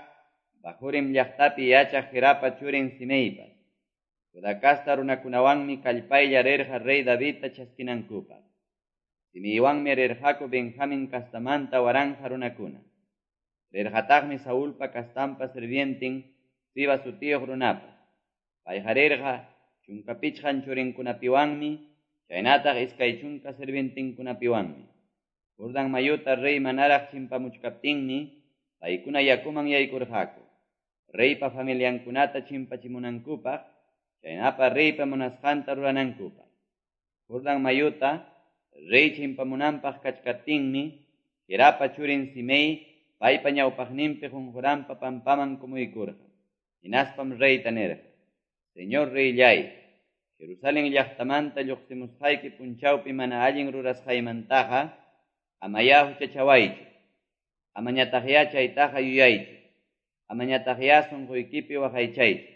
Bahurim llaqtapi yachaq Gerapa churin Simeipas. Judá kasta runakunawanmi kallpaylla rirqa rey Davidta chaskinankupaq. Simeiwanmi rirqaku Benjamin kastamanta waranja runakuna. Rirqataqmi Saulpa kastanpa sirvientin Siba sutiyuq runapas. Payqa rirqa 15 churinkunapiwanmi, chaynataq 20 sirvientinkunapiwanmi. Jordan mayuta rey manaraq chimpamuchkaptinmi, paykuna yakuman yaykurqaku. Reypa familiankunata chimpachimunankupaq, chaynapa reypa munasqanta ruranankupaq. Jordan mayuta rey chimpamunanpaq kachkaptinmi, Gerapa churin Simei paypa ñawpaqninpi qunquranpa pampaman kumuykurqa. Hinaspam reyta nirqa: Señor reyllay, Jerusalén llaqtamanta lluqsimusqayki punchawpi mana allin rurasqaymantaqa amayá huchachawaychu. Amañataqyá chaytaqa yuyaychu. Amañataqyá sunquykipi waqaychaychu.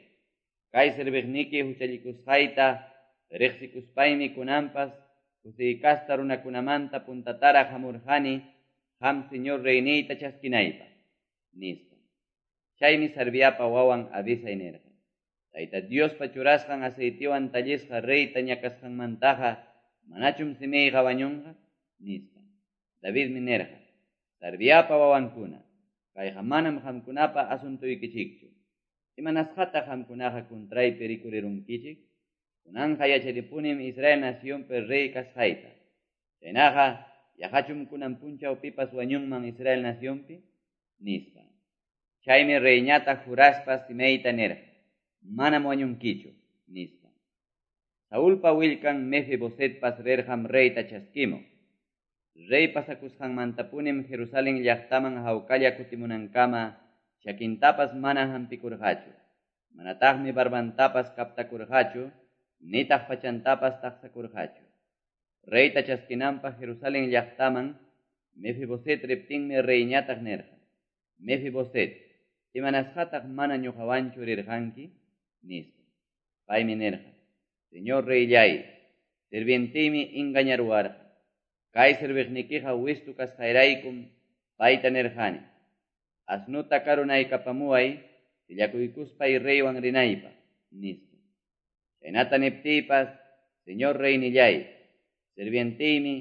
Kay serviqniki huchallikusqayta riqsikuspaymi kunanpas José kasta runakunamanta puntataraq hamurqani qam señor reyniyta chaskinaypaq, nispa. Chaymi Sarviapa wawan Abisai nirqa: Tayta Diospa churasqan aceitiwan tallisqa reyta ñakasqanmantaqa manachum Simeiqa wañunqa, nispa. Davidmi nirqa: Sarviapa wawankuna, kayqa manam qamkunapa asuntuykichikchu. Imanasqataq qamkunaqa kuntraypi rikurirunkichik? Kunanqa yacharipunim Israel nacionpi rey kasqayta. Chaynaqa yaqachum kunan punchaw pipas wañunman Israel nacionpi, nispa. Chaymi reyñata juraspa Simeita nirqa: Manam wañunkichu, nispa. Saulpa willkan Mefibosetpas rirqam reyta chaskimuq. Rey pasakusqanmantapunim Jerusalén llaqtaman hawkalla kutimunankama chakintapas mana hampikurqachu. Manataqmi barbantapas kaptakurqachu, nitaq pachantapas taqsakurqachu. Reyta chaskinanpaq Jerusalén llaqtaman Mefiboset riptinmi reyñataq nirqa: Mefiboset, imanasqataq mana ñuqawanchu rirqanki, nispa. Paymi nirqa: Señor reyllay, sirvientiymi engañaruwarqa. Kay serviqnikiqa wistu kasqayraykum payta nirqani: Asnuta karunaykapamuway sillakuykuspay reywan rinaypaq, nispa. Chaynata niptiypas, señor reynilláy, sirvienteymi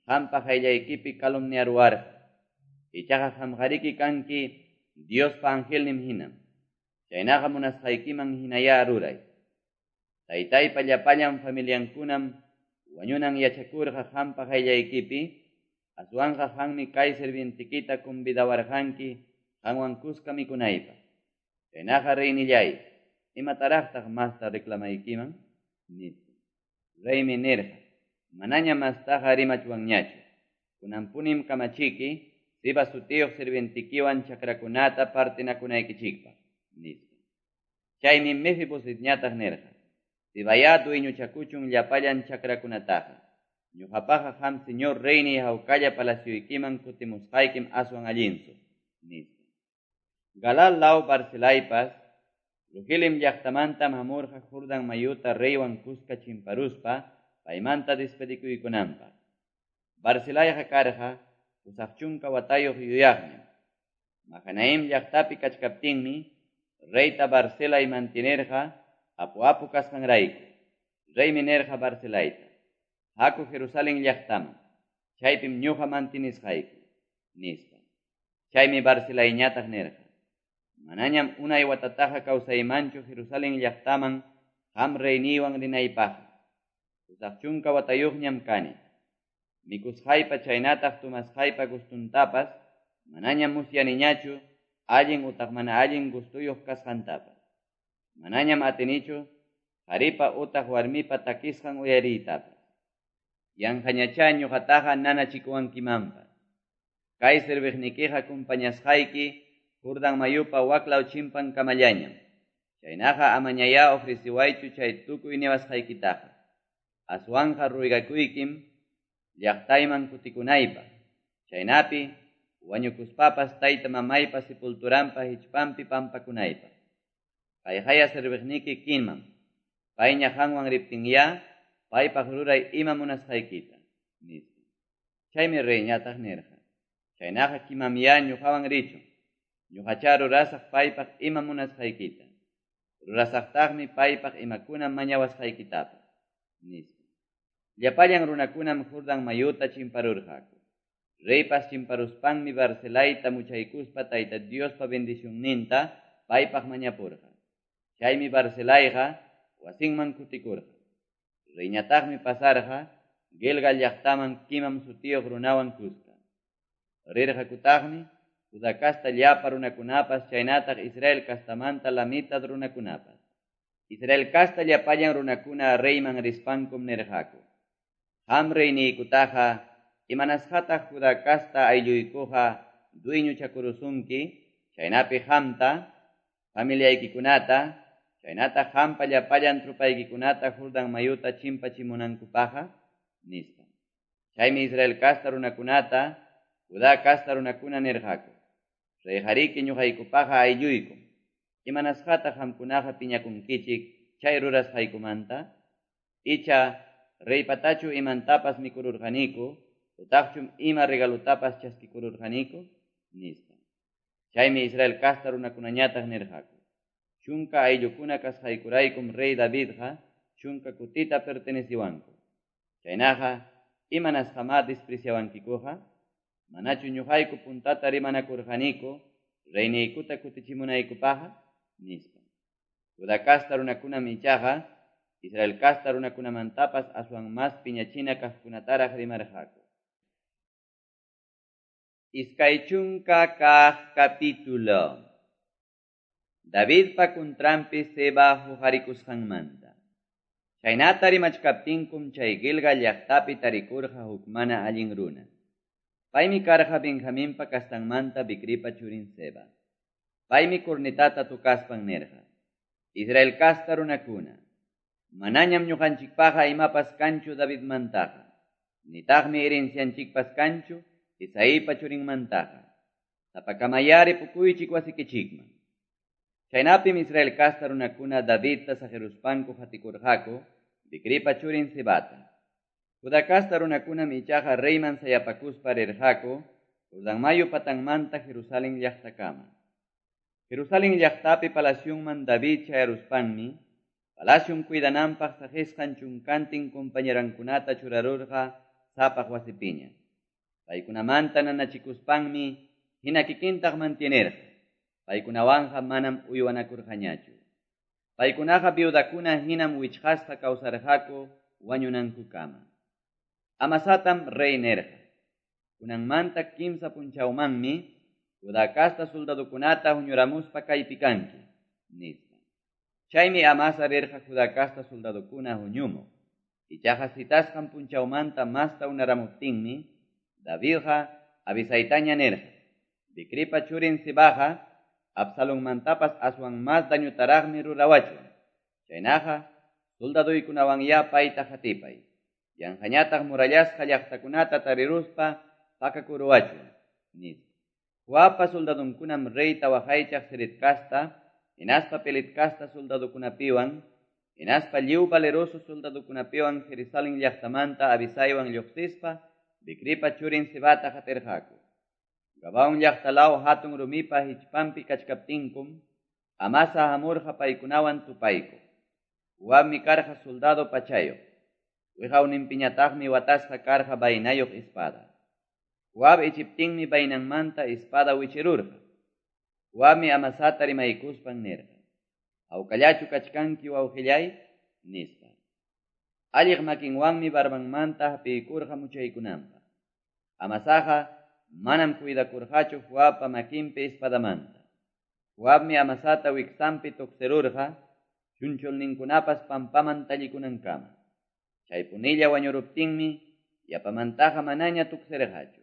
qampa qayllaykipi calumniaruwarqa. Ichaqa qamqariki kanki Diospa angelnin hinam. Chaynaqa munasqaykiman hinayá ruray. Taytaypa llapallan familiankunam wañunan yachakurqa qampa qayllaykipi, aswanqa qanmi kay sirvientekita convidawarqanki qanwan kuska mikunaypaq. Chaynaqa reynilláy, imataraqtaq masta reclamaykiman? Nispa. Reymi nirqa: Manañam mastaqa rimachwanñachu. Kunanpunim kamachiki Siba sutiyuq sirvientekiwan chakrakunata partinakunaykichikpaq, nispa. Chaymi Mefibosetñataq nirqa: Sibayá dueñochakuchun llapallan chakrakunataqa. Ñuqapaqa qam señor reyniy hawkalla palacioykiman kutimusqaykim aswan allinsu, nispa. Galaad law Barzilaipas Rogelim llaqtamantam hamurqa Jordán mayuta reywan kuska chimparuspa paymanta despedikuykunanpaq. Barzilaiqa karqa 80 watayuq yuyaqñam. Mahanaim llaqtapi kachkaptinmi reyta Barzilai mantenerqa apu-apu kasqanrayku. Reymi nirqa Barzilaita: Haku Jerusalén llaqtaman, chaypim ñuqa mantenisqayki, nispa. Chaymi Barzilaiñataq nirqa: Manañam unay watataqa kawsaymanchu Jerusalén llaqtaman qam reyniywan rinaypaqqa. 80 watayuqñam kani. Mikusqaypa chaynataq tomasqaypa gustuntapas manañam musyaniñachu allin utaq mana allin gustuyuq kasqantapas. Manañam atinichu qaripa utaq warmipa takisqan uyariytapas. Yanqañachá ñuqataqa nanachikuwankimanpas. Kay serviqnikiqa compañasqayki Jordán mayupa waklaw chimpankamallañam. Chaynaqa amañayá ofreciwaychu chay tukuy niwasqaykitaqa. Aswanqa ruegakuykim llaqtayman kutikunaypaq. Chaynapi wañukuspapas tayta mamaypa sepulturanpa hichpanpi pampakunaypaq. Kayqaya serviqniki Kimam. Payña qanwan riptinyá paypaq ruray ima munasqaykita, nispa. Chaymi reyñataq nirqa: Chaynaqa Kimamyá ñuqawan richun. Ñuqachá rurasaq paypaq ima munasqaykita. Rurasaqtaqmi paypaq imakuna mañawasqaykitapas, nispa. Llapallan runakunam Jordán mayuta chimparurqaku. Reypas chimparuspanmi Barzilaita muchaykuspa Tayta Diospa bendicionninta paypaq mañapurqa. Chaymi Barzilaiqa wasinman kutikurqa. Reyñataqmi pasarqa Gilgal llaqtaman Kimam sutiyuq runawan kuska. Rirqakutaqmi Judá casta llapa runakunapas chaynataq Israel castamanta la mitad runakunapas. Israel casta llapallan runakuna reyman rispankum nirqaku: Qam reyniykutaqa imanasqataq Judá casta aylluykuqa dueñochakurusunki, chaynapi qamta, familiaykikunata, chaynataq qampa llapallan tropaykikunata Jordán mayuta chimpachimunankupaqqa, nispa. Chaymi Israel casta runakunata, Judá casta runakuna nirqaku: Reyqariki ñuqaykupaqa aylluykum. Imanasqataq qamkunaqa piñakunkichik chay rurasqaykumanta? Icha reypatachu imantapas mikururqaniku, utaqchum ima regalotapas chaskikururqaniku, nispa. Chaymi Israel casta runakunañataq nirqaku: 10 ayllukuna kasqaykuraykum rey Davidqa 10 kutita perteneciwanku. Chaynaqa imanasqamá despreciawankikuqa? Manachu ñuqayku puntata rimanakurqaniku reyniykuta kutichimunaykupaqqa, nispa. Judá casta runakunam ichaqa Israel casta runakunamantapas aswan mas piñachina kaqkunataraq rimarqaku. 20 kaq capítulo. Davidpa kuntranpi Seba huqarikusqanmanta. Chaynata rimachkaptinkum chay Gilgal llaqtapi tarikurqa huk mana allin runa. Paymi karqa Benjaminpa castanmanta Bicripa churin Seba. Paymi cornetata tocaspan nirqa: Israel casta runakuna, manañam ñuqanchikpaqa imapas kanchu Davidmantaqa, nitaqmi herencianchikpas kanchu Isaipa churinmantaqa. Sapakamayá ripukuychik wasikichikman. Chaynapim Israel casta runakuna Davidta saqiruspanku qatikurqaku Bicripa churin Sebata. Judá casta runakunam ichaqa reyman sayapakuspa rirqaku Jordán mayu patanmanta Jerusalén llaqtakama. Jerusalén llaqtapi palacionman David chayaruspanmi, palacion cuidananpaq saqisqan chunkantin compañerankunata churarurqa sapaq wasipiña. Paykunamanta nanachikuspanmi hina kikintaq mantienerqa. Paykunawanqa manam uywanakurqañachu. Paykunaqa viudakuna hinam wichqasqa kawsarqaku wañunankukama. Amasatam rey nirqa: Kunanmanta kimsa punchawmanmi Judá casta soldadokunata huñuramuspa kaypi kanki, nispa. Chaymi Amasa rirqa Judá casta soldadokuna huñumuq. Ichaqa citasqan punchawmanta masta unaramuptinmi, Davidqa Abisaytaña nirqa: Bicripa churin Sibaqa Absalonmantapas aswan mas dañutaraqmi rurawachwan. Chaynaqa soldaduykunawanyá payta qatipay. Yanqañataq murallasqa llaqtakunata tariruspa pakakuruwachwan, nispa. Joabpa soldadunkunam reyta waqaychaq Ceret casta, hinaspa Pelet casta soldadokunapiwan, hinaspa lliw valeroso soldadokunapiwan Jerusalén llaqtamanta Abisaywan lluqsispa Bicripa churin Sibata qatirqaku. Gabaón llaqtalaw hatun rumipa hichpanpi kachkaptinkum, Amasa hamurqa paykunawan tupaykuq. Joabmi karqa soldado pachayuq. Wiqawninpiñataqmi watasqa karqa vainayuq espada. Joab ichiptinmi vainanmanta espada wichirurqa. Joabmi Amasata rimaykuspan nirqa: Hawkallachu kachkanki wawqillay, nispa. Alliq makinwanmi barbanmanta hapiykurqa muchaykunanpaq. Amasaqa manam cuidakurqachu Joabpa makinpi espadamanta. Joabmi Amasata wiksanpi tuksirurqa, chunchulninkunapas pampaman tallikunankama. Chaypunilla wañuruptinmi yapamantaqa manaña tuksirqachu.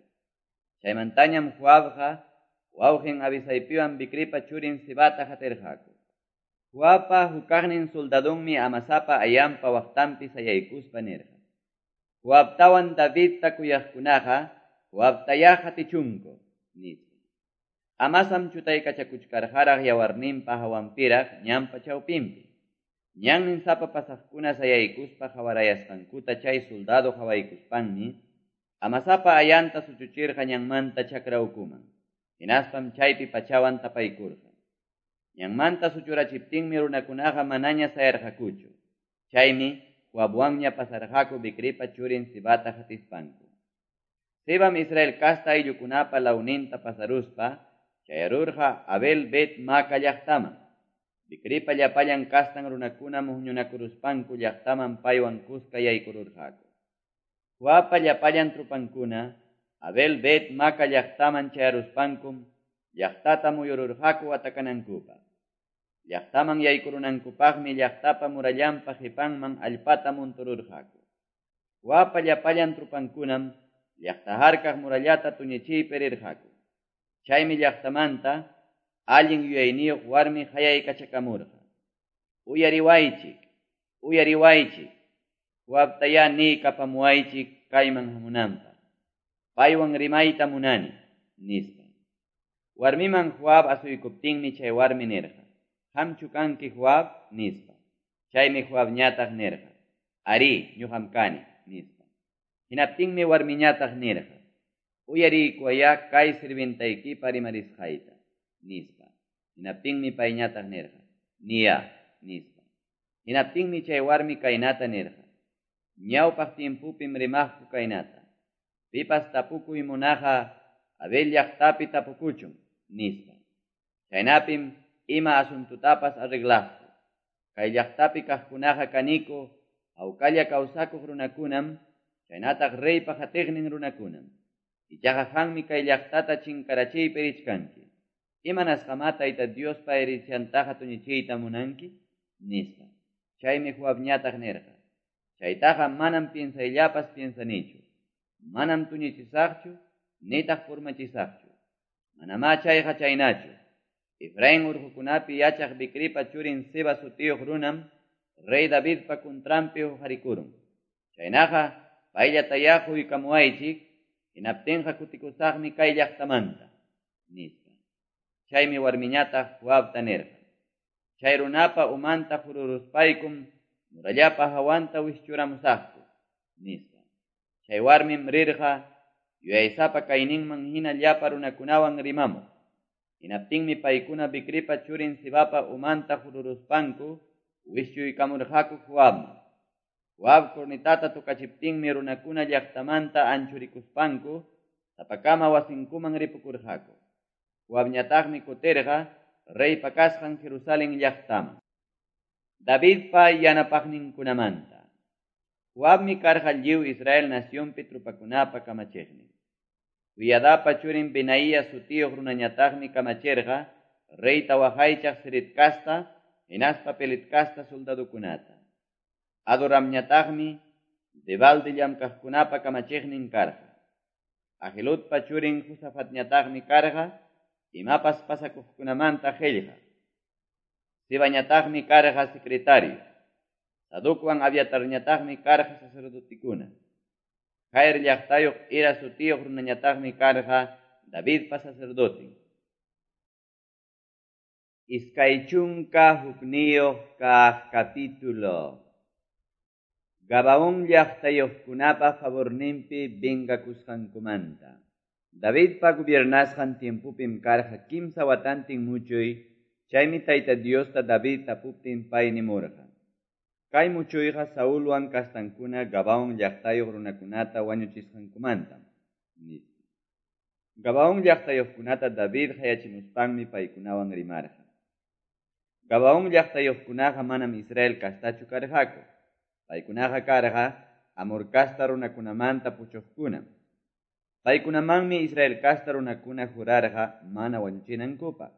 Chaymantañam Joabqa wawqin Abisaypiwan Bicripa churin Sibata qatirqaku. Joabpa hukaqnin soldadonmi Amasapa ayanpa waqtanpi sayaykuspa nirqa: Joabtawan Davidta kuyaqkunaqa Joabtayá qatichunku, nispa. Amasam chutaykachakuchkarqaraq yawarninpa hawanpiraq ñanpa chawpinpi. Ñannin sapa pasaqkuna sayaykuspa qawarayasqankuta chay soldado qawaykuspanmi Amasapa ayanta suchuchirqa ñanmanta chakra ukuman. Hinaspam chaypi pachawan tapaykurqa. Ñanmanta suchurachiptinmi runakunaqa manaña sayarqakuchu. Chaymi Joabwanña pasarqaku Bicripa churin Sibata qatispanku. Sibam Israel casta ayllukunapa lawninta pasaruspa chayarurqa Abel Bet Maca llaqtaman. Bicripa llapallan kastan runakunam huñunakuruspanku llaqtaman paywan kuska yaykururqaku. Joabpa llapallan trupankuna Abel Bet Maca llaqtaman chayaruspankum llaqtata muyururqaku atakanankupaq. Llaqtaman yaykurunankupaqmi llaqtapa murallanpa qipanman allpata muntururqaku. Joabpa llapallan trupankunam llaqta harkaq murallata tuñichiypi rirqaku. Chaymi llaqtamanta allin yuyayniyuq warmi qayaykachakamurqa: Uyariwaychik, uyariwaychik, Joabtayá niykapamuwaychik kayman hamunanpaq. Paywan rimayta munani, nispa. Warmiman Joab asuykuptinmi chay warmi nirqa: Qamchu kanki Joab, nispa. Chaymi Joabñataq nirqa: Arí, ñuqam kani, nispa. Hinaptinmi warmiñataq nirqa: Uyariykuwayá kay sirvientaykipa rimarisqayta, nispa. Hinaptinmi payñataq nirqa: Niya, nispa. Hinaptinmi chay warmi kaynata nirqa: Ñawpaq tiempupim rimaqku kaynata: Pipas tapukuy munaqa Abel llaqtapi tapukuchun, nispa. Chaynapim ima asuntutapas arreglaqku. Kay llaqtapi kaqkunaqa kaniku hawkalla kawsakuq runakunam, chaynataq reypa qatiqnin runakunam. Ichaqa qanmi kay llaqtata chinkarachiypi richkanki. Imanasqamá Tayta Diospa herenciantaqa tuñichiyta munanki, nispa. Chaymi Joabñataq nirqa: Chaytaqa manam piensayllapas piensanichu. Manam tuñichisaqchu, nitaq purmachisaqchu. Manamá chayqa chaynachu. Efraín urqukunapi yachaq Bicripa churin Seba sutiyuq runam rey Davidpa kuntranpi huqarikurun. Chaynaqa payllatayá huykamuwaychik, hinaptinqa kutikusaqmi kay llaqtamanta, nispa. Chaymi warmiñataq Joabta nirqa: Chay runapa umanta hururuspaykum murallapa hawanta wischuramusaqku, nispa. Chay warmim rirqa yuyaysapa kayninman hina llapa runakunawan rimamuq. Hinaptinmi paykuna Bicripa churin Sebapa umanta hururuspanku wischuykamurqaku Joabman. Joab cornetata tocachiptinmi runakuna llaqtamanta anchurikuspanku sapakama wasinkuman ripukurqaku. Joabñataqmi kutirqa reypa kasqan Jerusalén llaqtaman. Davidpa yanapaqninkunamanta. Joabmi karqa lliw Israel nacionpi trupakunapa kamachiqnin. Joiadapa churin Benaía sutiyuq runañataqmi kamachirqa reyta waqaychaq Ceret kasta hinaspa Pelet kasta soldadokunata. Adoramñataqmi debalde llamkaqkunapa kamachiqnin karqa. Ahiludpa churin Josafatñataqmi karqa imapas pasakuqkunamanta qillqaq. Sibañataqmi karqa secretario. Sadocwan Abiatarñataqmi karqa sacerdotekuna. Jair llaqtayuq Ira sutiyuq runañataqmi karqa Davidpa sacerdoten. 21 kaq capítulo. Gabaón llaqtayuqkunapa favorninpi vengakusqankumanta. Davidpa gobiernasqan tiempopim karqa 3 watantin muchuy, chaymi Tayta Diosta David tapuptin pay nimurqa. Kay muchuyqa Saulwan kastankuna Gabaón llaqtayuq runakunata wañuchisqankumantam, nispa. Gabaón llaqtayuqkunata David hayachimuspanmi paykunawan rimarqa. Gabaón llaqtayuqkunaqa manam Israel kastachu karqaku. Paykunaqa karqa Amor kasta runakunamanta puchuqkunam. Paykunamanmi Israel kasta runakuna jurarqa mana wañuchinankupaq.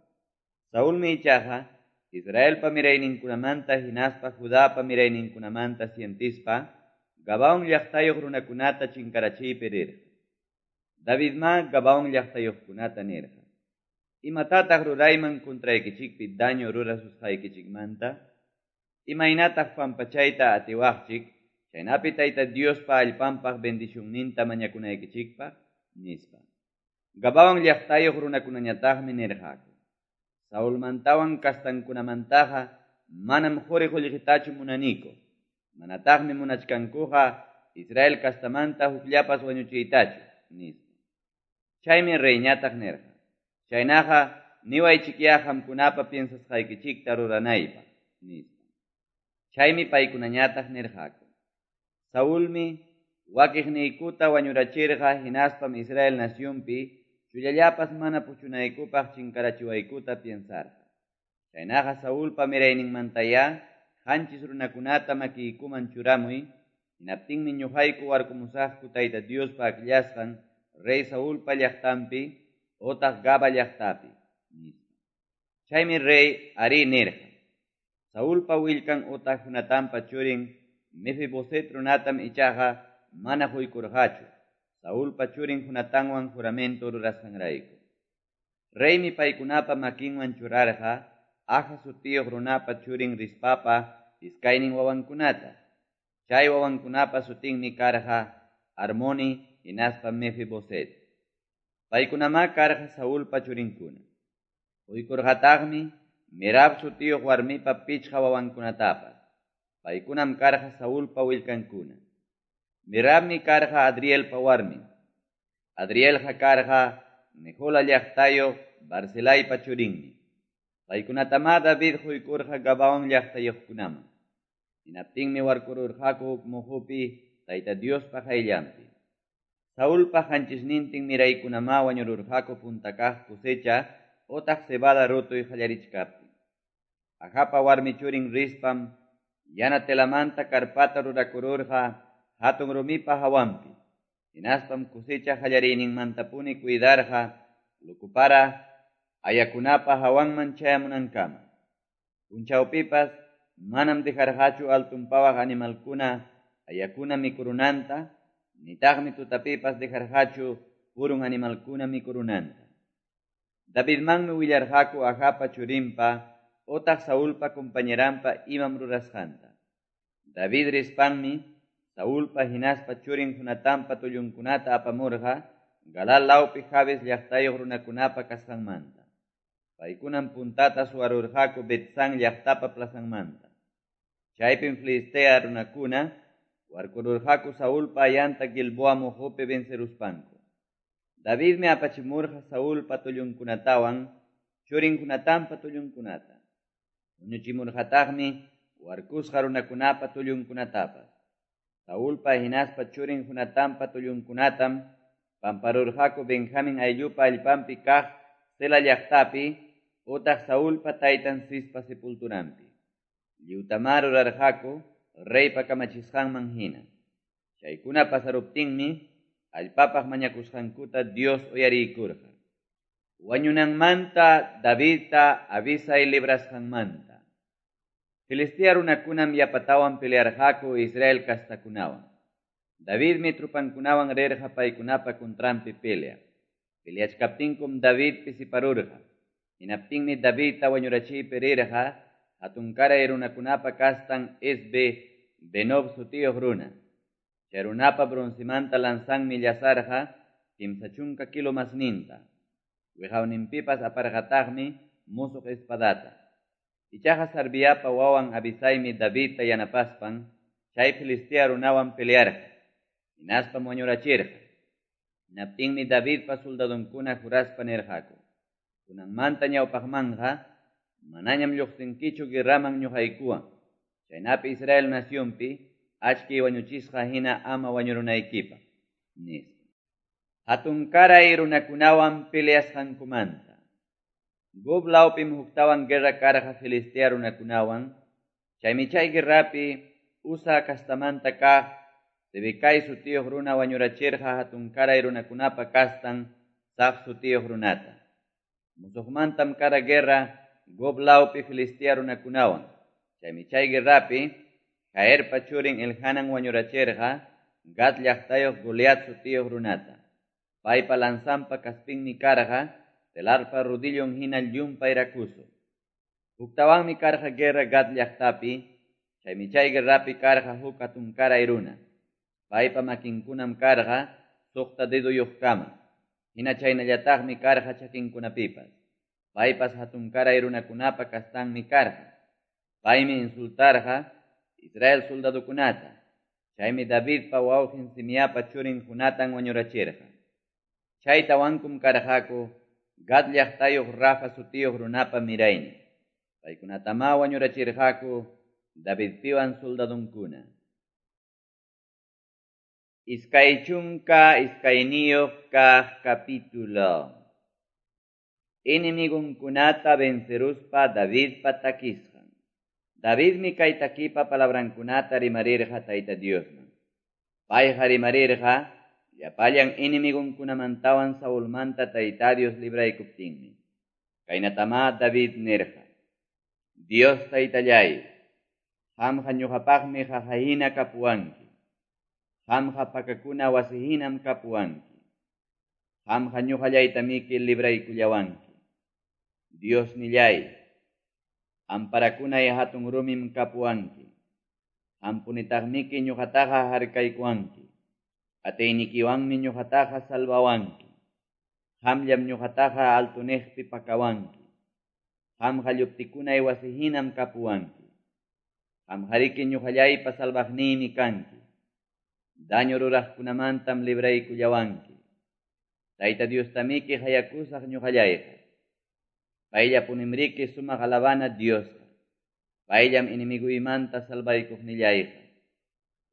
Saulmi ichaqa Israelpa mirayninkunamanta hinaspa Judapa mirayninkunamanta sientispa Gabaón llaqtayuq runakunata chinkarachiypi rirqa. Davidma Gabaón llaqtayuqkunata nirqa: Imatataq rurayman contraykichikpi daño rurasusqaykichikmanta? Imaynataq pampachayta atiwaqchik, chaynapi Tayta Diospa allpanpaq bendicionninta mañakunaykichikpaq, nispa. Gabaón llaqtayuq runakunañataqmi nirqaku: Saulmantawan kastankunamantaqa manam quri qullqitachu munaniku, manataqmi munachkankuqa Israel kastamanta hukllapas wañuchiytachu, nispa. Chaymi reyñataq nirqa: Chaynaqa niwaychikyá qamkunapa piensasqaykichikta ruranaypaq, nispa. Chaymi paykunañataq nirqaku: Saulmi wakiqniykuta wañurachirqa hinaspam Israel nacionpi chullallapas mana puchunaykupaq chinkarachiwaykuta piensarqa. Chaynaqa Saulpa mirayninmantayá 7 runakunata makiykuman churamuy, hinaptinmi ñuqayku warkumusaqku Tayta Diospa akllasqan rey Saulpa llaqtanpi otaq Gaba llaqtapi, nispa. Chaymi rey arí nirqa. Saulpa willkan otaq Jonatanpa churin Mefiboset runatam ichaqa mana quykurqachu, Saulpa churin Jonatanwan juramento rurasqanrayku. Reymi paykunapa makinwan churarqa Aja sutiyuq runapa churin Rispapa iskaynin wawankunata. Chay wawankunapa sutinmi karqa Armoni hinaspa Mefiboset. Paykunamá karqa Saulpa churinkuna. Quykurqataqmi Merab sutiyuq warmipa 5 wawankunatapas. Paykunam karqa Saulpa willkankuna. Merabmi karqa Adrielpa warmin. Adrielqa karqa Mehola llaqtayuq Barzilaypa churinmi. Paykunatamá David quykurqa Gabaón llaqtayuqkunaman. Hinaptinmi warkururqaku huk muhupi Tayta Diospa qayllanpi. Saulpa 7 miraykunamá wañururqaku punta kaq cosecha otaq cebada rutuy qallarichkaptin. Ajapa warmi churin Rispam yana telamanta karpata rurakururqa hatun rumipa hawanpi. Hinaspam cosecha qallariyninmantapuni cuidarqa lukupara ayakunapa hawanman chayamunankama. Punchawpipas manam dejarqachu altunpawaq animalkuna ayakuna mikurunanta, nitaqmi tutapipas dejarqachu purun animalkuna mikurunanta. Davidmanmi willarqaku Ajapa churinpa otaq Saulpa compañeranpa imam rurasqanta. David rispanmi Saulpa hinaspa churin Jonatanpa tullunkunata apamurqa Galal lawpi Jabes llaqtayuq runakunapa kasqanmanta. Paykunam puntata suwarurqaku Betzán llaqtapa plazanmanta. Chaypim Filistea runakuna Warkururqaku Saulpa ayanta Gilboa moqopi venceruspanku. Davidmi apachimurqa Saulpa tullunkunatawan churin Jonatanpa tullunkunata. Huñuchimurqataqmi warkusqa runakunapa tullunkunatapas. Saulpa hinaspa churin Jonatanpa tullunkunatam pamparurqaku Benjamin ayllupa allpanpi kaq Sela llaqtapi utaq Saulpa taytan Cispa sepulturanpi. Lliwtamá rurarqaku reypa kamachisqanman hina. Chaykuna pasaruptinmi allpapaq mañakusqankuta Dios uyariykurqa. Wañunanmanta Davidta Abisai librasqanmanta. Filistea runakunam yapatawan pelearqaku Israel kastakunawan. Davidmi trupankunawan rirqa paykunapa contranpi pelea. Peleachkaptinkum David pisiparurqa. Hinaptinmi Davidta wañurachiypi rirqa hatunkaray runakunapa kastan Esbe Benob sutiyuq runa. Chay runapa broncemanta lanzanmi llasarqa 30 kilo masninta. Wiqawninpipas aparqataqmi musuq espadata. Ichaqa Sarviapa wawan Abisaymi Davidta yanapaspan chay Filistea runawan pelearqa. Hinaspam wañurachirqa. Hinaptinmi Davidpa soldadonkuna juraspa nirqaku: Kunanmanta ñawpaqmanqa manañam lluqsinkichu guerraman ñuqaykuwan. Chaynapi Israel nacionpi achki wañuchisqa hina ama wañurunaykipaq, nispa. Hatunkaray runakunawan peleasqankumanta. Gob lawpim huktawan guerra karqa Filistea runakunawan. Chaymi chay guerrapi Usa kastamanta kaq Sibecai sutiyuq runa wañurachirqa hatunkaray runakunapa kastan Saf sutiyuq runata. Musuqmantam kara guerra Gob lawpi Filistea runakunawan. Chaymi chay guerrapi Jaerpa churin Elhanan wañurachirqa Gat llaqtayuq Goliat sutiyuq runata. Paypa lanzanpa kaspinmi karqa telarpa rudillon hina llumpay rakuso. Huktawanmi karqa guerra Gat llaqtapi, chaymi chay guerrapi karqa huk hatunkaray runa. Paypa makinkunam karqa suqta deduyuqkama. Hina chaynallataqmi karqa chakinkunapipas. Paypas hatunkaray runakunapa kastanmi karqa. Paymi insultarqa Israel soldadokunata. Chaymi Davidpa wawqin Simiapa churin Jonatan wañurachirqa. Chaytawankum karqaku Gad llaqtayuq Rafa sutiyuq runapa miraynin. Paykunatamá wañurachirqaku Davidpiwan soldadonkuna. 22 kaq capítulo. Enemigunkunata venceruspa Davidpa takisqan. Davidmi kay takipa palabrankunata rimarirqa Tayta Diosman. Payqa rimarirqa llapallan enemigunkunamantawan Saulmanta Tayta Dios libraykuptinmi. Kaynatamá David nirqa: Dios Taytallay, qamqa ñuqapaqmi qaqahina kapuwanki. Qamqa pakakuna wasihinam kapuwanki. Qamqa ñuqallaytamiki libraykullawanki. Dios nillay, amparakunay hatun rumim kapuwanki. Qampunitaqmiki ñuqataqa harkaykuwanki. Atiynikiwanmi ñuqataqa salvawanki. Qamllam ñuqataqa altuniqpi pakawanki. Qamqa lluptikunay wasihinam kapuwanki. Qamqariki ñuqallaypa salvaqniymi kanki. Daño ruraqkunamantam libraykullawanki. Tayta Diostamiki hayakusaq ñuqallayqa. Payllapunimriki sumaq alabana Diosqa. Payllam enemigoymanta salvaykuqnillayqa.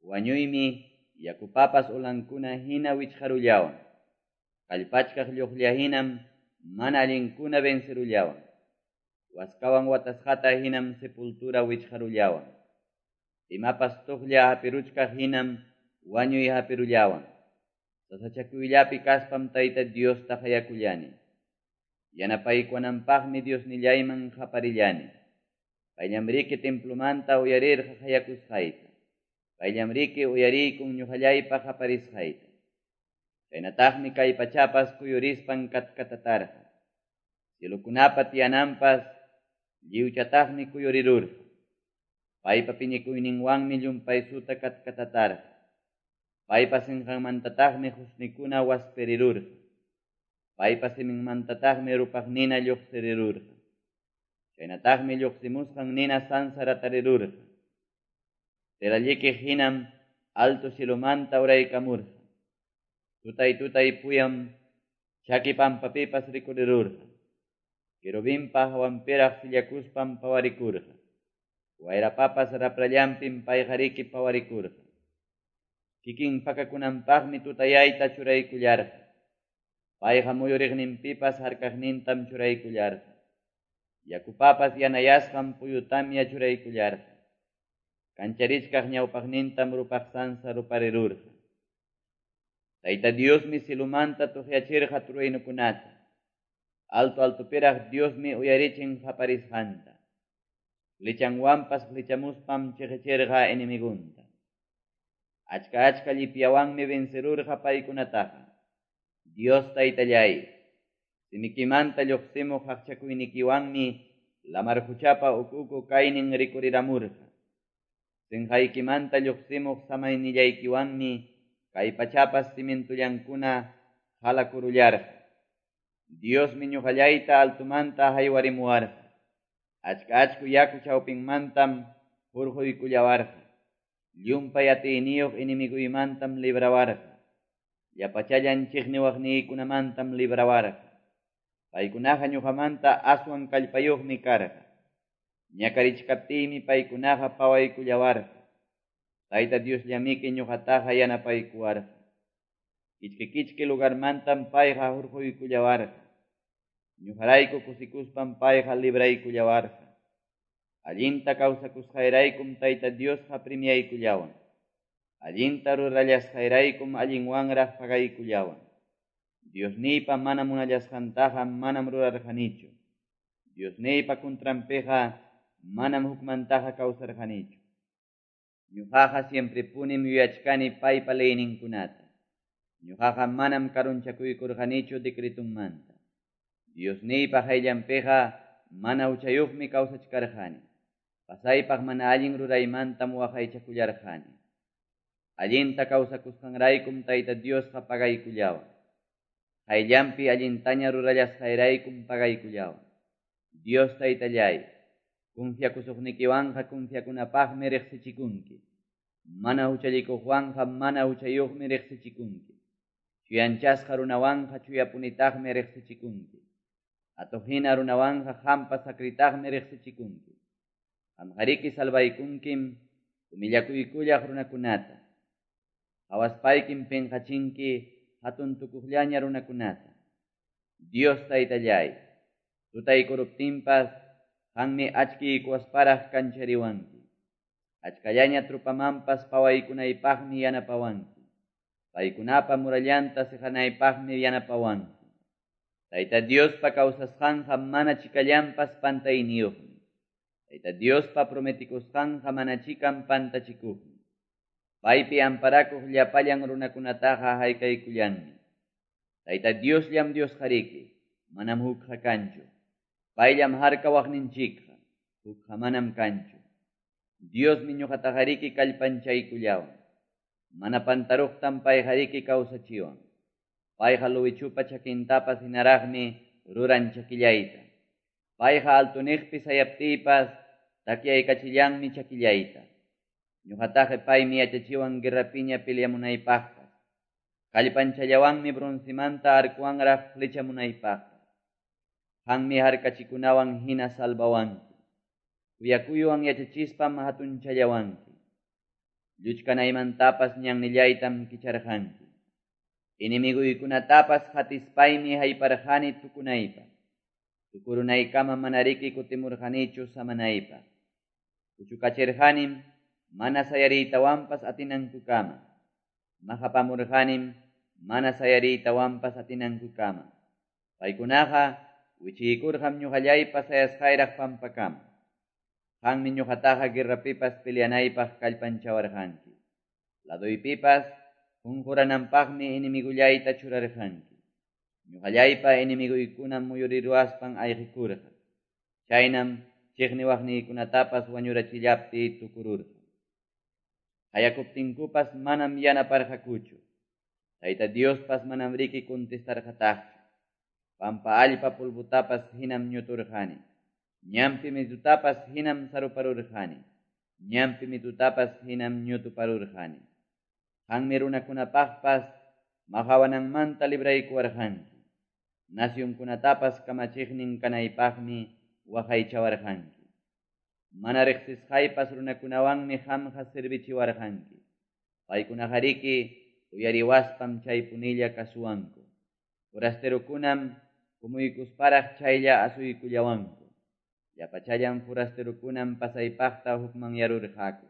Wañuymi yakupapas ulankuna hina wichqarullawan. Kallpachkaq lluqlla hinam mana allinkuna vencerullawan. Waskawan watasqata hinam sepultura wichqarullawan. Imapas tuqlla hapiruchkaq hinam wañuy hapirullawan. Sasachakuyllapi kaspam Tayta Diosta hayakullani. Yanapaykuwananpaqmi Diosnillayman qaparillani. Payllamriki templomanta uyarirqa hayakusqayta. Payllamriki uyariykun ñuqallaypa qaparisqayta. Chaynataqmi kay pachapas kuyurispan katkatatarqa. Cielokunapa tiyananpas lliwchataqmi kuyurirurqa. Paypa piñakuyninwanmi llumpaysuta katkatatarqa. Paypa sinqanmantataqmi husnikuna waspirirurqa. Paypa siminmantataqmi rupaq nina lluqsirirurqa. Chaynataqmi lluqsimusqan nina sansaratarirurqa. Telallikiq hinam Alto cielomanta uraykamurqa. Tutay-tutay puyam chaki pampapipas rikurirurqa. Querubinpa hawanpiraq sillakuspam pawarikurqa. Wayrapapas raprallanpim payqariki pawarikurqa. Kikin pakakunanpaqmi tutayayta churaykullarqa. Payqa muyuriqninpipas harkaqnintam churaykullarqa. Yakupapas yanayasqan puyutamya churaykullarqa. Kancharichkaq ñawpaqnintam rupaq sansa ruparirurqa. Tayta Diosmi cielomanta tuqyachirqa truenukunata. Alto altopiraq Diosmi uyarichin qaparisqanta. Flechanwanpas flechamuspam cheqechirqa enemigunta. Achka-achka llipyawanmi vencerurqa paykunataqa. Dios Taytalláy, simikimanta lluqsimuq qaqchakuynikiwanmi lamar quchapa uku-uku kaynin rikuriramurqa. Sinqaykimanta lluqsimuq samaynillaykiwanmi kay pachapas cimientollankuna halakurullarqa. Diosmi ñuqallayta altomanta haywarimuwarqa. Achka-achku yaku chawpinmantam hurquykullawarqa. Llumpay atiyniyuq enemiguymantam librawarqa. Llapachallan chiqniwaqniykunamantam librawarqa. Paykunaqa ñuqamanta aswan kallpayuqmi karqa. Ñakarichkaptiymi paykunaqa pawaykullawarqa. Tayta Diosllamiki ñuqataqa yanapaykuwarqa. Kichki-kichki lugarmantam payqa hurquykullawarqa. Ñuqarayku kusikuspam payqa libraykullawarqa. Allinta kawsakusqayraykum Tayta Diosqa premiaykullawan. Allinta rurallasqayraykum allinwanraq pagaykullawan. Diosniypa mana munallasqantaqa manam rurarqanichu. Diosniypa contranpiqa manam hukmantaqa kawsarqanichu. Ñuqaqa siemprepunim yuyachkani paypa leyninkunata. Ñuqaqa manam karunchakuykurqanichu decretunmanta. Diosniypa qayllanpiqa mana huchayuqmi kawsachkarqani. Pasaypaq mana allin ruraymantam waqaychakullarqani. Allinta kawsakusqanraykum Tayta Diosqa pagaykullawan. Qayllanpi allintaña rurallasqayraykum pagaykullawan. Dios Taytallay, confiakusuqnikiwanqa confiakunapaqmi riqsichikunki. Mana huchallikuqwanqa mana huchayuqmi riqsichikunki. Chuyanchasqa runawanqa chuyapunitaqmi riqsichikunki. Atuqhina runawanqa qampa sakritaqmi riqsichikunki. Qamqariki salvaykunkim humillakuykullaq runakunata. Qawaspaykim pinqachinki hatun tukuqllaña runakunata. Dios Taytallay, tutaykuruptinpas qanmi achkiykuwasparaq kanchariwanki. Achkallaña trupamanpas pawaykunaypaqmi yanapawanki. Paykunapa murallanta siqanaypaqmi yanapawanki. Tayta Diospa kawsasqanqa mana chikallanpas pantayniyuqmi. Tayta Diospa prometikusqanqa mana chikan pantachikuqmi. Paypi amparakuq llapallan runakunataqa haykaykullanmi. Tayta Diosllam Diosqariki, manam hukqa kanchu. Payllam harkawaqninchikqa, hukqa manam kanchu. Diosmi ñuqataqariki kallpanchaykullawan. Mana pantaruqtam payqariki kawsachiwan. Payqa luwichupa chakintapas hinaraqmi ruran chakillayta. Payqa altuniqpi sayaptiypas takyaykachillanmi chakillayta. Ñuqataqa paymi yachachiwan guerrapiña peleamunaypaqpas. Kallpanchallawanmi broncemanta arcuwanraq flechamunaypaqpas. Qanmi harkachikunawan hina salvawanki. Kuyakuywan yachachispam hatunchallawanki. Lluchkanaymantapas ñannillaytam kicharqanki. Enemiguykunatapas hatispaymi hayparqani tukunaypaq. Tukurunaykama manariki kutimurqanichu samanaypaq. Puchukachirqanim mana sayariytawanpas atinankukama. Maqapamurqanim mana sayariytawanpas atinankukama. Paykunaqa wichiykurqam ñuqallaypa sayasqayraq pampakama. Qanmi ñuqataqa guerrapipas peleanaypaq kallpanchawarqanki. Laduypipas qunqurananpaqmi enemigullayta churarqanki. Ñuqallaypa enemiguykunam muyuriruwaspan ayqikurqa. Chaynam chiqniwaqniykunatapas wañurachillaptiy tukururqa. Qayakuptinkupas manam yanaparqakuchu. Tayta Diospas manam riki contestarqataqchu. Pampa allpa polvotapas hinam ñuturqani. Ñampi mitutapas hinam saruparurqani. Ñampi mitutapas hinam ñutuparurqani. Qanmi runakunapaqpas maqawananmanta libraykuwarqanki. Nacionkunatapas kamachiqnin kanaypaqmi waqaychawarqanki. Mana riqsisqaypas runakunawanmi qamqa servichiwarqanki. Paykunaqariki uyariwaspam chaypunilla kasuwanku. Forasterokunam kumuykusparaq chaylla asuykullawanku. Llapachallan forasterokunam pasaypaqta hukmanyarurqaku.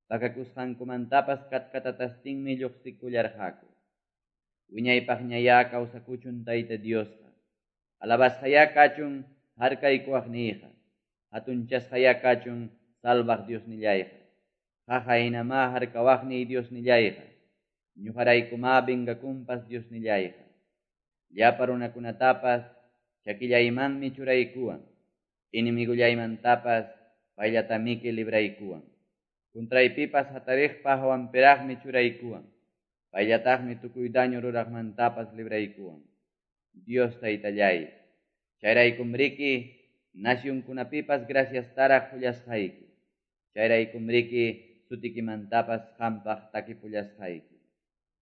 Pakakusqankumantapas katkatatastinmi lluqsikullarqaku. Wiñaypaqñayá kawsakuchun Tayta Diosqa. Alabasqayá kachun harkaykuwaqniyqa. Hatunchasqayá kachun salvaq Diosnillayqa. Qaqa hinamá harkawaqniy Diosnillayqa. Ñuqaraykumá vengakunpas Diosnillayqa. Llapa runakunatapas chakillaymanmi churaykuwan. Enemigollaymantapas payllatamiki libraykuwan. Contraypipas hatariqpa hawanpiraqmi churaykuwan. Payllataqmi tukuy daño ruraqmantapas libraykuwan. Dios Taytallay, chayraykumriki nacionkunapipas graciastaraq qullasqayki. Chayraykumriki sutikimantapas qampaq takipullasqayki.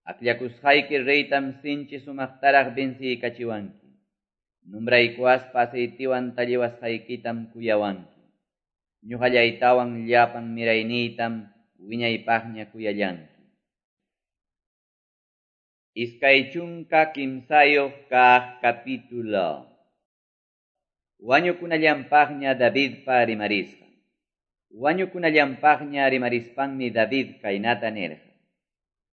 Akllakusqayki reytam sinchi sumaqtaraq venciykachiwanki. Nombraykuwaspa aceitiwan talliwasqaykitam kuyawanki. Ñuqallaytawan llapan mirayniytam wiñaypaqña kuyallanki. 23 kaq capítulo. Wañukunallanpaqña Davidpa rimarisqan. Wañukunallanpaqña rimarispanmi David kaynata nirqa: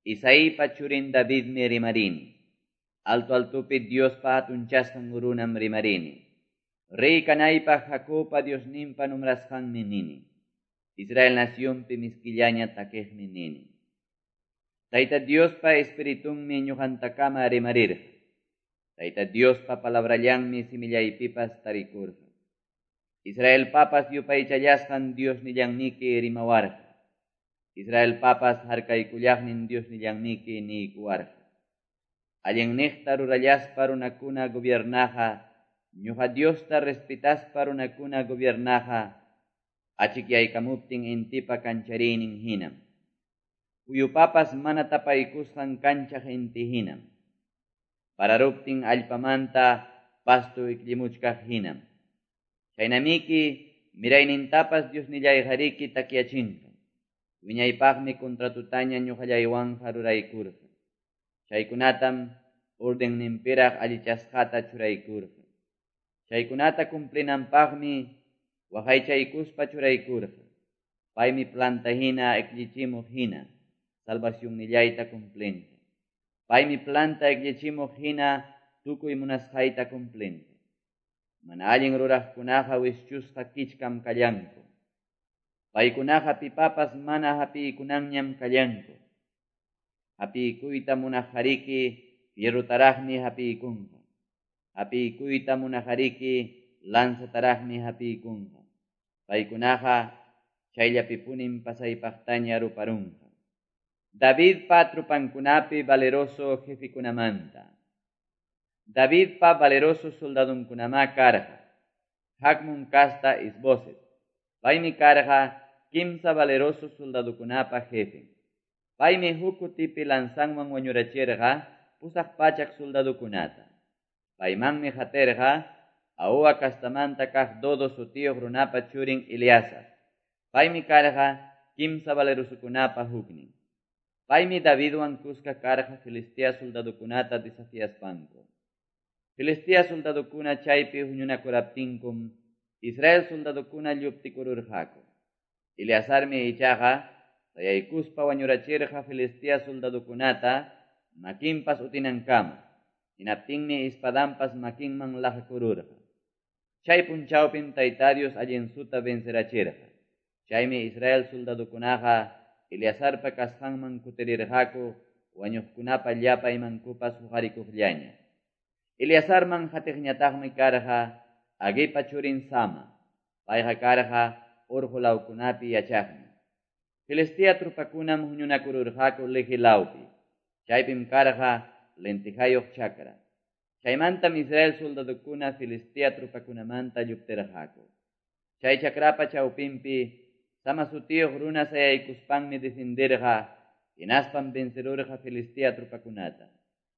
Isaipa churin Davidmi rimarini. Alto altopi Diospa hatunchasqan runam rimarini. Rey kanaypaq Jacobpa Diosninpa nombrasqanmi nini. Israel nacionpi miskillaña takiqmi nini. Tayta Diospa espiritunmi ñuqantakama rimarirqa. Tayta Diospa palabrallanmi simillaypipas tarikurqa. Israelpapas yupaychallasqan Diosnillanmiki rimawarqa. Israelpapas harkaykullaqnin Diosnillanmiki niykuwarqa. Allinniqta rurallaspa runakuna gobiernaqa, ñuqa Diosta respetaspa runakuna gobiernaqa, achikyaykamuptin intipa kanchariynin hinam. Puyupapas mana tapaykusqan kanchaq inti hinam. Pararuptin allpamanta pasto ikllimuchkaq hinam. Chaynamiki miraynintapas Diosnillayqariki takyachinqa. Wiñaypaqmi contratutaña ñuqallaywanqa ruraykurqa. Chaykunatam ordenninpiraq allichasqata churaykurqa. Chaykunata cumplinanpaqmi waqaychaykuspa churaykurqa. Paymi planta hina ikllichimuq hina salvacionnillayta cumplinqa. Paymi planta ikllichimuq hina tukuy munasqayta cumplinqa. Mana allin ruraqkunaqa wischusqa kichkam kallanku. Paykunaqa pipapas mana hapiykunanñam kallanku. Hapiykuyta munaqhariki fierrotaraqmi hapiykunqa. Hapiykuyta munaqhariki lanzataraqmi hapiykunqa. Paykunaqa chayllapipunim pasaypaqtaña ruparunqa. Davidpa trupankunapi valeroso jefikunamanta. Davidpa valeroso soldadunkunamá karqa. Hakmun kasta Isboset. Paymi karqa kimsa valeroso soldadukunapa jefen. Paymi huk kutipi lanzanwan wañurachirqa 800 soldadukunata. Paymanmi qatirqa Ahoa kastamanta kaq Dodo sutiyuq runapa churin Eleazar. Paymi karqa kimsa valerosokunapa huknin. Paymi Davidwan kuska karqa Filistea soldadukunata desafiaspanku. Filistea soldadukuna chaypi huñunakuraptinkum Israel soldadukuna lluptikururqaku. Eleazarmi ichaqa sayaykuspa wañurachirqa Filistea soldadukunata makinpas utinankama. Hinaptinmi espadanpas makinman laqakururqa. Chay punchawpim Tayta Dios allinsuta vencerachirqa. Chaymi Israel soldadukunaqa Eleazarpa kasqanman kutirirqaku wañuqkunapa llapa imankupas huqarikuqllaña. Eleazarman qatiqñataqmi karqa Aguipa churin Sama. Payqa karqa urqu lawkunapi yachaqmi. Filistea trupakunam huñunakururqaku Lehi lawpi. Chaypim karqa lentijayuq chakra. Chaymantam Israel soldadukuna Filistea trupakunamanta lluptirqaku. Chay chakrapa chawpinpi Sama sutiyuq runa sayaykuspanmi defendirqa hinaspam vencerurqa Filistea tropakunata.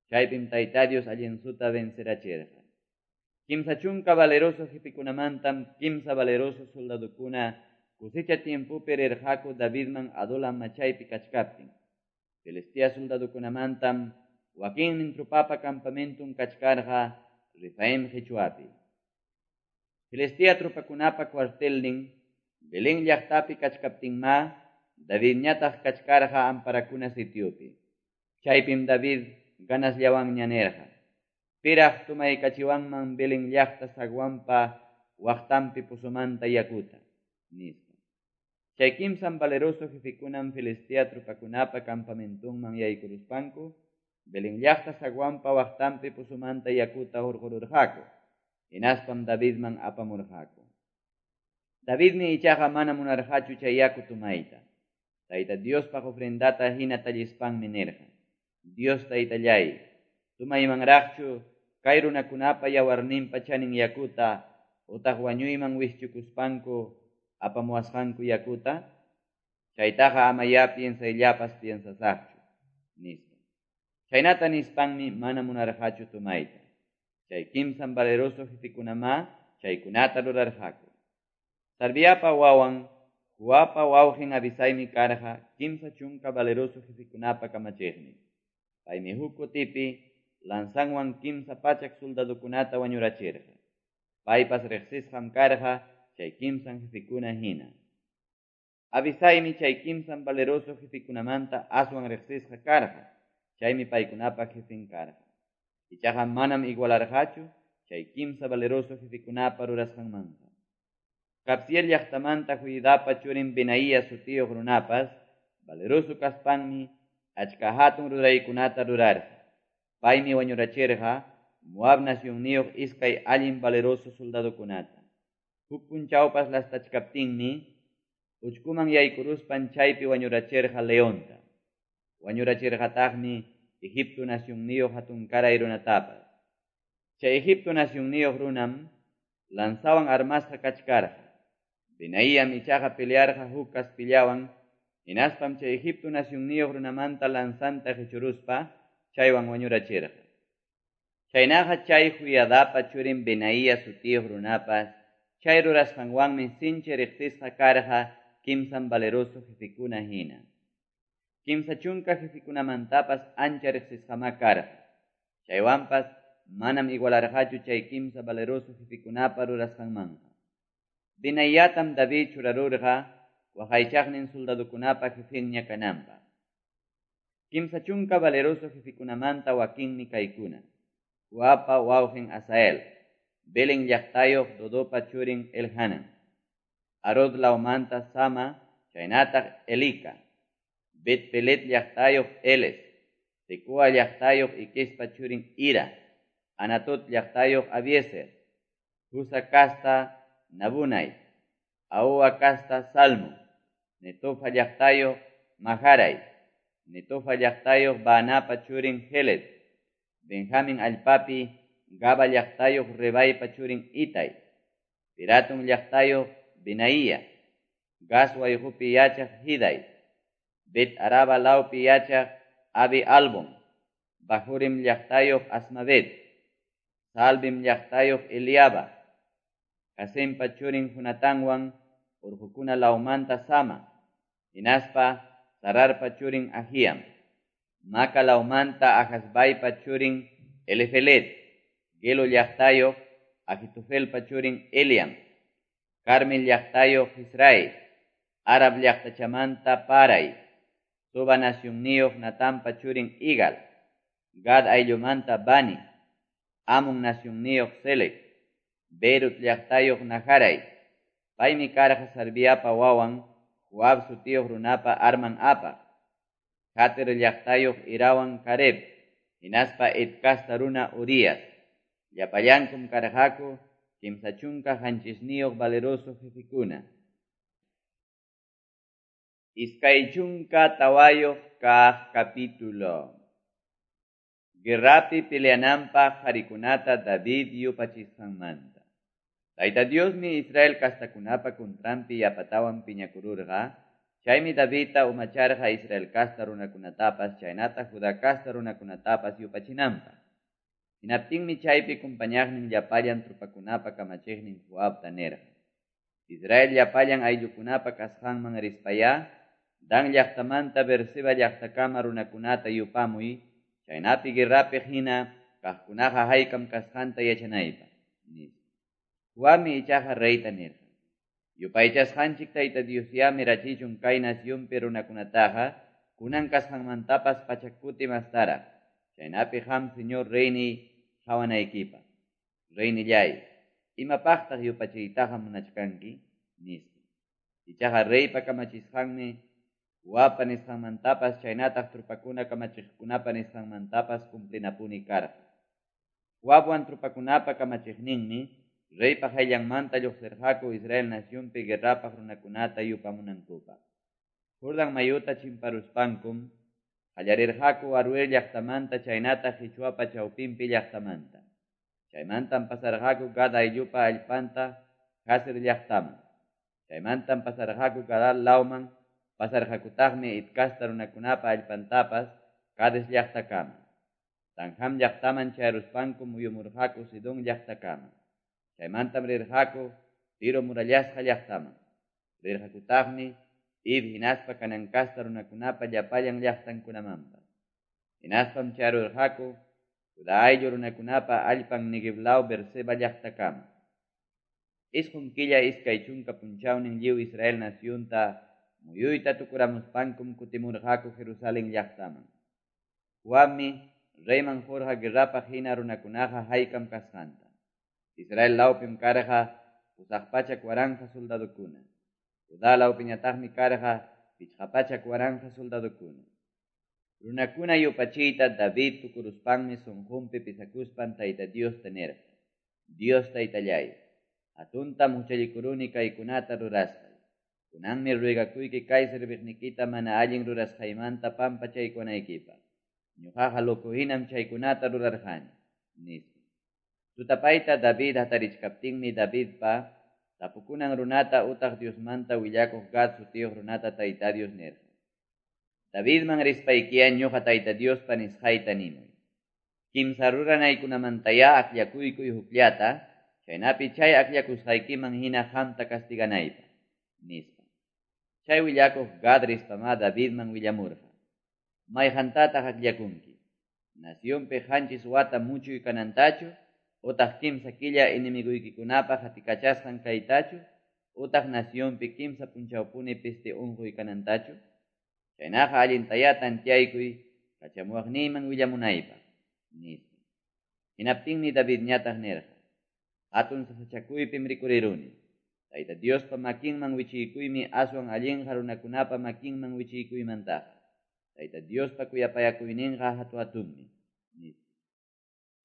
Chaypim Tayta Dios allinsuta vencerachirqa. 30 valeroso jefekunamantam 3 valeroso soldadokuna cosecha tiempopi rirqaku Davidman Adulam machaypi kachkaptin. Filistea soldadokunamantam wakinnin tropapa campamenton kachkarqa Refaim qichwapi. Filistea tropakunapa cuartelnin Belén llaqtapi kachkaptinma Davidñataq kachkarqa amparakuna sitiopi. Chaypim David ganasllawanña nirqa: Piraq tumaykachiwanman Belén llaqta zaguanpa waqtanpi pozomanta yakuta, nispa. Chay kimsan valeroso jefekunam Filistea tropakunapa campamentonman yaykuruspanku Belén llaqta zaguanpa waqtanpi pozomanta yakuta hurqururqaku, hinaspam Davidman apamurqaku. Davidmi ichaqa mana munarqachu chay yaku tumayta. Tayta Diospaq ofrendata hina tallispanmi nirqa: Dios Taytallay, tumaymanraqchu kay runakunapa yawarninpa chanin yakuta utaq wañuyman wischukuspanku apamuwasqanku yakuta? Chaytaqa amayá piensayllapas piensasaqchu, nispa. Chaynata nispanmi mana munarqachu tumayta. Chay kimsan valeroso jefekunamá chaykunata rurarqaku. Sarviapa wawan Joabpa wawqin Abisaymi karqa 30 valeroso jefekunapa kamachiqnin. Paymi huk kutipi lanzanwan 300 soldadokunata wañurachirqa. Paypas riqsisqam karqa chay kimsan jefekuna hina. Abisaymi chay kimsan valeroso jefekunamanta aswan riqsisqa karqa, chaymi paykunapa jefen karqa. Ichaqa manam igualarqachu chay kimsa valeroso jefekunapa rurasqanmanta. Kabziel llaqtamanta Joiadapa churin Benaía sutiyuq runapas valeroso kaspanmi achka hatun ruraykunata rurarqa. Paymi wañurachirqa Moab nacionniyuq iskay allin valeroso soldadokunata. Huk punchawpas lastachkaptinmi uchkuman yaykuruspan chaypi wañurachirqa leonta. Wañurachirqataqmi Egipto nacionniyuq hatunkaray runatapas. Chay Egipto nacionniyuq runam lanzawan armasqa kachkarqa. Benaíam ichaqa pelearqa huk kaspillawan, hinaspam chay Egipto nacionniyuq runamanta lanzanta qichuruspa chaywan wañurachirqa. Chaynaqa chay Joiadapa churin Benaía sutiyuq runapas chay rurasqanwanmi sinchi riqsisqa karqa kimsan valeroso jefekuna hina. 30 jefekunamantapas ancha riqsisqamá karqa. Chaywanpas manam igualarqachu chay kimsa valeroso jefekunapa rurasqanmanqa. Benayatam David churarurqa waqaychaqnin soldadokunapa jefenña kananpaq. 30 valeroso jefekunamanta wakinmi kaykuna: Joabpa wawqin Asael, Belén llaqtayuq Dodopa churin Elhanan, Arod lawmanta Sama chaynataq Elika, Bet-Pelet llaqtayuq Eles, Tecoa llaqtayuq Iquespa churin Ira, Anatot llaqtayuq Abiezer, Husa kasta Nabunay, Ahoa kasta Salmo, Netofa llaqtayuq Maharay, Netofa llaqtayuq Baanapa churin Heled, Benjamin allpapi Gaba llaqtayuq Rebaypa churin Itay, Piratun llaqtayuq Benaía, Gas wayqupi yachaq Hiday, Bet Araba lawpi yachaq Abi Albon, Bahurim llaqtayuq Asmavet, Salbim llaqtayuq Eliaba, Hasempa churin Jonatanwan urqukuna lawmanta Sama, hinaspa Sararpa churin Ahiam, Maca lawmanta Ahasbaypa churin Elifelet, Gelo llaqtayuq Ahitofelpa churin Eliam, Carmel llaqtayuq Israel, Arab llaqtachamanta Paray, Soba nacionniyuq Natanpa churin Igal, Gad ayllumanta Bani, Amon nacionniyuq Selec, Berut llaqtayuq Naharay, paymi karqa Sarviapa wawan Joab sutiyuq runapa arman apaq, Jater llaqtayuq Irawan Careb, hinaspa Et kasta runa Urias. Llapallankum karqaku 37 valeroso jefekuna. 24 kaq capítulo. Guerrapi peleananpaq qharikunata David yupachisqanmanta. Tayta Diosmi Israel kastakunapa contranpi yapatawan piñakururqa, Chaymi Davidta umacharqa Israel casta runakunatapas chaynataq Juda casta runakunatapas yupachinanpaq. Hinaptinmi chaypi compañaqnin llapallan tropakunapa kamachiqnin Joabta nirqa: Israel llapallan ayllukunapa kasqanman rispayá, Dan llaqtamanta Beerseba llaqtakama runakunata yupamuy, chaynapi guerrapi hina kaqkunaqa haykam kasqanta yachanaypaq, nispa. Joabmi ichaqa reyta nirqa: Yupaychasqanchik Tayta Diosyá mirachichun kay nacionpi runakunataqa kunan kasqanmantapas pachak kuti mastaraq, chaynapi qam señor reyniy qawanaykipaq. Reynillay, imapaqtaq yupachiytaqa munachkanki? Nispa. Ichaqa reypa kamachisqanmi Joabpa nisqanmantapas chaynataq tropakuna kamachiqkunapa nisqanmantapas cumplinapuni karqa. Joabwan tropakunapa kamachiqninmi reypa qayllanmanta lluqsirqaku Israel nacionpi guerrapaq runakunata yupamunankupaq. Jordan mayuta chimparuspankum qallarirqaku Aroer llaqtamanta chaynataq qichwapa chawpinpi llaqtamanta. Chaymantam pasarqaku Gad ayllupa allpanta Jazer llaqtaman. Chaymantam pasarqaku Galaad lawman, pasarqakutaqmi Het casta runakunapa allpantapas Cades llaqtakama. Tanjam llaqtaman chayaruspankum muyumurqaku Sidon llaqtakama. Chaymantam rirqaku Tiro murallasqa llaqtaman. Rirqakutaqmi Hiv hinaspa Canaan casta runakunapa llapallan llaqtankunamanpas. Hinaspam chayarurqaku Juda ayllu runakunapa allpan Neguev law Beerseba llaqtakama. 9 killa 20 punchawnin lliw Israel nacionta muyuyta tukuramuspankum kutimurqaku Jerusalén llaqtaman. Joabmi reyman qurqa guerrapaq hina runakunaqa haykam kasqanta. Israel lawpim karqa 800,000 soldadokuna. Judá lawpiñataqmi karqa 500,000 soldadokuna. Runakuna yupachiyta David tukuruspanmi sunqunpi pisakuspan Tayta Diosta nirqa: Dios Taytallay, hatuntam huchallikuruni kaykunata rurasqay. Kunanmi ruegakuyki kay serviqnikita mana allin rurasqaymanta pampachaykunaykipaq. Ñuqaqa loco hinam chaykunata rurarqani, nispa. Tutapayta David hatarichkaptinmi Davidpa tapukunan runata utaq Diosmanta willakuq Gad sutiyuq runata Tayta Dios nirqa: Davidman rispaykiya ñuqa Tayta Diospa nisqayta nimuy. Kimsa ruranaykunamantayá akllakuykuy hukllata, chaynapi chay akllakusqaykiman hina qamta castiganaypaq, nispa. Chay willakuq Gad rispamá Davidman willamurqa: Mayqantataq akllakunki? Nacionpi 7 wata muchuy kanantachu, utaq 3 killa enemiguykikunapa qatikachasqan kaytachu, utaq nacionpi 3 punchawpuni peste unquy kanantachu? Chaynaqa allintayá tantiaykuy kachamuwaqniyman willamunaypaq, nispa. Hinaptinmi Davidñataq nirqa: Hatun sasachakuypim rikuriruni. Tayta Diospa makinman wichiykuymi aswan allinqa runakunapa makinman wichiykuymantaqa. Tayta Diospa kuyapayakuyninqa hatu-hatunmi, nispa.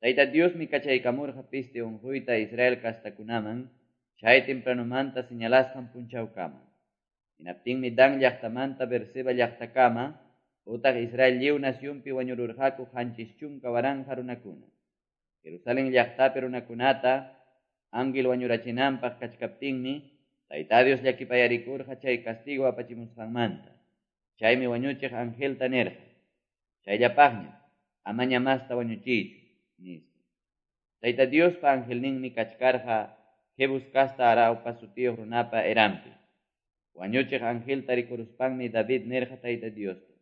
Tayta Diosmi kachaykamurqa peste unquyta Israel castakunaman chay tempranumanta señalasqan punchawkama. Hinaptinmi Dan llaqtamanta Beerseba llaqtakama utaq Israel lliw nacionpi wañururqaku 70,000 runakuna. Jerusalén llaqtapi runakunata ángel wañurachinanpaq kachkaptinmi Tayta Dios llakipayarikurqa chay castigo apachimusqanmanta. Chaymi wañuchiq angelta nirqa: Chayllapaqña, amaña masta wañuchiychu, nispa. Tayta Diospa angelninmi kachkarqa Jebus casta Araupa sutiyuq runapa eranpi. Wañuchiq angelta rikuruspanmi David nirqa Tayta Diosta: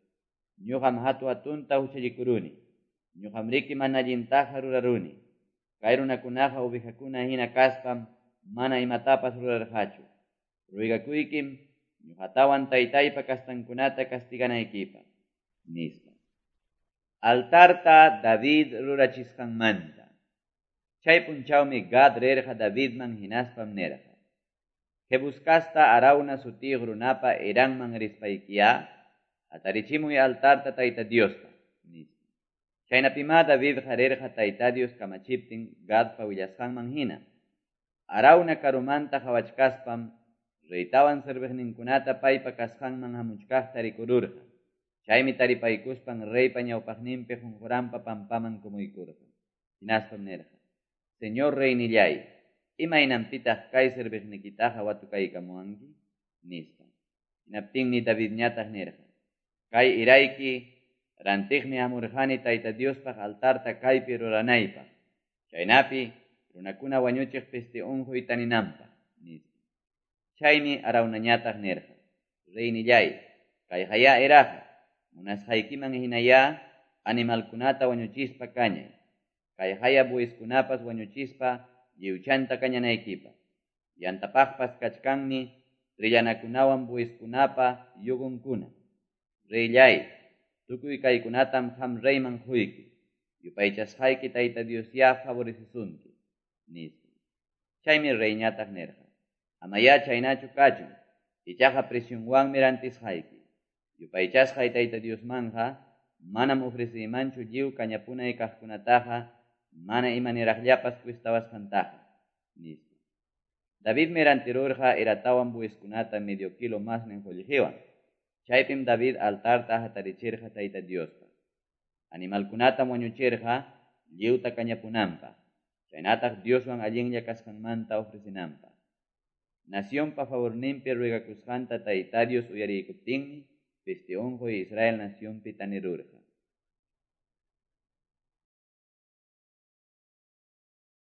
Ñuqam hatu hatunta huchallikuruni. Ñuqam riki mana allintaqa ruraruni. Kay runakunaqa ovejakuna hina kaspam mana imatapas rurarqachu. Ruegakuykim ñuqatawan taytaypa kastankunata castiganaykipaq, nispa. Altarta David rurachisqanmanta. Chay punchawmi Gad rirqa Davidman hinaspam nirqa: Jebus casta Arauna sutiyuq runapa eranman rispaykiya, hatarichimuy altarta Tayta Diosta, nispa. Chaynapimá Davidqa rirqa Tayta Dios kamachiptin Gadpa willasqanman hina. Arauna karumanta qawachkaspam reytawan serviqninkunata paypa kasqanman hamuchkaqta rikururqa. Chaymi taripaykuspan reypa ñawpaqninpi qunquranpa pampaman kumuykurqa. Hinaspam nirqa: Señor reynillay, imaynanpitaq kay serviqnikitaqa watukaykamuwanki? Nispa. Hinaptinmi Davidñataq nirqa, Kay erayki rantiqmi hamurqani Tayta Diospaq altarta kaypi ruranaypaq, chaynapi runakuna wañuchiq peste onqoy taninanpaq, nispa. Chaymi Araunañataq nirqa, Reynilláy, kayqayá eraqa, munasqaykiman hinayá animalkunata wañuchispa kañay, kayqaya bueyeskunapas wañuchispa lliwchanta kañanaykipaq, yantapaqpas kachkanmi trillanakunawan bueyeskunapa yugonkuna. Reylláy, tukuy kaykunatam qam reyman qoyki, yupaychasqayki Tayta Diosyá favorecesunki, nispa. Chaymi reyñataq nirqa, Amayá chaynachu kachun, ichaqa precionwanmi rantisqayki. Yupaychasqay Tayta Diosmanqa manam ofreceymanchu lliw kañapunay kaqkunataqa mana imaniraqllapas cuestawasqantaqa, nispa. Davidmi rantirurqa eratawan bueyeskunata medio kilo masnin qollqewan. Chaypim David altarta hatarichirqa Tayta Diospaq. Animalkunatam wañuchirqa lliwta kañapunanpaq, chaynataq Dioswan allinlla kasqanmanta ofrecenanpaq. Nacionpa favorninpi ruegakusqanta Tayta Dios uyariykuptinmi peste onqoy Israel nacionpi tanirurqa.